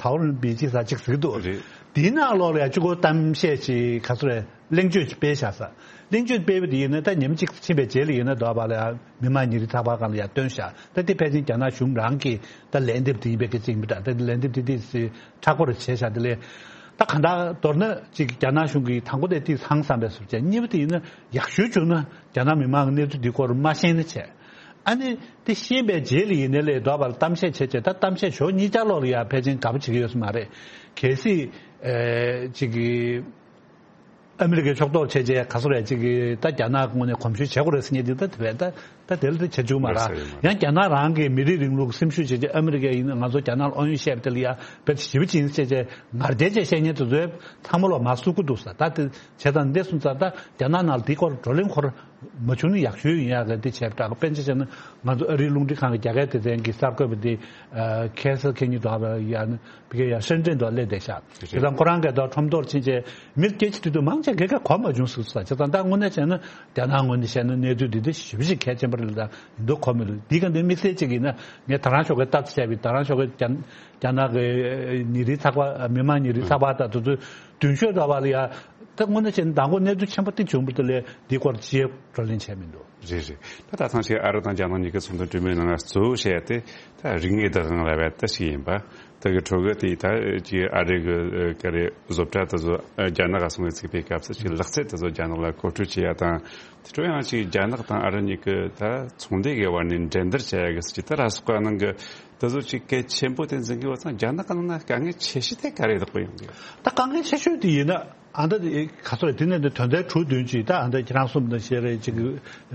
ཐའོ་རན་བི་ཅི་ཟེར་ཅིག་ཟེར་གི་འདུག་རེད། དེའི་ནང་ལོགས་ལ་ཡ་གཅིག་པོ་གཏམ་བཤད་ཅིག་ག་ཚོད་རེད། གླེང་བརྗོད་ཅིག་སྤེལ་བཞག་ས། གླེང་བརྗོད་སྤེལ་བ་དེ་ཡིན་ན་ད་ཉིན་གཅིག་ཕྱིན་པའི་རྗེས་ལ་ཡིན་ན་དོགས་པ་ལ་ཡ་མི་མང་ཉིན་རེའི་ཚགས་པར་སྒང་ལ་ཡ་བཏོན་བཞག་ད་དེ་ཕལ་ཆེར་རྒྱ་ནག་གཞུང་རང་གི་ད་ལན་འདེབས་དེ་ཡིན་པའི་སྐད་ཆ་ཡིན་པ་འདྲ། ད་དེ་ལན་འདེབས་དེ་དེ་མཁྲེགས་པོ་རེ་བྱས་བཞག་དེ་ལས་ད་གང་ལྟར་མདོར་ན་ཅིག་རྒྱ་ནག་གཞུང་གིས་དང་པོ་དེ་དེ་ཧང་སངས་པའི་བཟོ་བྱས། གཉིས་པ་དེ་ཡིན་ན་ཡག་ཤོས་བྱུང་ན་རྒྱ་ནག་མི་མང་གི་གནས་ཚུལ་འདི་སྐོར་མ་ཤེས་ན་བྱས། ཨ་ནི་དེ་ཤེས་པའི་རྗེས་ལ་ཡིན་ནའི་ལས་དོགས་པ་ལ་གཏམ་བཤད་བྱས་བྱས་ད་གཏམ་བཤད་ཕྱོགས་གཉིས་ཆ་ལོག་ལ་ཡ་ཕལ་ཆེར་དགའ་པོ་བྱེད་ཀྱི་ཡོད་ས་མ་རེད། གལ་སྲིད་ཨེ་ཅིག་གི་ཨ་མི་རི་ཀའི་ཕྱོགས་གཏོགས་བྱས་བྱས་ག་ཚོད་རེད་ཅིག་གི་ད་རྒྱ་ནག་ངོས་ནས་གོམས་ཞུ་བྱེད་དགོས་རེད་ཟེར་མཁན་དེ་ད་དེ་བས་ད་ད་དེ་ལ་ད་བྱེད་བཅུག་མ་ར། ཡོད་ས་རེད་མ་རེད། ཡང་རྒྱ་ནག་རང་གི་མི་རིགས་རིང་ལུགས་སེམས་ཤུགས་བྱས་བྱས་ཨ་མི་རི་ཀས་ཡིན་ན་ང་ཚོ་རྒྱ་ནག་ལ་ཨང་ཡོད་བཤད་པ་དེ་ལ་ཡ་དཔེ་ཞེ་པོ་ཅིག་ཡིན་ཟེར་བྱས་ངར་དེ་བྱས་བཤད་མཁན་དེ་ཚོའི་ཚང་མ་ལོག་མར་བསུབ་ཀྱི་འདུག་ས། ད་དེ་བྱས་ཙང་འདི་སོང་ཙང་ད་རྒྱ་ནག་ནང་ལ་དེའི་སྐོར་བགྲོ་གླེང་འཁོར་མ་བྱུང་ན་ཡག་ཤོས་ཡིན་ཡག་གི་འདི་བྱས་པ་འདྲ། དཔེར་ན་ཆ་བཞག་ན་ང་ཚོ་ཨ་རིའི་རླུང་འཕྲིན་ཁང་གི་རྒྱ་སྐད་སྡེ་ཚན་གྱི་གསར་འགོད་པ་འདི་ཁ་སང་ཁ་ཉིན་དུ་ཡ་ཕ་གིར་ཡ་ཧྲེན་ཀྲེན་དུ་སླེབས་བསྡད་ཤག་དེ་དང་ཁོ་རང་གིས་ད་ཁྲོམ་ཐོག་ཕྱིན་བྱས་མི་སྐད་ཆ་དྲིས་དུས་མང་ཆེ་གས་ཀ་གོ་མ་བྱུང་ཟེར་ས། བྱས་ཙང་ད་དངོས་གནས་བྱས་ན་རྒྱ་ནག་ངོས་ནས་བཤད་ན་གནས་ཚུལ་འདི་འདི་ཞེ་པོ་ཅིག་གལ་ཆེན་པོ་རེད། ད་ཡིན་མདོག་གོ་མི་འདུག་འདི་ག་འདི་དམིགས་བསལ་ཅིག་ཡིན་ན་ངས་ད་རང་ཤོག་གི་ལྟ་ཚུལ་བྱས་པའི་ད་རང་ཤོག་གི་རྒྱ་རྒྱ་ནག་གི་ཉིན་རེའི་ཚགས་པར་མི་མང་ཉིན་རེའི་ཚགས་པར་དང་དེ་ཚོའི་མདུན་ཤོག་འདྲ་བ་ལ་ཡ་ད་དངོས་གནས་བྱས་ན་མདང་དགོང་གནས་ཚུལ་ཆེན་པོ་དེ་བྱུང་བ་དེ་ལས་འདི་སྐོར་ཅི་བགྲོ་གླེང་བྱས་མི་འདུག་རེད་རེད། ད་ད་ཐེངས་ཅིག་ཨ་རི་དང་རྒྱ་ནག་གཉིས་ཀའི་ཚོགས་འདུ་གྲོས་མོལ་ནང་གཙོ་བོ་བཤད་ཡ་དེ་ད་རིག་གནས་བདག་དབང་ལབ་ཡ་ད་ཞིག་ཡིན་པ། ད་གི་ཁྲོ་གི་དེ་ད་ཅིག་ཨ་རི་གི་ཀ་རེ་བཟོ་གྲྭ་དེ་ཚོ་རྒྱ་ནག་ག་སོང་བའི་ཚིག་པའི་སྐབས་སུ་ཅིག་ལག་རྩལ་དེ་ཚོ་རྒྱ་ནག་ལ་མཁོ་སྤྲོད་བྱེད་ཡ་དང་། དེ་འཕྲོ་ཡང་ཅིག་རྒྱ་ནག་དང་ཨ་རི་གཉིས་ཀྱི་ད་ཚོང་སྡེ་གི་བར་ནས་འགྲན་བསྡུར་བྱེད་ཡ་གི་སྲིད་ཇུས་ད་ར་སོགས་པ་ནང་གི་དེ་ཚོ་ཅིག་གལ་ཆེན་པོ་དེ་འཛིན་གི་ཡོད་ཙང་རྒྱ་ནག་གི་ནང་ན་དཀའ་ངལ་ཆེ་ཤོས་དེ་ག་རེ་བདག་པོ་ཡོང་གི་ཡོད། ད་དཀའ་ངལ་ཆེ་ཤོས་དེ་ཡིན་ན་ཨ་ད་ག་ཚོད་རེད། དེ་ནས་འདི་དོན་ཚན་དྲུག་བདུན་ཅིག་ད་ཨ་ད་ཁྱེད་རང་གསུངས་དང་བཤད་རེད། ཅིག་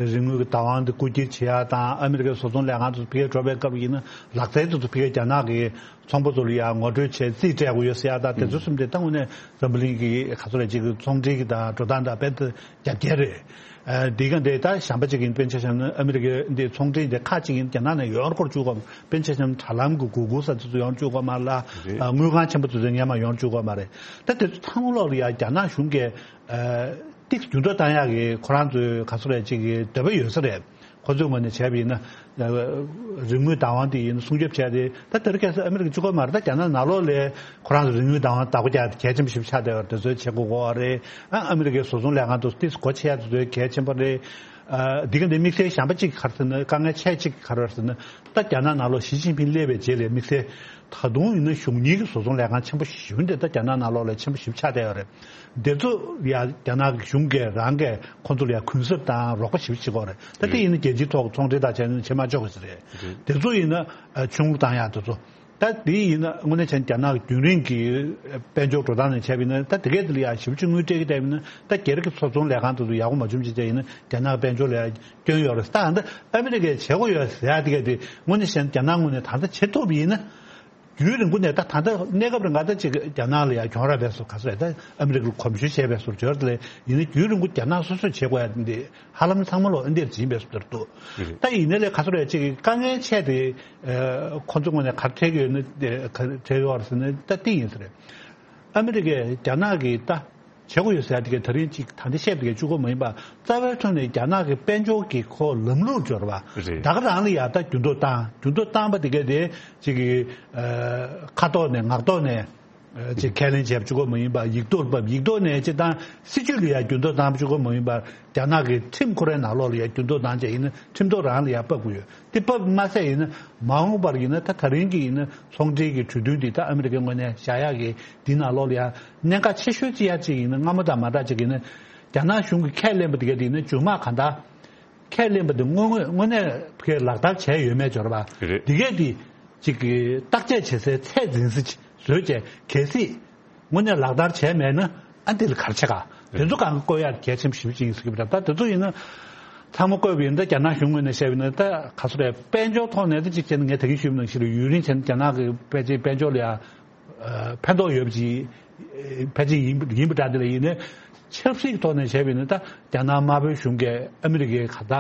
རིག་དངོས་ཀྱི་བདག་དབང་དེ་རྐུ་འཁྱེར་བྱེད་ཡ་དང་ཨ་མི་རི་ཀའི་བཟོ་ཚོང་ལས་ཁང་དུ་ཕ་གིར་འགྲོ་བའི་སྐབས་ཡིན་ན་ལག་རྩལ་དེ་ཚོ་ཕ་གིར་རྒྱ་ནག་གི་ཚོང་པ་ཚོ་ལ་ཡང་ངོ་སྤྲོད་བྱས་རྩིས་སྤྲད་དགོས་ཡོད་ཟེར་ཡ་ད་དེ་ཚོ་གསུམ་དེ་ད་དངོས་གནས་འཛམ་བུ་གླིང་གི་ག་ཚོད་རེད་ཅིག་གི་ཚོང་འབྲེལ་གྱི་དང་འགྲོ་སྟངས་དང་དཔེ་ད་རྒྱབ་འགལ་རེད། ཨ་འདི་ག་འདི་ད་གཞན་པ་ཅིག་ཡིན་དཔེར་ན་ཆ་བཞག་ན་ཨ་མི་རི་ཀའི་འདི་ཚོང་འབྲེལ་འདི་ཁག་ཅིག་ཡིན་རྒྱ་ནག་ནས་ཡོང་བར་བཅུག་གོ། དཔེར་ན་ཆ་བཞག་ན་དྲ་ལམ་གྱི་གུ་གུལ་ཟེར་དེ་ཚོ་ཡོང་བར་བཅུག་གོ་མ་རེད་ལ། རེད། ཨ་དངུལ་ཁང་ཆེན་པོ་དེ་ཚོ་སྔོན་མ་ཡོང་བར་བཅུག་གོ་མ་རེད། ད་དེ་ཚོ་ཚང་མ་ལོག་ལ་ཡ་རྒྱ་ནག་གཞུང་གིས་ཨ་ཏིག་འགྱུར་ལྡོག་བཏང་ཡག་གི་ཁོ་རང་ཚོའི་ག་ཚོད་རེད་ཅིག་གི་འདོད་པ་ཡོད་ས་རེད། ཁོ་ཚོའི་ངོས་ནས་བྱས་པ་ཡིན་ན། རིག་དངོས་བདག་དབང་དེ་ཡིན་ན་སྲུང་སྐྱོབ་བྱས་ཏེ་ད་དེ་རིང་ཁ་སང་ཨ་མི་རི་ཀ་གཅིག་པོ་མ་རེད། ད་རྒྱ་ནག་ནང་ལོགས་ལ་ཁོ་རང་ཚོ་རིག་དངོས་བདག་དབང་བདག་པོ་རྒྱག་གལ་ཆེན་པོ་ཞིག་ཆགས་བསྡད་པ་དེ་ཚོའི་བྱེད་དགོས་ཀྱི་རེད། ཨ་ཨ་མི་རི་ཀའི་བཟོ་ཚོང་ལས་ཁང་དུ་ཏིས་སྒོ་ཕྱེ་ཡ་དེ་ཚོའི་གལ་ཆེན་པོ་རེད། ཨ་འདི་ག་འདི་དམིགས་བསལ་གཞན་པ་གཅིག་ག་རེ་ཟེར་ན་དཀའ་ངལ་ཆེ་གཅིག་ག་རེ་ཟེར་ན་ད་རྒྱ་ནག་ནང་ལོགས་ཞི་ཅིན་ཕིང་སླེབས་པའི་རྗེས་ལ་དམིགས་བསལ་ད་དུང་ཡིན་ན་གཞུང་གཉིས་ཀྱི་བཟོ་ཚོང་ལས་ཁང་ཆེན་པོ་ཞེ་པོ་འདི་ད་རྒྱ་ནག་ནང་ལོགས་ལ་ཆེན་པོ་ཞེ་པོ་ཆགས་བསྡད་ཡོད་རེད། འདི་ཚོ་ཡ་རྒྱ་ནག་གི་གཞུང་གིས་རང་གིས་ཁོང་ཚོ་ལ་ཡ་གུན་གསབ་དང་རོགས་པ་ཞེ་པོ་བྱེད་ཀྱི་ཡོད་རེད། ད་དེ་ཡིན་ན་རྒྱལ་སྤྱིའི་ཐོག་ཚོང་འབྲེལ་དང་བྱས་ན་བྱེད་མ་ཆོག་གི་རེད། འདི་ཚོ་ཡིན་ན་ཨ་ཆུང་རུ་བཏང་ཡག་དེ་ཚོ། ད་དེ་ཡིན་ན་དངོས་གནས་བྱས་ན་རྒྱ་ནག་གི་རྒྱུན་རིང་གི་དཔལ་འབྱོར་འགྲོ་སྟངས་ནས་བྱས་པ་ཡིན་ན་ད་དེ་གས་དེ་ལ་ཡ་ཞེ་པོ་ཅིག་དངུལ་སྤྲད་ཀྱི་བསྡད་པ་ཡིན་ན་ད་སྒེར་གྱི་བཟོ་ཚོང་ལས་ཁང་དེ་ཚོ་ཡག་པོ་མ་བྱུང་ཅིག་བྱས་ཡིན་ན་རྒྱ་ནག་གི་དཔལ་འབྱོར་ལ་ཡ་སྐྱོན་ཡོད་རེད། ད་ད་ཨ་མི་རི་ཀས་བྱེད་དགོས་ཡོད་ཟེར་ཡ་དེ་གས་དེ་དངོས་གནས་བྱས་ན་རྒྱ་ནག་ངོས་ནས་ད་ལྟ་བྱེད་ཐུབ་པ་ཡིན་ན། རྒྱུན་རིང་པོ་ནས་ད་ད་ལྟ་གནས་སྐབས་རིང་ག་ད་ཅིག་རྒྱ་ནག་ལ་ཡང་གྱོང་རག་པའི་བཟོ་ག་ཚོད་ད་ཨ་མི་རི་ཀར་གོམས་ཞུ་བྱས་པའི་བཟོ་འབྱོར་དེ་ལས་ཡིན་ན་རྒྱུན་རིང་པོ་རྒྱ་ནག་སོ་སོས་བྱེད་དགོས་ཡ་འདི་ཧ་ལམ་ཚང་མ་ལོ་ཨ་འདིར་འཛིན་པའི་བཟོ་འདིར་འདུག་ད་ཡིན་ན་ལས་ག་ཚོད་རེད་ཅིག་དཀའ་ངལ་ཆེ་དེ་ཁོ་ཚོ་ངོས་ནས་ག་འཕྲད་ཀྱི་ཡོད་ན་ག་འཕྲད་ཡོད་རེད་ཟེར་ན་ད་དེ་ཡིན་ས་རེད། ཨ་མི་རི་ཀས་རྒྱ་ནག་གི་ད་བྱེད་དགོས་ཡོད་ཟེར་ཡ་དེ་ག་ད་རིང་ཅིག་ད་འདི་བཤད་པ་དེ་ག་གཅིག་པོ་མ་ཡིན་པ། རྩ་བའི་ཐོག་ནས་རྒྱ་ནག་གི་དཔལ་འབྱོར་གྱི་ཁོ་ལམ་ལུགས་སྦྱོར་བ་རེད། ད་ག་རང་ལ་ཡ་ད་འགྱུར་ལྡོག་བཏང་། འགྱུར་ལྡོག་བཏང་པ་དེ་ག་དེ་ཅིག་གི་ཨ་ཁ་ཐོག་ནས་ངག་ཐོག་ནས་ཨ་ཅིག་ཁས་ལེན་བྱས་པ་གཅིག་པོ་མ་ཡིན་པ། ཡིག་ཐོག་ལ་ཕབ། ཡིག་ཐོག་ནས་སྤྱིར་བཏང་སྲིད་ཇུས་ལ་ཡ་འགྱུར་ལྡོག་བཏང་པ་གཅིག་པོ་མ་ཡིན་པར། རྒྱ་ནག་གི་ཁྲིམས་ཁོ་རའི་ནང་ལོགས་ལ་ཡ་འགྱུར་ལྡོག་བཏང་བྱས་ཡིན་ན་ཁྲིམས་ཐོག་རང་ལ་ཡ་ཕབ་དགོས་ཡོད། དེ་ཕབ་མ་ཟད་ཡིན་ན་མ་འོངས་པར་ཡིན་ན་ད་ད་རིང་གི་ཡིན་ན་ཚོང་འབྲེལ་གྱི་གྲོས་མཐུན་འདི་ད་ཨ་མི་རི་ཀའི་ངོས་ནས་བཞག་ཡག་གི་འདི་ནང་ལོགས་ལ་ཡང་གནད་འགག་ཆེ་ཤོས་ཅིག་ཡ་གཅིག་ཡིན་ན། སྔ་མོ་དང་མ་འདྲ་ཅིག་ཡིན་ན་རྒྱ་ནག་གཞུང་གིས་ཁས་ལེན་པ་དེ་ག་དེ་ཡིན་ན་མཇུག་མ་གང་ལྟར་ཁས་ལེན་པ་དེ་དངོས་དངོས་དངོས་གནས་ཕ་གིར་ལག་བསྟར་བྱས་ཡོད་མེད་སྦྱོར་བ་རེད། དེ་གས་དེ་ཅིག་གི་བརྟག་དཔྱད་བྱེད་སའི་ཚད་འཛིན་ས་ཅིག་བཟོས་བྱས། གལ་སྲིད་དངོས་གནས་ལག་བསྟར་བྱས་མེད་ན་ཨ་འདི་ལ་ག་རེ་བྱེད་ག་དེ་ཚོ་གང་ག་བཀོད་ཡག་གལ་ཆེན་པོ་ཞེ་པོ་ཅིག་ཡིན་ཟེར་གྱི་ཡོད་པ་འདྲ། ད་དེ་ཚོ་ཡིན་ན་ཚང་མ་བཀོད་པ་ཡིན་ན། ད་རྒྱ་ནག་གཞུང་ངོས་ནས་བཤད་པ་ཡིན་ན་ད་ག་ཚོད་རེད། དཔལ་འབྱོར་ཐོག་ནས་ད་ཅིག་བྱས་ན་ངས་ད་གིན་ཞུས་པ་ནང་བཞིན་རེད། ཡུན་རིང་བྱས་ན་རྒྱ་ནག་གི་ཕལ་ཆེར་དཔལ་འབྱོར་ལ་ཡང་ཨ་ཕན་ཐོགས་ཡོད་པ་ཅིག་ཕལ་ཆེར་ཡིན་ཡིན་པ་འདྲ། དེ་ལ་ཡིན་ན་ཆབ་སྲིད་ཐོག་ནས་བྱས་པ་ཡིན་ན་ད་རྒྱ་ནག་དམར་པོའི་གཞུང་གིས་ཨ་མི་རི་ཀའི་ག་ད་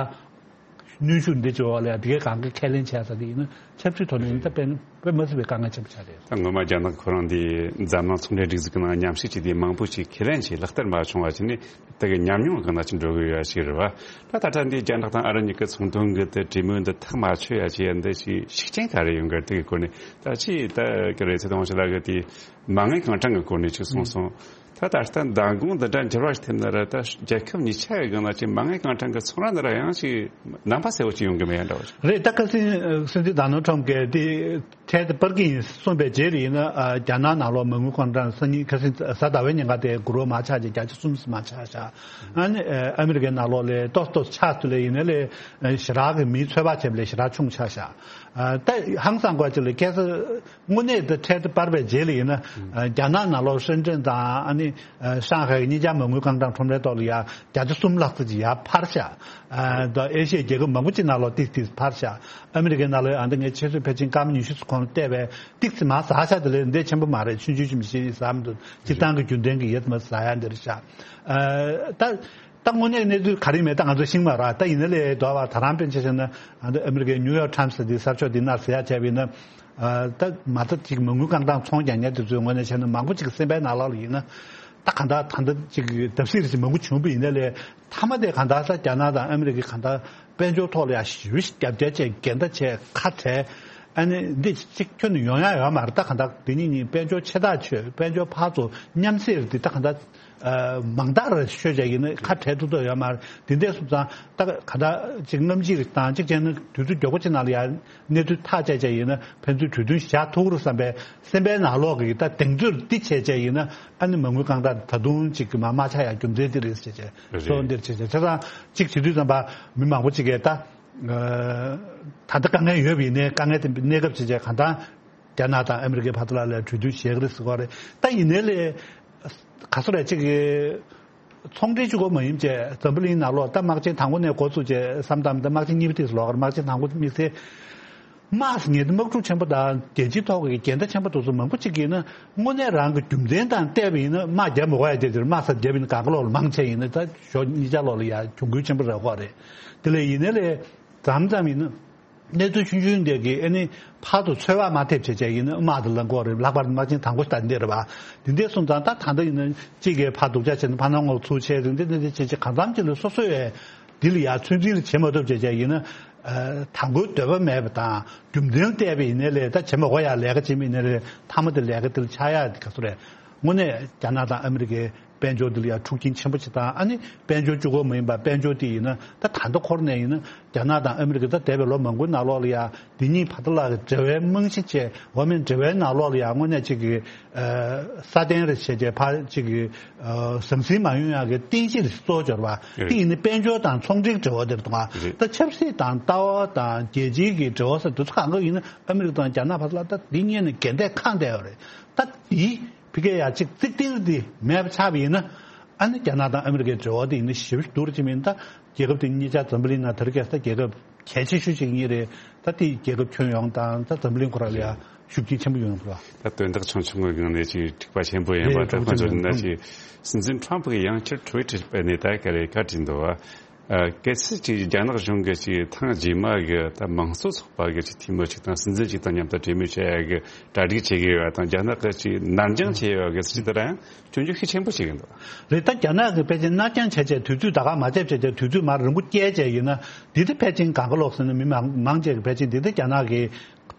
གནོན་ཤུགས་འདི་བྱེད་པ་ལ་ཡང་དེ་གའི་གང་གི་ཁས་ལེན་བྱས་ས་དེ་ཡིན་ན་ཆབ་སྲིད་ཐོག་ནས་ཡིན་ན་ད་དཔེ་དཔེ་མ་སྲིད་པའི་དཀའ་ངལ་ཆེན་པོ་ཆགས་རེད། ད་སྔོན་མ་རྒྱ་ནག་ཁོ་རང་འདི་འཛམ་གླིང་ཚོང་འབྲེལ་སྒྲིག་འཛུགས་ཀྱི་ནང་མཉམ་ཞུགས་བྱས་ཏེ་མང་པོ་ཞིག་ཁས་ལེན་བྱས་ལག་བསྟར་མ་བྱུང་བ་བྱས་ནས་དེ་གའི་ཉམས་མྱོང་གང་འདྲ་ཞིག་འགྲོ་གི་ཡོད་ཞིག་རེད་བ། ད་ད་ལྟ་འདི་རྒྱ་ནག་དང་ཨ་རི་གཉིས་ཀྱི་ཚོང་དོན་གྱི་དེ་གྲོས་མོལ་འདི་ཐག་མ་ཆོད་ཡ་བྱས་ཡ་འདི་ཞིག་ཤུགས་རྐྱེན་ག་རེ་ཡོང་གི་རེད། དེ་གའི་སྐོར་ནས་ད་ཅི་ད་ག་རེ་ཚེ་དང་ཞིག་ལ་གི་དེ་མ་དངུལ་རྐང་གྲངས་ཀྱི་སྐོར་ནས་ཅིག་གསུངས་སོང་། ད་ད་ལྟ་མདང་དགོང་འདི་འདྲ་འགྱུར་བ་ཞིག་ཐེབས་ན་ར། ད་རྒྱལ་ཁབ་གཉིས་ཆ་ཡི་སྒང་ལ་ཅིག་མ་དངུལ་རྐང་གྲངས་ཀྱི་ཚོང་ར་འདི་ར་ཡང་ཅིག་ནང་པ་གསལ་བོ་ཅིག་ཡོང་གི་མེད་འདྲ་བ་ཞིག་རེད། ད་ཁ་སང་སྲིད་འཛིན་ཌོ་ནལ་ཊམ་གྱིས་དེ་འཕྲལ་དུ་སྤར་གྱི་ཡིན་གསུངས་པའི་རྗེས་ལ་ཡིན་ན། ཨ་རྒྱ་ནག་ནང་ལོགས་མ་དངུལ་རྐང་གྲངས་སང་ཉིན་ཁ་སང་གཟའ་ཟླ་བའི་ཉིན་ཀ་དེ་གུ་རུ་མར་ཆག་ཅིག་བརྒྱ་ཆ་གསུམ་མར་ཆག་ཤག་ཨ་ནི་ཨ་མི་རི་ཀའི་ནང་ལོགས་ལ་ཏོག་ཏོག་ཆག་ཐུབ་ལ་ཡིན་ན་ལས་ཞེ་དྲག་གི་མིའི་ཚོད་དཔག་བྱས་པ་ལས་ཞེ་དྲག་ཆུང་ཆག་ཤག་ཨ་ད་ཧང་སང་དགོས་ཅིག་ལ་ཁ་སང་དངོས་གནས་དེ་འཕྲལ་དུ་སྤར་བའི་རྗེས་ལ་ཡིན་ན། ཨ་རྒྱ་ནག་ནང་ལོགས་ཧྲེན་ཀྲེན་དང་ཨ་ནི་ཨ་ཧྲང་ཧའེ་གཉིས་ཆ་མ་དངུལ་རྐང་གྲངས་ཁྲོམ་རའི་ཐོག་ལ་ཡ་བརྒྱ་ཆ་གསུམ་ལྷག་ཙམ་ཅིག་ཡར་འཕར་ཤག་ཨ་ད་ཨེ་ཤི་ཡའི་རྒྱལ་ཁབ་མང་པོ་ཅིག་ནང་ལོགས་ཏིག་ཏིག་འཕར་ཤག་ཨ་མི་རི་ཀའི་ནང་ལོགས་ཡ་འདི་ངས་ཆུ་ཚོད་ཕལ་ཆེར་སྐར་མ་ཉི་ཤུ་ཙམ་གོང་ལ་བལྟས་པས་ཏིག་ཙམ་མར་ཟག་ཤག་དེ་ལས་འདི་ཆེན་པོ་མ་རེད། ཆུང་ཆུང་ཆུང་ཞིག་ཟག་མི་འདུག་སྤྱིར་བཏང་གི་རྒྱུན་ལྡན་གྱི་ཡོད་མ་ཟག་ཡ་འདི་རེད་ཤག་ཨ་ད། ད་དངོས་གནས་གནས་ཚུལ་ག་རེ་མེད་ད་ང་ཚོ་ཤེས་མ་རེད། ད་ཡིན་ན་ལས་དོ་བ་ད་རང་དཔེར་ན་ཆ་བཞག་ན་ཨ་ནི་ཨ་མི་རི་ཀའི་ནིའུ་ཡོག་ཊའིམ་སི་འདི་གསར་ཤོག་འདི་ནང་ཟེར་ཡ་བྱས་པ་ཡིན་ན། ཨ་ད་མ་རྩ་གཅིག་མ་དངུལ་རྐང་གྲངས་ཚོང་རྒྱག་མཁན་དེ་ཚོའི་ངོས་ནས་བྱས་ན་མང་པོ་ཅིག་གི་སེམས་པའི་ནང་ལོགས་ལ་ཡིན་ན། ད་གང་ལྟར་ད་ལྟ་ཅིག་བརྡབ་གསིག་རེ་ཞིག་མང་པོ་བྱུང་བ་ཡིན་ན་ལས་མཐའ་མ་དེ་གང་ལྟར་ས་རྒྱ་ནག་དང་ཨ་མི་རི་ཀའི་གང་ལྟར་དཔལ་འབྱོར་ཐོག་ལ་ཡ་ཞེ་པོ་ཞིག་རྒྱབ་སྐྱོར་བྱས་འགལ་ཟླ་བྱས་ཁ་བྲལ། ཨ་ནི་འདི་གཅིག་ཁྱོན་ནས་ཡོང་ཡ་ཡོད་མ་རེད། ད་གང་ལྟར་འདི་གཉིས་གཉིས་དཔལ་འབྱོར་ཆེ་ཐག་ཆོད། དཔལ་འབྱོར་ཕར་ཚུར་མཉམ་བསྲེས་རེད། འདི་ད་གང་ལྟར། ཨ་མང་དག་རེ་ཤོད་བྱས་ཡིན་ན་ཁ་བྲལ་ཐུབ་ཐུབ་ཡོད་མ་རེད། དེ་འདྲ་སོང་ཙང་ད་ག་ད་ཅིག་སྔ་ཕྱི་རེ་དང་ཅིག་བྱས་ན་དུས་ཚོད་མགྱོགས་པོ་ཅིག་ནང་ལ་ཡ་གནས་ཚུལ་ཐག་བཅད་བྱས་ཡིན་ན་ཕན་ཚུན་གྲོས་མཐུན་བཞག་ཐུབ་རེད་བསམ་པའི་སེམས་པའི་ནང་ལོགས་ཀྱི་ད་གདེང་ཚོད་འདི་བྱས་བྱས་ཡིན་ན་ཨ་ནི་མ་དངུལ་རྐང་གྲངས་ད་དུང་ཅིག་གི་མ་མ་ཆག་ཡ་རྒྱུ་མཚན་འདི་རེད་ཟེར་བྱས་རེད། སོ་འདིར་བྱས་བྱས་བྱས་ཙང་ཅིག་བྱེད་དུས་ཙམ་པ་མི་མང་པོ་ཅིག་གིས་ད་ད་ལྟ་དཀའ་ངལ་ཡོད་པ་ཡིན་ནའི་དཀའ་ངལ་དེ་གནས་སྐབས་བྱས་བྱས་གང་ལྟར། རྒྱ་ནག་དང་ཨ་མི་རི་ཀའི་བར་དུ་ལ་ལ་གྲོས་མཐུན་བྱེད་ཀྱི་རེད་ཟེར་གོ་རེད། ད་ཡིན་ནའི་ལས་ག་སོ་རེད་ཅིག་གི་ཚོང་འབྲེལ་གཅིག་པོ་མ་ཡིན་བྱས་འཛམ་བུ་གླིང་ནང་ལོགས་ད་དམག་ཆེན་དང་པོ་ནས་འགོ་བཙུགས་བྱས་བསམ་བཏང་ད་དམག་ཆེན་གཉིས་པ་དེ་ལོག་གར་དམག་ཆེན་དང་པོ་དམིགས་བསལ་དམག་ངེས་དམག་འཁྲུག་ཆེན་པོ་དང་རྒྱལ་སྤྱིའི་ཐོག་གི་འགལ་ཟླ་ཆེན་པོ་དེ་ཚོ་མང་པོ་ཅིག་གིས་ན་དངོས་གནས་རང་གི་རྒྱུ་མཚན་དང་བལྟས་པ་ཡིན་ན་དམག་རྒྱབ་མི་དགོས་ཡ་དེ་དེར་དམག་སར་རྒྱབ་ཡིན་ན་གང་ག་ལོག་ལ་མང་ཆེ་ཡིན་ན་ད་ཞོ་གཉིས་ཆ་ལོག་ལ་ཡ་གྱོང་གུན་ཆེན་པོ་རག་གོ་རེད། དེ་ལས་ཡིན་ནའི་ལས་མཚམས་མཚམས་ཡིན་ན། གནས་ཚུལ་ཆུང་ཆུང་འདི་གི་ཨ་ནི་ཕར་དུ་ཚོད་དཔག་མ་ཐེབས་བྱས་བྱས་ཡིན་ན་དམག་དེ་ལ་འགོ་རེད། ལྷག་པར་དུ་དམག་ཆེན་དང་པོ་ད་འདི་རེད་བ། འདི་འདྲ་སོང་ཙང་ད་ད་ལྟ་ཡིན་ན་གཅིག་གིས་ཕར་སྡུག་ཅག་བྱས་ནས་ཕར་ནང་ངོ་ཚུར་བྱས་རེད། འདི་འདི་འདི་བྱས་བྱས་གང་འཚམ་ཅིག་ལ་སོ་སོ་ཡས་འདི་ལ་ཡ་ཚོད་འཛིན་ལ་བྱེད་མ་ཐུབ་བྱས་བྱས་ཡིན་ན། ཨ་དང་པོའི་འདོད་པ་མེད་པ་དང་རྒྱུ་མཚན་བལྟས་པ་ཡིན་ནའི་ལས་ད་བྱེད་མ་དགོས་ཡ་ལས་ཀ་བྱེད་མི་ཡིན་ནའི་ལས་མཐའ་མ་དེ་ལས་ཀ་དེ་ལ་ཆགས་ཡ་དེ་ག་ཚོད་རེད། དངོས་གནས་རྒྱ་ནག་དང་ཨ་མི་རི་ཀའི་དཔལ་འབྱོར་འདི་ལ་ཡང་འཁྲུག་རྐྱེན་ཆེན་པོ་ཅིག་དང་། ཨ་ནི་དཔལ་འབྱོར་གཅིག་པོ་མ་ཡིན་པར་དཔལ་འབྱོར་དེ་ཡིན་ན་ད་ད་ལྟ་འཁོར་ནས་ཡིན་ན་རྒྱ་ནག་དང་ཨ་མི་རི་ཀ་ད་འདས་པའི་ལོ་མང་པོའི་ནང་ལོགས་ལ་ཡང་འདི་གཉིས་བར་དུ་ལ་གི་འབྲེལ་བའི་རྨང་གཞི་བཅས་འོ་མའི་འབྲེལ་བའི་ནང་ལོགས་ལ་ཡང་དངོས་གནས་གཅིག་གི་ཨ་སྲ་བརྟན་རེ་བྱས་རྗེས་ཕར་གཅིག་གི་ཨ་ཟང་ཟིང་མ་ཡོང་ཡག་གི་རྟེན་གཞི་རེ་གཙོ་བོ་འབྱོར་བ་དེ་ཡིན་ན་དཔལ་འབྱོར་དང་ཚོང་འབྲེལ་འབྲེལ་བ་དེར་གཏོང་བ། ད་ཆབ་སྲིད་དང་ལྟ་བ་དང་རྒྱལ་སྤྱིའི་གི་འབྲེལ་བ་ཟེར་དུས་ཚོད་གང་ག་ཡིན་ན་ཨ་མི་རི་ཀ་དང་རྒྱ་ནག་བར་དུ་ལ་ད་འདི་གཉིས་ནས་འགལ་ཟླས་ཁེངས་བསྡད་ཡོད་རེད། ད་འདི། ཕ་གིར་ཡ་གཅིག་རྩིག་གཏེར་འདི་མེད་པ་ཆགས་པ་ཡིན་ན། ཨ་ནི་རྒྱ་ནག་དང་ཨ་མི་རི་ཀའི་འབྲེལ་བ་འདི་ཡིན་ན་ཞེ་པོ་སྡུག་རུ་ཕྱིན་པ་ཡིན། ད་རྒྱལ་ཁབ་དེ་གཉིས་ཆ་འཛམ་བུ་གླིང་ནང་ད་རེས་ཀྱི་ས་རྒྱལ་ཁབ་གལ་ཆེ་ཤོས་ཤིག་གཉིས་རེད། ད་དེ་རྒྱལ་ཁབ་ཁྱོན་ཡོངས་དང་ད་འཛམ་བུ་གླིང་ཁོ་ར་ལ་ཡ་ཤུགས་རྐྱེན་ཆེན་པོ་ཡོང་གི་རེད་བ། ད་དོན་དག་ཆུང་ཆུང་གི་སྒང་ནས་ཅིག་འཁྲུག་པ་ཆེན་པོ་ཡིན་པ། རེད། ད་ཁོ་ཚོ་འདི་ན་ཅིག་སྲིད་འཛིན་ཁྲོམ་ཕུ་གིས་ཡང་བསྐྱར་ཊི་ཝི་ཊར་སྤེལ་ནས་ད་ག་རེ་བཀའ་དྲིས་འདུག་བ། ཨ། གལ་སྲིད་ཅིག་རྒྱ་ནག་གཞུང་གིས་ཅིག་ཐེངས་རྗེས་མ་གི་ད་དམངས་གཙོ་ཚོགས་པ་གི་ཅིག་འཐུས་མི་ཅིག་དང་སྲིད་འཛིན་ཅིག་དང་མཉམ་དུ་གྲོས་མོལ་བྱེད་ཡ་གི་གྲ་སྒྲིག་བྱེད་ཀྱི་ཡོད་པ་དང་། རྒྱ་ནག་གིས་ཅིག་ནར་འགྱངས་བྱེད་ཡ་གི་སྲིད་ཇུས་དེ་རང་སྐྱོན་བརྗོད་ཤུགས་ཆེན་པོ་བྱེད་ཀྱི་འདུག་རེད། ད་རྒྱ་ནག་གིས་ཕལ་ཆེར་ནར་འགྱངས་བྱས་བྱས་དུས་ཚོད་ད་ག་མ་བརྒྱབ་བྱས་བྱས་དུས་ཚོད་མར་རིང་པོ་བསྐྱལ་བྱས་ཡིན་ན། འདི་དེ་ཕལ་ཆེར་གང་ག་ལོག་ཟེར་ན། མི་མང་མང་ཆེ་གིས་ཕལ་ཆེར་འདི་དེ་རྒྱ་ནག་གི་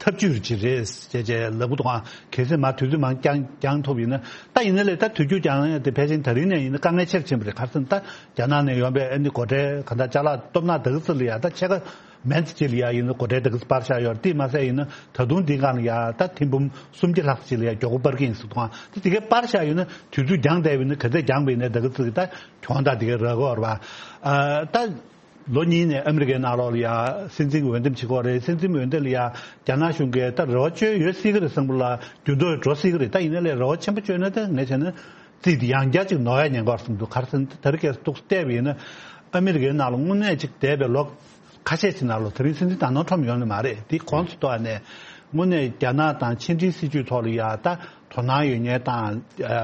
ཐབས་ཇུས་ཅིག་རེད་ཅེས་བྱས་ལབ་གི་འདུག་ཨང་། གལ་སྲིད་མར་དུས་ཚོད་མང་འགྱངས་འགྱངས་ཐུབ་ཡིན་ན། ད་ཡིན་ན་ལས་ད་དུས་རྒྱུན་འགྱངས་ཡ་དེ་ཕལ་ཆེར་ད་རིང་ནས་ཡིན་ན་དཀའ་ངལ་ཆེ་རུ་ཕྱིན་པ་རེད། ག་རེ་ཟེར་ན། ད་རྒྱ་ནག་ནས་ཡོང་པའི་ཨ་ནི་སྒོ་ཁྲལ་གང་ལྟར་ཅ་ལག་སྟོབས་ནག་དེ་ག་ཚོ་ལ་ཡ་ད་ཕྱེད་ཀ་མན་ཙམ་ཅིག་ལ་ཡ་ཡིན་ན་སྒོ་ཁྲལ་དེ་ག་ཚོ་སྤར་བཞག་ཡོད་རེད། དེ་མ་ཟད་ཡིན་ན་ད་དུང་འདི་སྒང་ལ་ཡ་ད་ཐེར་འབུམ་སུམ་བརྒྱ་ལྷག་ཅིག་ལ་ཡ་མགྱོགས་པོ་སྤར་གྱི་ཡིན་ཟེར་འདུག་ཨང་། ད་དེ་གའི་སྤར་བཞག་ཡོད་ན། དུས་ཚོད་འགྱངས་བསྡད་པ་ཡིན་ན། ག་ཚོད་འགྱངས་པ་ཡིན་ན་དེ་ག་ཚོད་ཀྱི་ད་གྱོང་དང་དེ་གའི་རག་གི་ཡོད་རེད་པ། ཨ། ད། ལོ་གཉིས་ནས་ཨ་མི་རི་ཀའི་ནང་ལོགས་ལ་ཡ་སྲིད་འཛིན་འོས་འདེམས་བྱེད་ཀྱི་ཡོད་རེད། སྲིད་འཛིན་འོས་འདེམས་ལ་ཡ་རྒྱ་ནག་གཞུང་གིས་ད་རེ་བ་བཅོལ་ཡོད་སྲིད་ཀྱི་རེད་བསམ་གི་ལ། འགྱུར་ལྡོག་འགྲོ་སྲིད་ཀྱི་རེད། ད་ཡིན་ན་ལས་རེ་བ་ཆེན་པོ་བཅོལ་ན་ད་ངས་བྱས་ན་རྩིས་དེ་ཡང་བསྐྱར་ཅིག་ནོར་ཡ་ཉེན་ཁ་ཡོད་བསམ་འདུག་ག་རེ་ཟེར་ན། དེ་རིང་ཁ་སང་ཏོག་ཙམ་བལྟས་པ་ཡིན་ན། ཨ་མི་རི་ཀའི་ནང་ལ་དངོས་གནས་ཅིག་འདས་པའི་ལོ་ཁ་ཤས་ཅིག་ནང་ལ། དེ་རིང་སྲིད་འཛིན་ད་ནོལ་ཁྲོམ་ཡོང་ནི་མ་རེད། དེ་གོང་དུ་ཐོག་ནས་དངོས་གནས་རྒྱ་ནག་དང་ཕྱི་འབྲེལ་སྲིད་ཇུས་ཐོག་ལ་ཡ་ད་དོ་སྣང་ཡོད་མཁན་དང་། ཨ།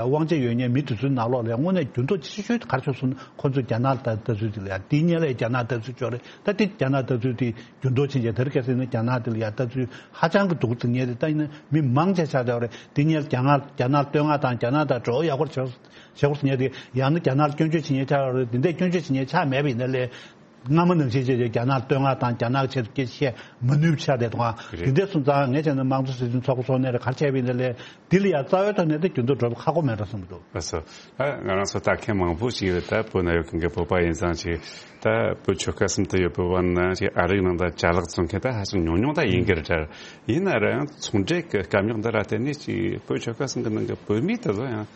དབང་ཆ་ཡོད་མཁན་མི་དེ་ཚོའི་ནང་ལོགས་ལ་དངོས་གནས་འགྱུར་ལྡོག་ཆེ་ཤོས་དེ་ག་རེ་བྱུང་སོང་ན། ཁོ་ཚོས་རྒྱ་ནག་ལ་ལྟ་ཚུལ་དེ་ལ་ཡ། དེའི་སྔོན་ལ་རྒྱ་ནག་ལྟ་ཚུལ་ཅིག་ཡོད་རེད། ད་དེ་རྒྱ་ནག་ལྟ་ཚུལ་དེ་འགྱུར་ལྡོག་ཕྱིན་བྱས། དེ་རིང་ཁ་སང་ཡིན་ན་རྒྱ་ནག་དེ་ལ་ཡ་ལྟ་ཚུལ་ཧ་ཅང་གི་སྡུག་ཟེར་མཁན་དེ། ད་ཡིན་ན་མི་མང་ཆེ་ཆགས་བསྡད་ཡོད་རེད། དེ་སྔོན་ལ་རྒྱ་ནག་རྒྱ་ནག་བསྟོད་བསྔགས་དང་། རྒྱ་ནག་དང་འབྲེལ་བ་ཡག་པོ་བྱེད་བྱེད་དགོས་ཟེར་མཁན་དེ། ཡང་ན་རྒྱ་ནག་ལ་སྐྱོན་བརྗོད་བྱེད་མཁན་ཆགས་ཡོད་རེད། དེ་འདྲས་སྐྱོན་བརྗོད་བྱེད་མཁན་ཆགས་མེད་པ་ཡིན་ན་ལས། སྔ་མ་ནང་བཞིན་བྱས་བྱས་རྒྱ་ནག་བསྟོད་བསྔགས་དང་། རྒྱ་ནག་གི་ཆེད་དུ་སྐད་ཆ་བཤད་མ་ནུས་པ་ཆགས་བསྡད་འདུག་ཨང་། རེད། དེ་འདྲ་སོང་ཙང་ངས་བྱས་ན་དམངས་གཙོ་སྲིད་དོན་ཚོགས་པ་སོགས་ནས་རེད། ག་རེ་བྱས་པ་ཡིན་ན་ལས། འདི་ལ་ཡ་རྩ་བའི་ཐོག་ནས་ད་འགྱུར་ལྡོག་འགྲོ་ཁག་པོ་མེད་འགྲོ་བསམ་འདུག་ལགས་སོ། ད་ང་རང་ཚོ་ལྟ་མཁན་མང་པོ་ཞིག་རེད། ད་བོད་ནང་ཡོད་མཁན་གྱི་བོད་པ་ཡིན་ཙང་ཅིག་ད་བོད་ཆོལ་ཁ་གསུམ་དུ་ཡོད་པའི་བར་ན་ཅིག་ཨ་རིའི་ནང་ད་ཅ་ལག་བཙོང་མཁན་ད་ཧ་ཅང་ཉུང་ཉུང་ད་ཡིན་གྱི་རེད་དྲ། ཡིན་ན་ར་ཡང་ཚོང་འབྲེལ་གྱི་སྐམ་རྙོག་འདི་ར་བརྟེན་ནས་ཅིག་བོད་ཆོལ་ཁ་གསུམ་གྱི་ནང་གི་བོད་མི་དེ་ཚོ་ཡང་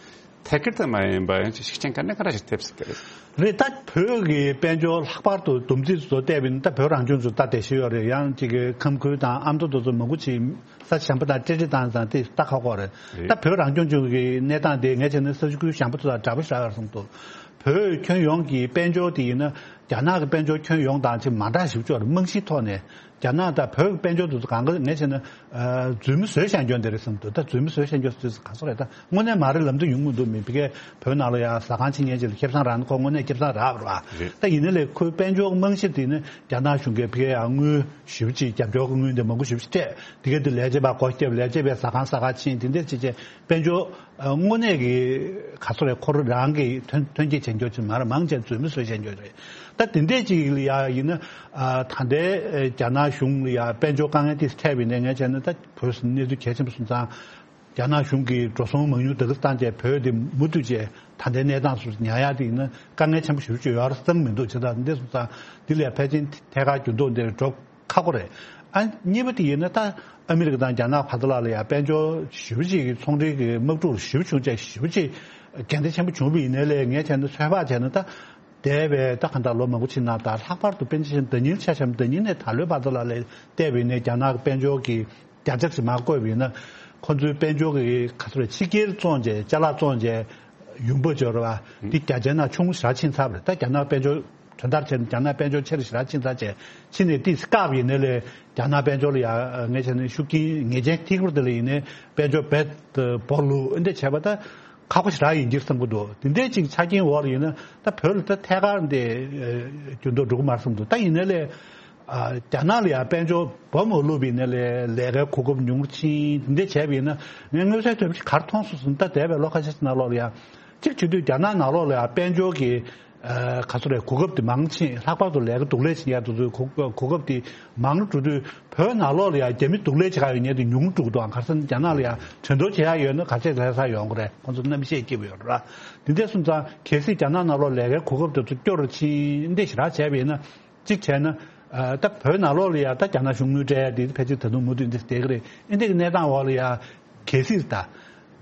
ཐད་ཀར་དུ་མ་ཡིན་པ་ཡང་ཅིག་ཤུགས་རྐྱེན་ག་ནས་ག་ར་ཞིག་ཐེབས་སྲིད་ཀྱི་རེད། རེད། ད་བོད་ཀྱི་དཔལ་འབྱོར་ལྷག་པར་དུ་བསྡོམས་རྩིས་བཟོ་བལྟས་པ་ཡིན་ན། ད་བོད་རང་སྐྱོང་ལྗོངས་ད་དེ་ཤེས་ཡོད་རེད། ཡང་ཅིག་གི་ཁམས་ཁུལ་དང་ཨ་མདོ་དེ་ཚོ་མང་པོ་ཅིག་ས་ཆ་གཞན་པ་དང་སྤྲད་སྤྲད་བཏང་ཙང་དེ་ལྟ་ཁག་པོ་རེད། རེད། ད་བོད་རང་སྐྱོང་ལྗོངས་ཀྱི་གནས་སྟངས་དེ་ངས་བྱས་ན་ས་ཆ་ཁུལ་གཞན་པ་ཚོ་དང་འདྲ་པོ་ཞིག་རག་ཡོད་བསམ་འདུག་བོད་ཁྱོན་ཡོངས་ཀྱི་དཔལ་འབྱོར་དེ་ཡིན་ན་རྒྱ་ནག་གི་དཔལ་འབྱོར་ཁྱོན་ཡོངས་དང་ཅིག་མ་འདྲ་ཞིག་ཅིག་ཡོད་རེད། རྨང་གཞིའི་ཐོག་ནས། རྒྱ་ནག་དང་བོད་ཀྱི་དཔལ་འབྱོར་དེ་ཚོ་གང་ག་ངས་བྱས་ན། ཨ། རྫུན་མ་བཟོས་བཞག་རྒྱུ་འདི་རེད་བསམ་འདུག་ད་རྫུན་མ་བཟོས་བཞག་རྒྱུ་ཟེར་དུས་ག་ཚོད་རེད། ད་དངོས་གནས་མ་རེད་ལབ་འདོད་ཡོང་གི་འདུག་མི་ཕ་གིའི་བོད་ནང་ལ་ཡ་ཟ་ཁང་ཕྱེ་མཁན་ཅིག་ལ་ཁེ་བཟང་རག་ན་ཁོ་དངོས་གནས་ཁེ་བཟང་རག་པ་རེད་པ། རེད། ད་ཡིན་ན་ལས་ཁོའི་དཔལ་འབྱོར་རྨང་གཞི་དེ་ནི་རྒྱ་ནག་གཞུང་གིས་ཕ་གིར་ཡ་དངུལ་ཞེ་པོ་ཅིག་རྒྱབ་སྐྱོར་གྱི་དངུལ་འདི་མང་པོ་ཞེ་པོ་ཅིག་སྤྲད། དེ་ག་དེ་ལས་བྱེད་པ་སྒོ་བརྒྱབ། ལས་བྱེད་པས་ཟ་ཁང་ཟ་ཁང་ཕྱེ། དེ་འདྲས་བྱས་བྱས་དཔལ་འབྱོར། ཨ། དངོས་གནས་ཀྱི་ག་ཚོད་རེད། ཁོ་རང་རང་གི་ཐོན་ཐོན་སྐྱེད་བྱེད་རྒྱུ་ཅིག་མ་རེད། མང་ཆེ་རྫུན་མ་བཟོས་བྱེད་རྒྱུ་རེད། ད་དེ་འདྲས་ཅིག་ལ་ཡ་ཡིན་ན། ཨ། ད་ལྟའི་རྒྱ་ནག་གཞུང་ལ་ཡ་དཔལ་འབྱོར་དཀའ་ངལ་དེ་འཕྲད་པ་ཡིན་ན། ངས་བྱས་ན་ད་བོད་གནས་ཚུལ་གལ་ཆེན་པོ་སོང་ཙང་། རྒྱ་ནག་གཞུང་གིས་འགྲོ་སོང་མང་ཉུང་དེ་ག་བཏང་བྱས་བོད་དེ་མུ་མཐུད་བྱས་ད་ལྟའི་གནས་སྟངས་སུ་ཉར་ཡ་དེ་ཡིན་ན་དཀའ་ངལ་ཆེན་པོ་ཞེ་པོ་ཅིག་ཡོད་རེད་བསམ་མི་འདུག་བྱས་ཙང་འདི་སོང་ཙང་འདི་ལ་ཡ་ཕལ་ཆེར་ཐད་ཀར་འགྱུར་ལྡོག་འདིར་འགྲོ་ཁག་པོ་རེད། ཨ། གཉིས་པ་དེ་ཡིན་ན་ད་ཨ་མི་རི་ཀ་དང་རྒྱ་ནག་བར་དུ་ལ་ལ་ཡ་དཔལ་འབྱོར་ཞེ་པོ་ཅིག་གི་ཚོང་འབྲེལ་གྱི་དམག་འཁྲུག་ཞེ་པོ་བྱུང་བྱས་ཞེ་པོ་ཅིག་འགལ་ཟླ་ཆེན་པོ་བྱུང་བ་ཡིན་ནའི་ལས། ངས་བྱས་ན་ཚོད་དཔག་བྱས་ན་ད་འདས་པའི་ད་གང་ལྟར་ལོ་མང་པོ་ཕྱིན་ན། ད་ལྷག་པར་དུ་དཔེ་ཆ་བཞག་ན་ཟླ་ཉིན་ཆ་བཞག་ན་ཟླ་ཉིན་ནས་ད་ལོའི་བར་དུ་ལ་ལ་བལྟས་པ་ཡིན་ནའི་རྒྱ་ནག་གི་དཔལ་འབྱོར་གྱི་བརྒྱ་ཆ་ཞིག་མར་བཀོད་པ་ཡིན་ན། ཁོ་ཚོའི་དཔལ་འབྱོར་གྱི་ག་ཚོད་རེད། ཕྱི་རྒྱལ་བཙོང་བྱས་ཅ་ལག་བཙོང་བྱས་ཡོང་འབབ་འབྱོར་བ་འདི་བརྒྱ་ཆའི་ནང་ཆུང་ངུ་ཞེ་དྲག་ཕྱིན་ཚར་བ་རེད། ད་རྒྱ་ནག་དཔལ་འབྱོར་དོན་དག་བྱས་ན་རྒྱ་ནག་དཔལ་འབྱོར་ཆེ་རུ་ཞེ་དྲག་ཕྱིན་ཚར་བྱས། ཕྱིན་ནས་ཏོག་ཙམ་བཀག་པ་ཡིན་ནའི་ལས་རྒྱ་ནག་དཔལ་འབྱོར་ལ་ཡ་ངས་བྱས་ན་ཤུགས་རྐྱེན་ངེས་ཅན་ཐེབས་ཀྱི་རེད། དེ་ལ་ཡིན་ནའི་དཔལ་འབྱོར་རྦད་དེ་སྦོ་ལུག་འདི་བྱས་པ་ད་ཁག་པོ་ཞེ་དྲག་ཡིན་གྱི་རེད་བསམ་གྱི་འདུག་དེ་འདྲའི་ཅིག་ཆ་རྐྱེན་འོག་ལ་ཡིན་ན་ད་བོད་ལ་ད་ཐད་ཀར་འདི་འགྱུར་ལྡོག་འགྲོ་གི་མ་རེད་བསམ་གྱི་འདུག་ད་ཡིན་ནའི་ལས། ཨ། རྒྱ་ནག་ལ་ཡང་དཔལ་འབྱོར་སྦོམ་མ་བླུགས་པ་ཡིན་ནའི་ལས་ལས་ཀའི་གོ་སྐབས་ཉུང་རུ་ཕྱིན། འདི་འདྲ་བྱས་པ་ཡིན་ན་ངས་མངོན་གསལ་དོད་པོ་ཞིག་ག་རེ་མཐོང་སོང་ཟེར་ན། ད་འདས་པའི་ལོ་ཁ་ཤས་ཤིག་ནང་ལོགས་ལ་ཡང་གཅིག་བྱེད་དུས་རྒྱ་ནག་ནང་ལོགས་ལ་ཡང་དཔལ་འབྱོར་གྱི། ཨ། ག་ཚོད་རེད། གོ་སྐབས་དེ་མང་ཕྱིན། ལྷག་པར་དུ་ལས་ཀ་སྡུག་ལས་བྱེད་ཡག་དེ་ཚོའི་གོ་གོ་སྐབས་དེ་མང་རུ་འགྲོ་དུས། བོད་ནང་ལོགས་ལ་ཡང་རྒྱ་མི་སྡུག་ལས་བྱེད་ག་ཡོད་མཁན་དེ་ཉུང་རུ་འགྲོ་གི་འདུག་ཨང་། ག་རེ་ཟེར་ན་རྒྱ་ནག་ལ་ཡང་འགྲན་བསྡུར་བྱེད་ཡག་ཡོད་ན་ག་ཚད་ལྷ་ས་ཡོང་གི་རེད། ཁོང་ཚོ་གནམ་གཤིས་སྐྱིད་པོ་ཡོད་རེད། དེ་འདྲ་སོང་ཙང་གལ་སྲིད་རྒྱ་ནག་ནང་ལོགས་ལས་ཀའི་གོ་སྐབས་དེ་ཚོ་སྐྱོ་རུ་ཕྱིན། འདི་ཞེ་དྲག་བྱས་པ་ཡིན་ན། གཅིག་བྱས་ན། ཨ། ད་བོད་ནང་ལོགས་ལ་ཡ་ད་རྒྱ་ནག་གཞུང་དངུལ་སྤྲད་ཡ་དེ་ཕལ་ཆེར་ད་དུང་མུ་མཐུད་འདི་བསྡད་ཀྱི་རེད། ཨེ་འདི་གི་གནས་སྟངས་འོག་ལ་ཡ་གལ་སྲིད་ད་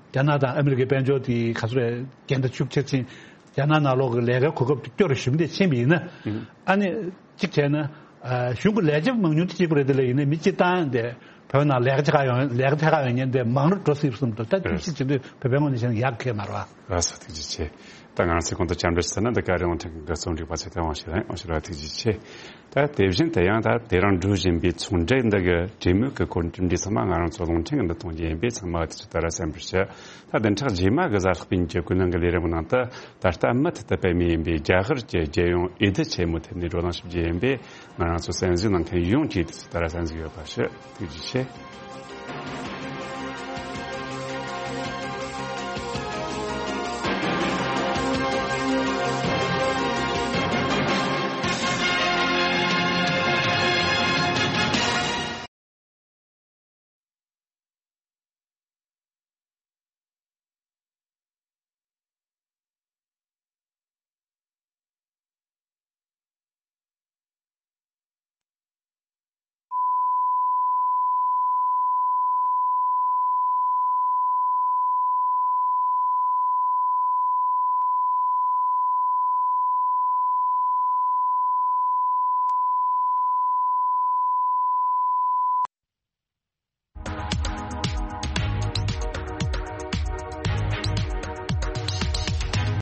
རྒྱ་ནག་དང་ཨ་མི་རི་ཀའི་དཔལ་འབྱོར་དེ་ག་ཚོད་རེད། འགལ་ཟླ་ཤུགས་ཆེར་ཕྱིན། རྒྱ་ནག་ནང་ལོགས་ཀྱི་ལས་ཀའི་གོ་སྐབས་དེ་སྐྱོ་རུ་ཞེ་པོ་འདི་ཕྱིན་པ་ཡིན་ན། ཨ་ནི་གཅིག་བྱས་ན། ཨ། གཞུང་གི་ལས་བྱེད་མང་ཉུང་དེ་གཅིག་པ་རེད། དེ་ལ་ཡིན་ན་མི་སྤྱིར་བཏང་དེ་བོད་ནང་ལས་ཀ་བྱེད་ག་ཡོང་། ལས་ཀ་བྱེད་ག་ཡོང་མཁན་དེ་མང་རུ་འགྲོ་སྲིད་པ་བསམ་འདུག་ད་ཐུགས་གཞིགས་བྱེད་དུས་བོད་པའི་ངོས་ནས་བཤད་ན་ཡག་གི་མ་རེད་པ། ལགས་སོ། ཐུགས་རྗེ་ཆེ། ད་ང་རང་ཚོས་གོང་དུ་བཅར་འདྲི་ཞུས་ན། འདི་ག་རེ་རླུང་འཕྲིན་གྱི་རྩོམ་སྒྲིག་པ་ཚོས་ཐད་དབང་ཞིག་ལ་དབང་ཞུ་ར་ཐུགས་རྗེ་ཆེ། ད་དེ་བཞིན་དུ་ཡང་ད་དེ་རིང་འགྲོ་བཞིན་པའི་ཚོང་འབྲེལ་འདི་གི་གྲོས་མོལ་གྱི་གོ་རིམ་གྲུབ་འབྲས་ཚང་མ་ང་རང་ཚོ་རླུང་འཕྲིན་གྱི་འདི་གཏོང་རྒྱུ་ཡིན་པས། ཚང་མ་དེ་ཚོ་ལྟར་གསན་པར་ཞུ། ད་བདུན་ཕྲག་རྗེས་མ་གི་གཟའ་ལྷག་པའི་ཉིན་གྱི་ཀུན་སློང་གི་ལས་རིམ་ནང་དུ་ད་ལྟ་མུ་མཐུད་དུ་སྤེལ་མུས་ཡིན་པའི་རྒྱ་གར་གྱི་རྒྱལ་ཡོངས་འོས་བསྡུ་ཆེན་མོའི་ཐད་ནས་བགྲོ་གླེང་ཞུ་རྒྱུ་ཡིན་པས། ང་རང་ཚོ་གསན་གཟིགས་གནང་མཁན་ཡོངས་ཀྱིས་དེ་ཚོ་ལྟར་གསན་གཟིགས་ཡོད་པ་ཞུ། ཐུགས་རྗེ་ཆེ།